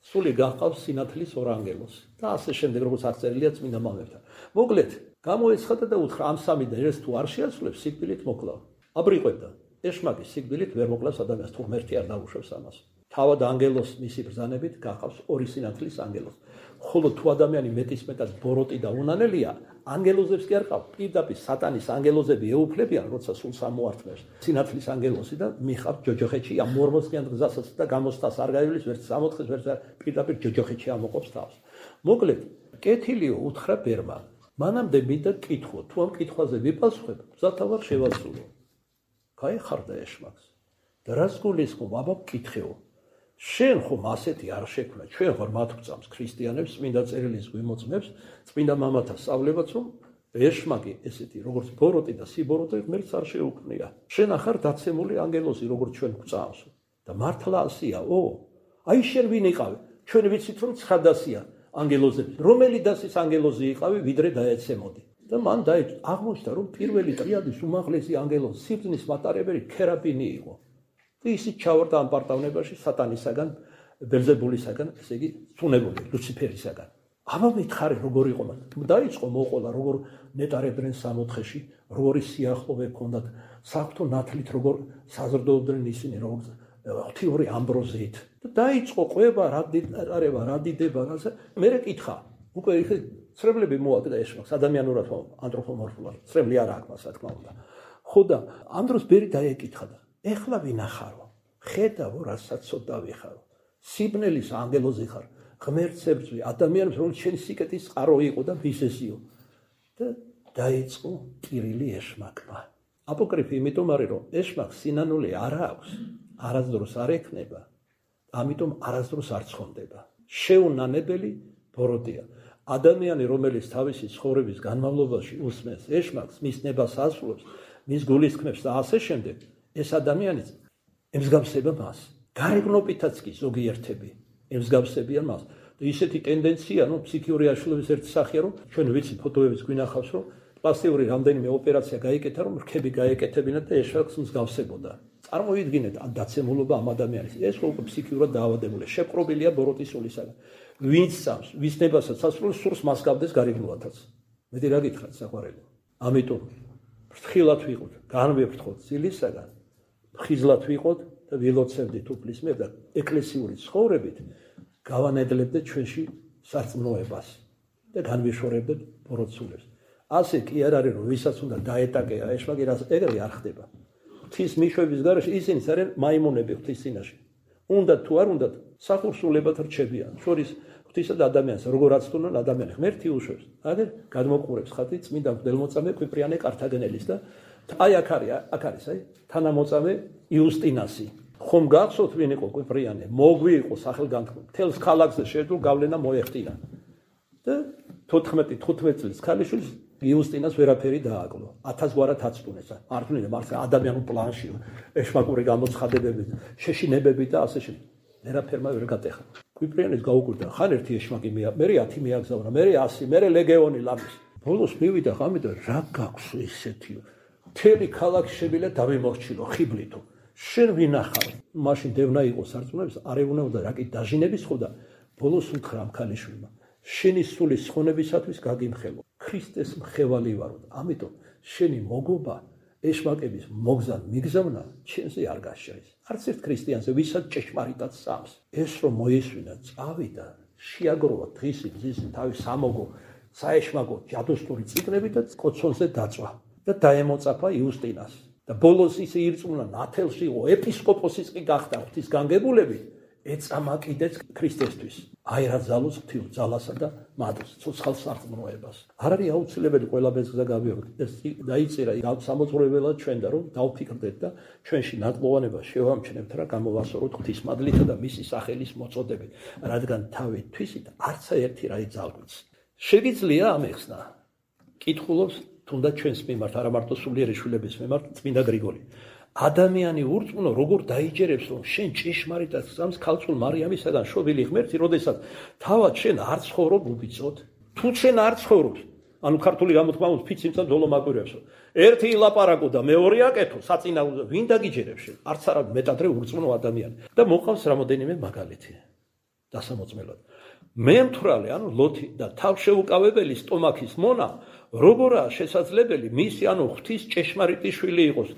სული გაჰყავს სინათლის ორ ანგელოზს და ასე შემდეგ როგორც აღწერილია წმინდა მამებთან. მოკლედ, გამოეცხადა და უთხრა ამ სამიდან ერთს თუ არ შეასრულებს, სიკვდილით მოკლავ. აბრიყვებდა. ეშმაკი სიკვდილით ვერ მოკლავს ადამიანს, თუ ღმერთი არ დაუშვებს ამას. თავად ანგელოზს მისი ბრძანებით გაჰყავს ორი სინათლის ანგელოზს. ხოლო თუ ადამიანი მეტისმეტად ბოროტი და უნანელია, ანგელოზებს კი არ ყავს. პირდაპირ სატანის ანგელოზები ეუფლებიან, როცა სულს ამოართმევს. სინათლის ანგელოზი და მიხავთ ჯოჯოხეთში ამ მორმოსკიან გზასაც და გამოსტას არ გაივლის, ვერც სამოთხეს, ვერც პირდაპირ ჯოჯოხეთში ამოყოფს თავს. მოკლედ, კეთილიო უთხრა ბერმა. მანამდე მინდა კითხო, თუ ამ კითხვაზე ვიპასუხებ, მზათავარ შევასრულო. გაეხარდა ეშმაკს. და რას გულისხმობ, აბა მკითხეო. შენ ხომ ასეთი არ შექმნა, ჩვენ ხარ მათ გვწამს ქრისტიანებს, წმინდა წერილის გვიმოწმებს, წმინდა მამათა სწავლებაც, რომ ეშმაკი ესეთი, როგორც ბოროტი და სიბოროტე ღმერთს არ შეუქმნია. შენ ახარ დაცემული ანგელოზი, როგორც ჩვენ გვწამს. და მართლა ასიაო? აი შენ ვინ იყავი? ჩვენ ვიცით რომ ცხადასია ანგელოზები. რომელი დასის ანგელოზი იყავი, ვიდრე დაეცემოდი. და მან აღმოჩნდა, რომ პირველი ტრიადის უმაღლესი ანგელოზი სიბრძნის მატარებელი ქერაბინი იყო. და ისიც ჩავარდა ამ პარტავნებაში სატანისაგან, ბელზებულისაგან, ესე იგი, ცუნებული, ლუციფერისაგან. აბა მითხარი, როგორ იყო მან? დაიწყო მოყოლა, როგორ ნეტარებდნენ სამოთხეში, როგორი სიახლოვე ჰქონდათ, საღვთო ნათლით როგორ საზრდოობდნენ ისინი, როგორც ღვთიური ამბროზიით. და დაიწყო ყვება, რა დიდება, რაზე. მერე კითხა, უკვე ცრემლები მოაკდა ეშმაკს, ადამიანურად ანთროპომორფულად, ცრემლი არ აქვს, რა თქმა უნდა. ხო და ამ დროს ბერი დაეკითხა და ეხლა ვინახარო? ხედავო, რასაც ცოტა ვიხარო. სიბნელის ანგელოზი ხარ, ღმერთს ებრძვი, ადამიანებს რომ შენი სიკეთის წყარო იყო და მისესიო. და დაიწყო ტირილი ეშმაკმა. აპოკრიფი იმიტომ არის, რომ ეშმაკს სინანული არ აქვს, არასდროს არ ექნება, ამიტომ არასდროს არ ცხონდება. შეუნანებელი ბოროტია. ადამიანი, რომელიც თავისი ცხოვრების განმავლობაში უსმენს ეშმაკს, მის ნებას ასრულებს, მის გულისხმებს და ასე შემდეგ, ეს ადამიანი ემსგავსება მას. გარეგნობითაც კი ზოგიერთები ემსგავსებიან მას. და ისეთი ტენდენცია, ფსიქიური აშლილობის ერთი სახეა, რომ ჩვენ ვიცით ფოტოებიც გვინახავს, რომ პლასტიკური რამდენიმე ოპერაცია გაიკეთა, რომ რქები გაეკეთებინათ და ეშმაკს მსგავსებოდა. წარმოვიდგინეთ ამ დაცემულობა ამ ადამიანის. ეს უკვე ფსიქიურად დაავადებულია, შეპყრობილია ბოროტის სულისაგან. ვინც წამს, ვის ნებასაც ასრულებს, სურს მას გავდეს გარეგნულათაც. მეტი რა გითხრათ საყვარელი. ამიტომ ფრთხილად ვიყოთ, განვეფრთხოთ სილისაგან, ხიზლად ვიყოთ და ვილოცევდით უფლის მიერ და ეკლესიური ცხოვრებით გავანედლებდეთ ჩვენში სარწმუნოებას და განვიშორებდეთ ბოროტსულებს. ასე კი არ არის, რომ ვისაც უნდა დაეტაკეა ეშმაკი, ეგრე არ ხდება. ღვთის მიშვების გარეშე ისინი არიან მაიმუნები ღვთის წინაშე. უნდათ თუ არ უნდათ, სახურსულებად რჩებიან. შორის ღვთისა და ადამიანს როგორაც თუნდაც ადამიანი ღმერთი უშვებს. აგერ გადმოყურებს ხათი წმინდა მღვდელმოწამე კვიპრიანე კართაგენელის და აი აქ არის თანამოწამე იუსტინასი. ხომ გახსოვთ ვინ იყო კვიპრიანე? მოგვი იყო სახელგანთქმული. მთელს ქალაქზე შეძლო გავლენა მოეხტინა. და 14-15 წლის ქალიშვილს იუსტინას ვერაფერი დააკლო. 1000 გვარად აცტუნეს. მართლა ადამიანურ პლანში, ეშმაკური გამოცხადებები, შეშინებები და ასე შემდეგ. ვერაფერმა ვერ გატეხა. კვიპრიანეს გაუკვირდა, ხან ერთი ეშმაკი მე 10 მიაგზავნა, მე 100, მე ლეგეონი ლამის. ბოლოს მივიდა ღამე და რა გაქვს ესეთიო? მთელი ქალაქი შებილა დავიმორჩილო ხიბლითო. შენ ვინახავ? მაშინ დევნა იყო სარწმუნოების, არეუნაოდა რა კი დაჟინების ხო და ბოლოს უთხრა ამ ქალიშვილმა. შენი სულის ხონებისათვის გაგიმხელო. ქრისტეს მხევალი ვარო. ამიტომ შენი მოგობა ეშმაკების მოგზან მიგზავნა ჩვენზე არ გაშაის. არც ერთ ქრისტიანზე ვისაც ჭეშმარიტად სams. ეს რომ მოისვინა, წავიდა, შეაგროვა დღისი თავის სამოგო, საეშმაკო ჯადოსნური წიგნები და კოცონზე დაწვა და დაემოწაფა იუსტინას. და ბოლოს ისე ირწმუნა ნათელში იყო, ეპისკოპოსიც კი გახდა ღვთის განგებულებით, ეწამა კიდეც ქრისტესთვის. აი რა ძალოს ღვთიურ ძალასა და მადლს, ცოცხალ სარწმუნოებას. არ არის აუცილებელი ყველა ბეძგზა გავიაროთ. ეს დაიწერა სამოძღვრებელად ჩვენ და რომ დავფიქრდეთ და ჩვენში ნატყოვანება შევამჩნევთ რა გამოვასწოროთ ღვთისმადლითა და მისი სახელის მოწოდებით, რადგან თავი თვისით არც ერთი რა იძალგვიც. შეგიძლია ამეხსნა. კითხულობს თუნდაც ჩვენს მიმართ, არა მარტო სულიერი შვილების მიმართ, წმინდა გრიგოლი. ადამიანი ურწმუნო როგორ დაიჯერებს რომ შენ ჭეშმარიტად გზამს ქალწულ მარიამისაგან შობილი ღმერთი, როდესაც თავად შენ არ ცხოვრობ უბიწოდ, თუ შენ არ ცხოვრობ, ანუ ქართული გამოთქმა უნდა ფიციმცა ძოლო მაგვირებს, ერთი ილაპარაკო და მეორე აკეთო, საწინააღმდეგო, ვინ დაგიჯერებს შენ? არც არა მეტადრე ურწმუნო ადამიანი. და მოყავს რამოდენიმე მაგალითი დასამოწმელად. მემთვრალე, ანუ ლოთი და თავშეუკავებელი სტომაქის მონა, როგორაა შესაძლებელი მისი ანუ ღვთის ჭეშმარიტი შვილი იყოს,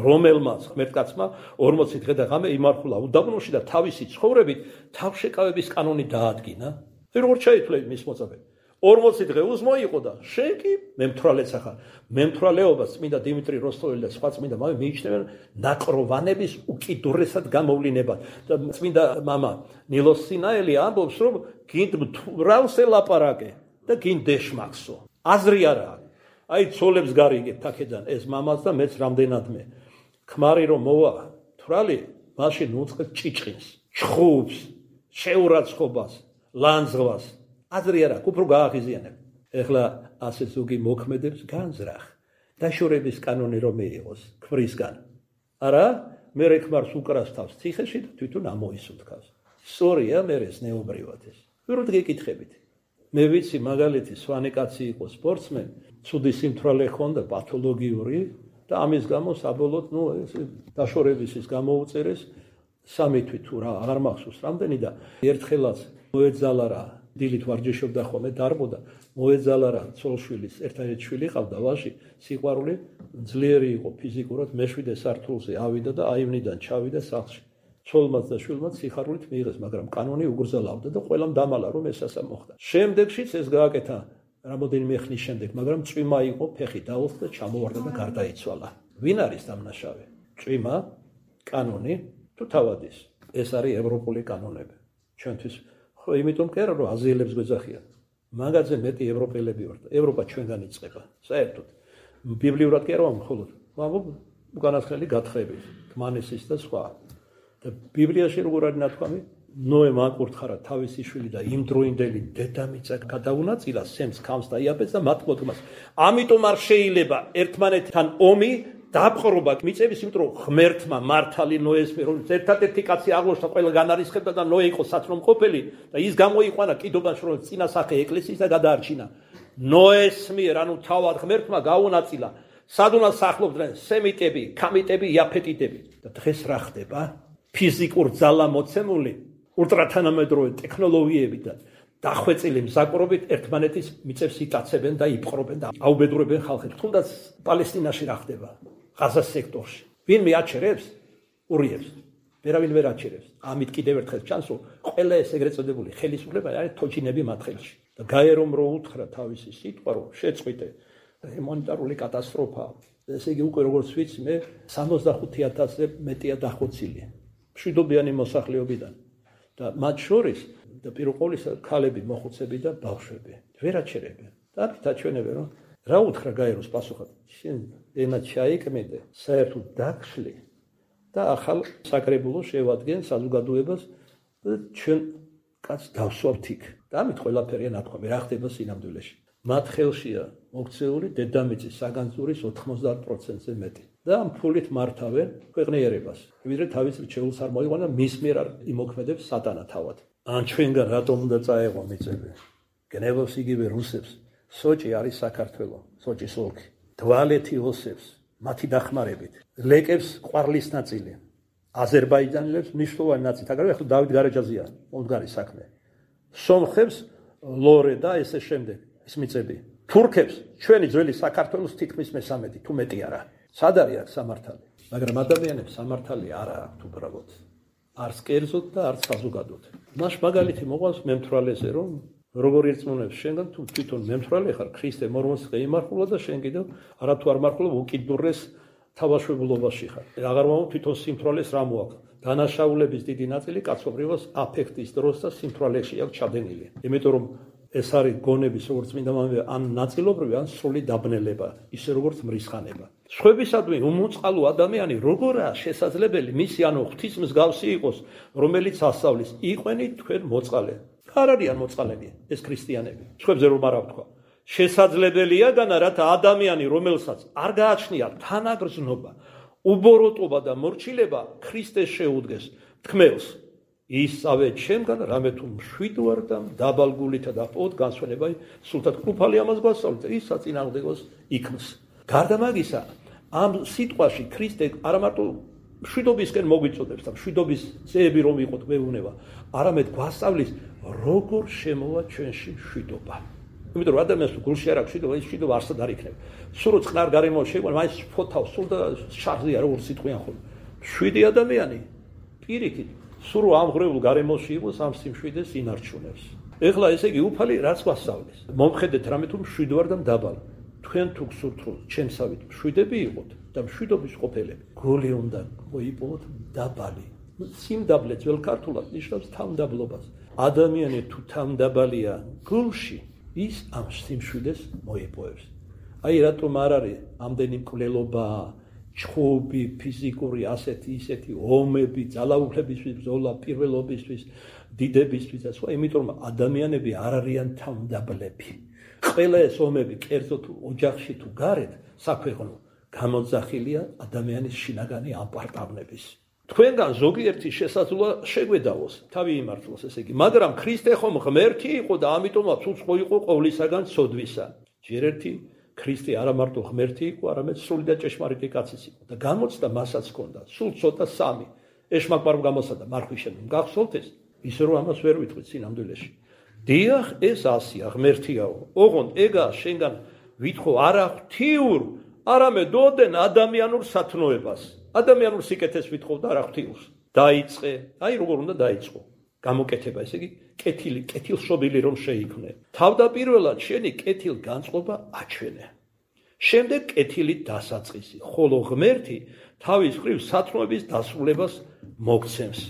რომელმაც ღმერთკაცმა 40 დღე და ღამე იმარხულა უდაბნოში და თავისი ცხოვრებით თავშეკავების კანონი დაადგინა. როგორ შეითვლება მის მოწაფე? 40 დღე უსმო იყო და შენ კი მემთვრალეც ახარ. მემთვრალეობას წმინდა დიმიტრი როსტოველი და სხვა წმინდა მამები მიიჩნევენ ნაკროვანების უკიდურესად გამოვლინებად. და წმინდა მამა ნილოს სინაელი ამბობს, რომ გინდ მთვრალს ელაპარაკე და გინდ დეშმაკსო. აზრი არა აქვს. აი ცოლებს გარიგებთ აქედან ეს მამაც და მეც რამდენადმე. ქმარი რომ მოვა თვრალი, მაშინ უწყებს ჭიჭყინს, ჩხუბს, შეურაცხყოფას, ლანძღვას. აზრი არა, უფრო გააღიზიანებ. ეხლა ასე ზოგი მოქმედებს განზრახ. დაშორების კანონი რომ მიიღოს ქმრისგან. არა, მე ქმარს უკრას თავს ციხეში და თვითონ ამოისუნთქავს. სწორია მე ეს ნეობრივად ეს. ვეროდ გეკითხებით. მე ვიცი მაგალითი სვანი კაცი იყო სპორტსმენი, ცუდი სიმთვრალე ჰქონდა პათოლოგიური და ამის გამო საბოლოოდ ეს დაშორების ის გამოუწერეს 3 თვით თუ რა აღარ მახსოვს რამდენი და ერთხელაც მოეძალა რა დილით ვარჯიშობდა ხოლმე დარბოდა მოეძალა რა ცოლშვილის ერთადერთი შვილი ყავდა ვაჟი სიყვარული ძლიერი იყო ფიზიკურად მე-7 სართულზე ავიდა და აივნიდან ჩავიდა სახლში ცოლმაც და შვილმაც სიხარულით მიიღეს მაგრამ კანონი უგრძელავდა და ყველამ დამალა რომ ეს ასე მოხდა შემდეგშიც ეს გააკეთა რამოდენიმე ხნის შემდეგ მაგრამ წვიმა იყო ფეხი დაუხდა და ჩამოვარდა და გარდაიცვალა ვინ არის დამნაშავე წვიმა კანონი თუ თავადის ეს არის ევროპული კანონები ჩვენთვის ხო იმიტომ კი არა რომ აზიელებს გვეძახიან მაგაზე მეტი ევროპელები ვართ ევროპა ჩვენგან იწყება საერთოდ ბიბლიურად კი არა მხოლოდ მაგრამ უკანასკნელი გათხრებით თმანისის და სხვა და ბიბლიაში როგორ არის ნათქვამი ნოემ აკურთხარა თავისი შვილი და იმდროინდელი დედამიწა გადაუნაწილა სემს ქამს და იაფეთს და მათ მოდგმას ამიტომ არ შეიძლება ერთმანეთთან ომი დაპყრობა მიწების იმიტომ რომ ღმერთმა მართალი ნოეს მიერ რომ ერთადერთი კაცი აღლოშთა ყველა განარისხებდა და ნოე იყო სათნომყოფელი და ის გამოიყვანა კიდობაში რომ წინასახე ეკლესიის და გადაარჩინა ნოეს მიერ ანუ თავად ღმერთმა გაუნაწილა სად უნდა სახლობდნენ სემიტები ქამიტები იაფეთიტები და დღეს რა ხდება ფიზიკურ ძალა მოცემული ულტრათანამედროვე ტექნოლოგიებით და დახვეწილი მზაკვრობით ერთმანეთის მიწებს იტაცებენ და იპყრობენ და აუბედურებენ ხალხებს თუნდაც პალესტინაში რა ხდება ღაზას სექტორში ვინმე აჩერებს ურიებს ვერავინ ვერ აჩერებს ამით კიდევ ერთხელ ჩანს რომ ყველა ეს ეგრეთ წოდებული ხელისუფლება არის თოჯინები მათ ხელში და გაერომ რო უთხრა თავისი სიტყვა რომ შეწყვიტე ჰუმანიტარული კატასტროფა ესე იგი უკვე როგორც ვიცი მე 65000-ზე მეტია დახოცილი მშვიდობიანი მოსახლეობიდან და მათ შორის და პირველ ყოვლისა ქალები მოხუცები და ბავშვები ვერ აჩერებენ და ამით აჩვენებენ რომ რა უთხრა გაეროს პასუხად შენ ენა ჩაიკმედე საერთოდ დაგშლი და ახალ საკრებულოს შევადგენ საზოგადოებას და ჩვენ კაც დავსვავთ იქ და ამით ყველაფერია ნათქვამი რა ხდება სინამდვილეში მათ ხელშია მოქცეული დედამიწის საგანძურის 90%-ზე მეტი და ამ ფულით მართავენ ქვეყნიერებას ვიდრე თავის რჩეულს არ მოიყვანა მის მიერ არ იმოქმედებს სატანა თავად ან ჩვენგან რატომ უნდა წაეღო მიწები გნევობს იგივე რუსებს სოჭი არის საქართველო სოჭის ოლქი დვალეთი ოსებს მათი დახმარებით ლეკებს ყვარლის ნაწილი აზერბაიჯანელებს მნიშვნელოვანი ნაწილი აგრეთვე ახლა დავით გარეჯაზია მომდგარი საქმე სომხებს ლორე და ესე შემდეგ ის მიწები თურქებს ჩვენი ძველი საქართველოს თითქმის მე-13 თუ მეტი არა სად არის აქ სამართალი მაგრამ ადამიანებს სამართალი არა აქვთ უბრალოდ არც კერძოდ და არც საზოგადოდ მას მაგალითი მოყავს მემთვრალეზე რომ როგორ ირწმუნებს შენგან თუ თვითონ მემთვრალე ხარ ქრისტე მორმონს იმარხულა და შენ კიდევ არათუ არ მარხულა უკიდურეს თავაშვებულობაში ხარ აღარ მომო თვითონ სიმთვრალეს რა მოაქვს დანაშაულების დიდი ნაწილი კაცობრიობას აფექტის დროს და სიმთვრალეში აქვს ჩადენილი იმიტომ რომ ეს არის გონების როგორც წმინდა მამები ან ნაწილობრივი ან სრული დაბნელება ისე როგორც მრისხანება სხვებისადმი უმოწყალო ადამიანი როგორაა შესაძლებელი მისი ანუ ღვთის მსგავსი იყოს რომელიც ასწავლის იყვენი თქვენ მოწყალე არ არიან მოწყალები ეს ქრისტიანები სხვებზე რომ არა ვთქვა შესაძლებელია განა რათა ადამიანი რომელსაც არ გააჩნია თანაგრძნობა უბოროტობა და მორჩილება ქრისტეს შეუდგეს თქმელს. ისავე ჩემგან რამე თუ მშვიდ და დაბალგულითა და პოდ განსვენება სულთად კრუფალი ამას გვასწავლეთ ის საწინააღმდეგოს იქმს. გარდა მაგისა ამ სიტყვაში ქრისტე არა მარტო მშვიდობისკენ მოგვიწოდებს და მშვიდობის ძეები რომ იყოთ გვეუბნება, არამედ გვასწავლის როგორ შემოვა ჩვენში მშვიდობა. იმიტომ რომ ადამიანს თუ გულში არ აქვს მშვიდობა, ის მშვიდობა არსად არ იქნება. სულ რო წყნარ გარემო შეგვიძლია, მაინც ფოთავს სულ და შარზეა როგორ სიტყვიან ხოლმე. მშვიდი ადამიანი პირიქით სულ რო ამღრეულ გარემოში იყოს, ამ სიმშვიდეს ინარჩუნებს. ეხლა ესე იგი უფალი რაც გვასწავლის. მომხედეთ რამე თუ მშვიდ ვარ და მდაბალ. თქვენ თუ გსურთ რომ ჩემსავით მშვიდები იყოთ და მშვიდობის ყოფილები, გული უნდა მოიპოვოთ დაბალი. სიმდაბლე ძველ ქართულად ნიშნავს თავმდაბლობას. ადამიანი თუ თავმდაბალია გულში, ის ამ სიმშვიდეს მოიპოვებს. აი რატომ არ არის ამდენი მკვლელობა, ჩხუბი, ფიზიკური ასეთი ისეთი ომები, ძალაუფლებისთვის ბრძოლა, პირველობისთვის, დიდებისთვის და სხვა, იმიტომ რომ ადამიანები არ არიან თავმდაბლები. ყველა ეს ომები, კერძოდ ოჯახში თუ გარეთ, საქვეყნო, გამოძახილია ადამიანის შინაგანი ამპარტავნების. თქვენგან ზოგიერთი შესაძლოა შეგვედავოს, თავი იმართლოს, ესე იგი, მაგრამ ქრისტე ხომ ღმერთი იყო და ამიტომაც უცხო იყო ყოვლისაგან ცოდვისა. ჯერ ერთი ქრისტე არა მარტო ღმერთი იყო, არამედ სრული და ჭეშმარიტი კაციც იყო და გამოცდა მასაც ჰქონდა, სულ ცოტა სამი. ეშმაკბარომ გამოსადა მარხვის შემდგომ გახსოვთ ეს? ისე რომ ამას ვერ ვიტყვით სინამდვილეში. დიახ, ეს ასია, ღმერთიაო. ოღონდ ეგა შენგან ვითხოვ არა ღვთიურ, არამედ ოდენ ადამიანურ სათნოებას. ადამიანურ სიკეთეს ვითხოვ და არა ღვთიურს. დაიწყე, აი როგორ უნდა დაიწყო. გამოკეთება, ესე იგი, კეთილშობილი რომ შეიქმნე. თავდაპირველად შენი კეთილგანწყობა აჩვენე. შემდეგ კეთილით დასაწყისი, ხოლო ღმერთი თავის მხრივ სათნოების დასრულებას მოგცემს.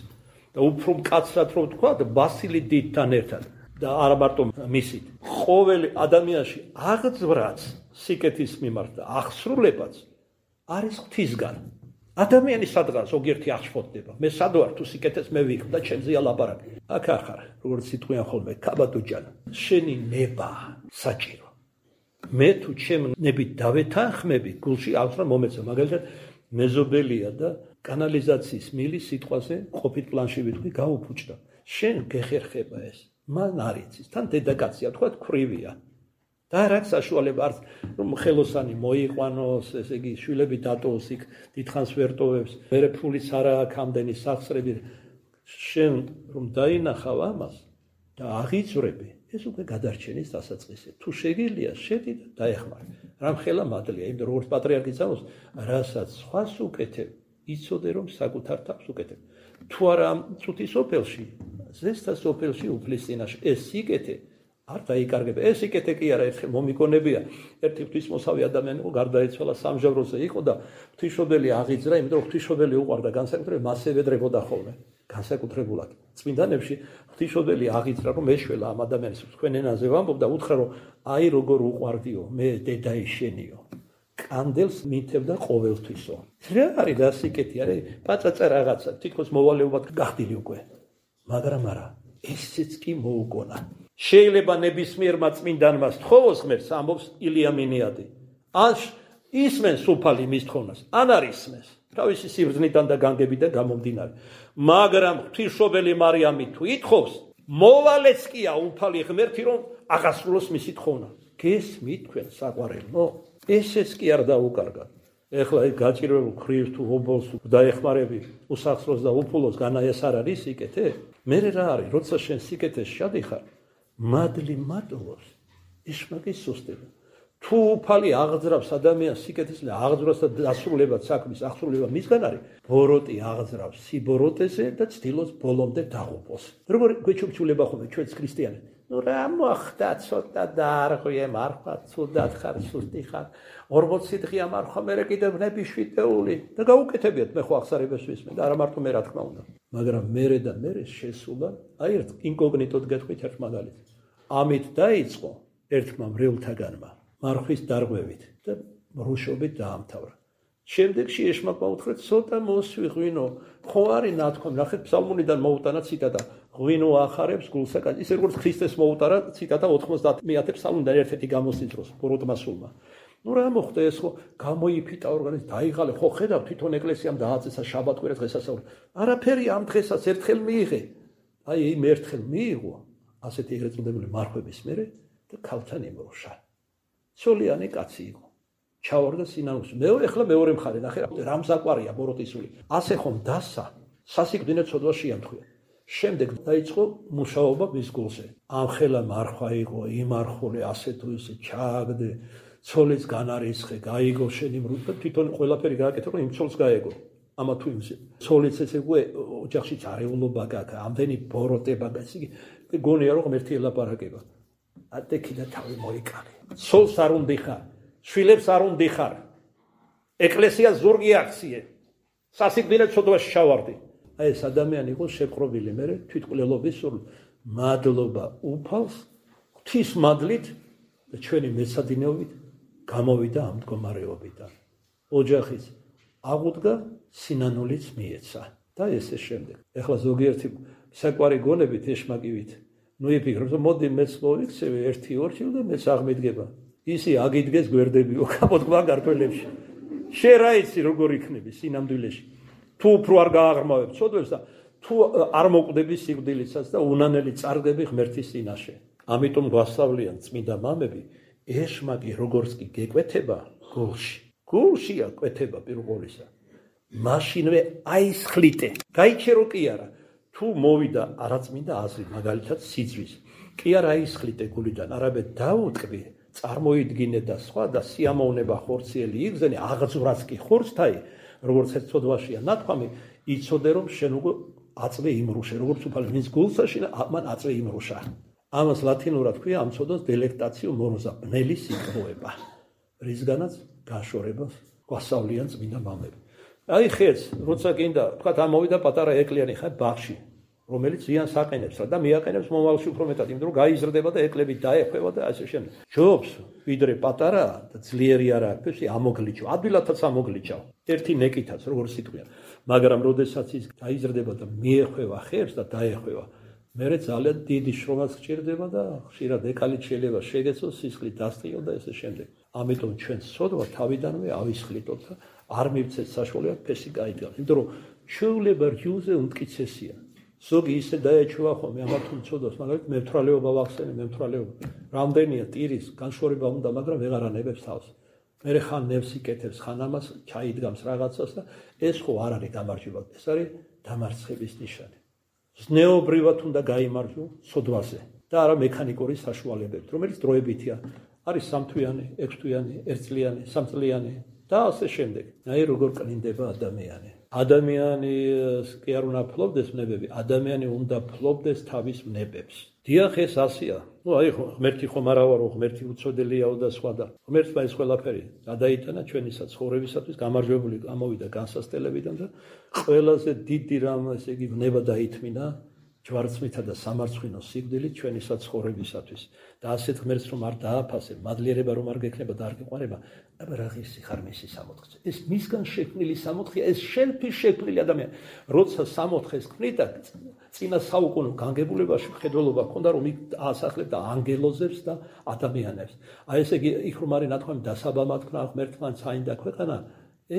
და უფრო მკაცრად რომ თქვა, ბასილი დიდთან ერთად და არა მარტო მისით. ყოველ ადამიანში აღძვრაც სიკეთის მიმართ და აღსრულებაც არის ღვთისგან. ადამიანი სადღაც ზოგიერთი აღშფოთდება. მე სად ვარ თუ სიკეთეს მე ვიქნ და ჩემზეა ლაპარაკი. აქ ახარ, როგორც სიტყვიან ხოლმე, კაბადოჯან, შენი ნება საჭირო. მე თუ ჩემ ნებით დავეთანხმები, გულში აღძვრა მომეცა, მაგალითად მეზობელია და კანალიზაციის მილი სიტყვაზე ყოფით პლანში ვიტყვი გაუფუჭდა. შენ გეხერხება ეს. მან არ იცის, თან დედაკაცია, თქვა ქვრივია. და რაც საშუალება არც რომ ხელოსანი მოიყვანოს, ესე იგი შვილები დატოვოს იქ დიდხანს ვერ ტოვებს, მერე ფულიც არა აქვს ამდენი სახსრები. შენ რომ დაინახავ ამას და აღიძვრები, ეს უკვე გადარჩენის დასაწყისი. თუ შეგიძლია, შედი და დაეხმარე. რამხელა მადლია, იმიტომ როგორც პატრიარქი წამოს, რასაც სხვას უკეთებ, იცოდე რომ საკუთარ თავს უკეთებ. თუ არა ამ წუთის სოფელში, ზესთა სოფელში უფლის წინაშე ეს სიკეთე არ დაიკარგება. ეს სიკეთე კი არა, ერთხელ მომიგონებია. ერთი ღვთისმოსავი ადამიანი იყო, გარდაეცვალა სამჟავროზე იყო და ღვთისმშობელი აღიძრა, იმიტომ რომ ღვთისმშობელი უყვარდა განსაკუთრებით მას ევედრებოდა ხოლმე. განსაკუთრებულად წმინდანებში ღვთისმშობელი აღიძრა, რომ ეშველა ამ ადამიანს თქვენ ენაზე ვამბობ და უთხრა რომ აი როგორ უყვარდიო, მე დედაი შენიო. კანდელს მითევდა ყოველთვისო. რა არის და სიკეთი არის? პაწაწა რაღაცა, თითქოს მოვალეობად გახდილი უკვე. მაგრამ არა, ესეც კი მოუგონა. შეიძლება ნებისმიერმა წმინდანმა სთხოვოს ღმერთს, ამბობს ილია მინიადი. ან ისმენს უფალი მის თხოვნას, ან არ ისმენს. თავისი სიბრძნიდან და განგებიდან გამომდინარე. მაგრამ ღვთისმშობელი მარიამი თუ ითხოვს, მოვალეც კია უფალი ღმერთი რომ აღასრულოს მისი თხოვნა. გესმით თქვენ საყვარელო? ესეც კი არ დაუკარგა. ეხლა ეს გაჭირვებულ ხრიებს თუ ობოლს დაეხმარები, უსახსროს და უფულოს განა ეს არ არის სიკეთე? მე რა არის, როცა შენ სიკეთეს შადიხარ, მადლი მადლობს, ისმაკის სუსტება. თუ უფალი აღძრავს ადამიანს სიკეთის და აღძრავს და დასრულებად საქმის აღსრულება მისგან არის, ბოროტი აღძრავს სიბოროტეზე და ცდილობს ბოლომდე დაღუპოს. როგორ გვეჩუქჩულება ხოლმე ჩვენს ქრისტიანებს? ნუ რა მოხდა ცოტა დაარღვიე მარხვა, ცუდად ხარ, სუსტი ხარ, 40 დღეა მარხვა, მერე კიდევ ნები შვიდეული და გაუკეთებიათ, მე ხო აღსარებას ვისმენ და არა მარტო მე რა თქმა უნდა. მაგრამ მერე და მერე შესულა, აი ერთ ინკოგნიტოდ გეტყვით ერთ მაგალითს. ამით დაიწყო ერთმა მრევლთაგანმა მარხვის დარღვევით და რუშობით დაამთავრა. შემდეგში ეშმაკმა უთხრა, ცოტა მოსვიღვინო, ხო არის ნათქვამი, ნახეთ ფსალმუნიდან მოუტანა ციტატა, ღვინო ახარებს გულსაკაც, ისე როგორც ქრისტეს მოუტარა ციტატა 90 ფსალმუნიდან ერთ-ერთი გამოსის დროს ბოროტმა სულმა. ნუ რა მოხდა ეს ხო გამოიფიტა ორგანიზმი დაიღალე ხო ხედავ თვითონ ეკლესიამ დააწესა შაბათ-კვირა დღესასწაული არაფერი ამ დღესაც ერთხელ მიიღე აი იმ ერთხელ მიიღო ასეთი ეგრეთ წოდებული მარხვების მერე და ქალთან იმრუშა ცოლიანი კაცი იყო ჩავარდა სინანულში მეორე მხარე ნახე რა მზაკვარია ბოროტისული ასე ხომ დასა სასიკვდინე ცოდვა შეამთხვია შემდეგ დაიწყო მუშაობა მის გულზე ამხელა მარხვა იყო იმარხულე ასე თუ ისე ჩააგდე ცოლის განარისხე გაიგო შენი მრუდა თვითონ ყველაფერი გააკეთა რომ იმ ცოლს გაეგო ამა თუ იმზე ცოლიც ესე ოჯახშიც არეულობა გაქვს ამდენი ბოროტება გაქვს იგი გონია რომ ერთი ელაპარაკება ატეკი და თავი მოიკალე ცოლს არ უნდა ხარ შვილებს არ უნდა ხარ ეკლესია ზურგი აქციე სასიკვდინე ცოდვაში ჩავარდი აი ეს ადამიანი იყო შეპყრობილი მე თვითმკვლელობის სულ მადლობა უფალს ღვთის მადლით და ჩვენი მეცადინეობით გამოვიდა ამ მდგომარეობიდან ოჯახის აღუდგა სინანულიც მიეცა და ესე შემდეგ ეხლა ზოგიერთი საკვარი გონებით ეშმაკივით ნუ იფიქრებს რომ მოდი მეც მოვიქცევი 1-2 და მეც აღმიდგება ისი აგიდგეს გვერდებიო გამოდგა გართულებში შე რა იცი როგორ იქნები სინამდვილეში თუ უფრო არ გააღრმავებ ცოდვებს და თუ არ მოკვდები სიკვდილიცაც და უნანელი წარგები ღმერთის წინაშე ამიტომ გვასწავლიან წმინდა მამები ეშმაკი როგორც კი გეკვეთება გულშია კვეთება პირველ ყოვლისა მაშინვე აისხლიტე გაიჩერო კი არა თუ მოვიდა არაწმინდა აზრი მაგალითად სიძვის კი არა აისხლიტე გულიდან არამედ დაუტკბი წარმოიდგინე და სხვა და სიამოვნება ხორციელი იგზენი აღძვრაც კი ხორცთაი როგორც ერთ ცოდვაშია ნათქვამი იცოდე რომ შენ უკვე აწვე იმრუშე როგორც უფალი მის გულსაში მან აწვე იმრუშა ამას ლათინურად ქვია ამ ცოდვას დელექტაციო მოროზა ბნელი სიტყვება რისგანაც გაშორებას გვასწავლიან წმინდა მამები აი ხეც როცა გინდა თქვა ამოვიდა პატარა ეკლიანი ხა ბაღში რომელიც ზიანს აყენებს და მიაყენებს მომავალში უფრო მეტად იმიტომ რომ გაიზრდება და ეკლები დაეხვევა და ასე შემდეგ ჯობს ვიდრე პატარა და ძლიერი არა აქვს ამოგლიჩო ადვილათაც ამოგლიჩავ ერთი ნეკითაც როგორც სიტყვია მაგრამ როდესაც ის გაიზრდება და მიეხვევა ხერს და დაეხვევა მერე ძალიან დიდი შრომაც გჭირდება და ხშირად ეკალით შეიძლება შეგეცოს სისხლით დასწიო და ესე შემდეგ ამიტომ ჩვენ სოდვა თავიდანვე ავისხლიტოთ და არ მივცეთ საშუალება ფესი გაიდგა იმიტომ რომ ჩვეულება რიუზე უმტკიცესია ზოგი ისე დაეჩვა ხოლმე ამათულ ცოდვას მაგალითად მემთვრალეობა ვახსენე მემთვრალეობა რამდენია ტირის განშორება უნდა მაგრამ ვეღარ ანებებს თავს მერე ხან ნევს იკეთებს ხან ამას ჩაიდგამს რაღაცას და ეს ხო არ არის გამარჯვება ეს არის დამარცხების ნიშანი ზნეობრივად უნდა გაიმარჯვო ცოდვაზე და არა მექანიკური საშუალებებით რომელიც დროებითია არის 3 თვიანი 6 თვიანი 1 წლიანი 3 წლიანი და ასე შემდეგ აი როგორ კნინდება ადამიანი ადამიანი კი არ უნდა ფლობდეს ნებები ადამიანი უნდა ფლობდეს თავის ნებებს დიახ ეს ასია ნუ აი ღმერთი ხომ არა ვარო ღმერთი უცოდელიაო და სხვა და ღმერთმა ეს ყველაფერი გადაიტანა ჩვენისა ცხოვრებისათვის გამარჯვებული გამოვიდა განსასწელებიდან და ყველაზე დიდი რამ ესე იგი ნება დაითმინა ჯვარცმითა და სამარცხვინო სიკვდილით ჩვენისა ცხოვრებისათვის და ასეთ ღმერთს რომ არ დააფასებ მადლიერება რომ არ გექნება და არ გიყვარება აბა რა ღირსი ხარ მისი სამოთხე ეს მისგან შექმნილი სამოთხეა ეს შენთვის შექმნილი ადამიანი როცა სამოთხეს ქმნით და წინა საუკუნო განგებულებაში მხედველობა ჰქონდა რომ იქ აასახლებდა ანგელოზებს და ადამიანებს აი ესე იგი იქ რომ არის ნათქვამი დასაბამად ქნა ღმერთმა წაინდა ქვეყანა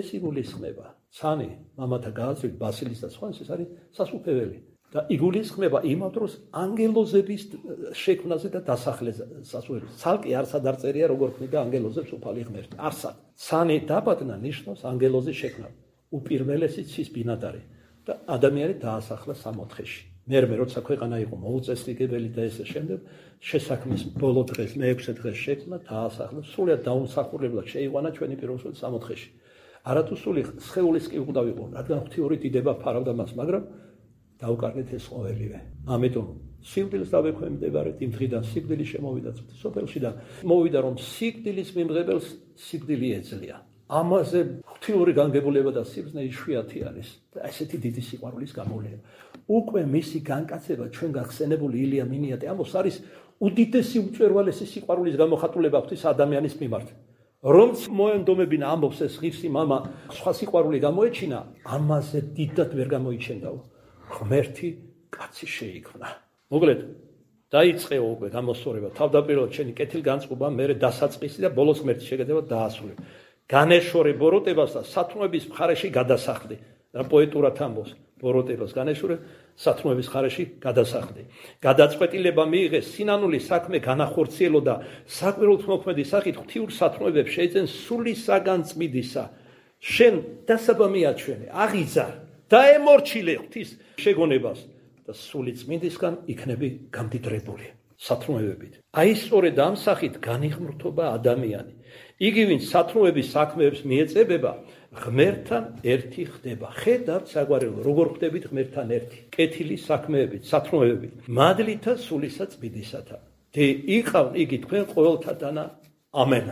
ეს იგულისხმება ცანი მამათა გააცრით ბასილის და სხვა ეს არის სასუფეველი და იგულისხმება იმავ დროს ანგელოზების შექმნაზე და დასახლებზე სასულიერო ცალკე არსად არ წერია როგორ ქმნიდა ანგელოზებს უფალი ღმერთი არსად ცანი დაბადნა ნიშნავს ანგელოზის შექმნა უპირველესი ცის ბინადარი და ადამიანი დაასახლა სამოთხეში მერმე როცა ქვეყანა იყო მოუწესრიგებელი და ესე შემდეგ შესაქმნის ბოლო დღეს მე-6 დღეს შექმნა დაასახლა სულად დაუმსახურებლად შეიყვანა ჩვენი პირველი სამოთხეში არათუ სული სხეულის კი უნდა ვიყო რადგან ღვთიური დიდება ფარავდა მას მაგრამ დაუკარგეთ ეს ყოველივე ამიტომ სიკვდილს დავექვემდებარეთ იმ დღიდან სიკვდილი შემოვიდა სოფელში და მოვიდა რომ სიკვდილის მიმღებელს სიკვდილი ეძლია ამაზე ღვთიური განგებულება და სიბრძნე იშვიათი არის და ესეთი დიდი სიყვარულის გამოვლენა უკვე მისი განკაცება ჩვენ გახსენებული ილია მინიატე ამბობს არის უდიდესი უწვერვალესი სიყვარულის გამოხატულება ღვთის ადამიანის მიმართ რომ მოენდომებინა ამბობს ეს ღირსი მამა სხვა სიყვარული გამოეჩინა ამაზე დიდად ვერ გამოიჩენდაო ღმერთი კაცი შეიქმნა მოკლედ დაიწყეო უკვე გამოსწორება, თავდაპირველად შენი კეთილგანწყობა, მერე დასაწყისი და ბოლოს ღმერთის შეგედება დაასრულე. განეშორე ბოროტებას და სათნოების მხარეში გადასახლდი. და პოეტურად ამბობს, ბოროტებას განეშორე, სათნოების მხარეში გადასახლდი. გადაწყვეტილება მიიღეს, სინანული საქმე განახორციელო და საკვირველთმოქმედი სახით ღვთიურ სათნოებებს შეეძენ სულისაგან წმიდისა. შენ დასაბა მიაჩვენე, აღიზარ, დაემორჩილე ღვთის შეგონებას და სული წმინდისგან იქნები გამდიდრებული სათნოებებით. აი სწორედ ამ სახით განიღმრთობა ადამიანი. იგი ვინც სათნოების საქმეებს მიეწებება, ღმერთთან ერთი ხდება. ხედავთ საგვარეულო, როგორ ხდებით ღმერთთან ერთი. კეთილი საქმეებით, სათნოებებით, მადლითა სულისა წმინდისათა. და იყავნ იგი თქვენ ყოველთა დანა. ამენ.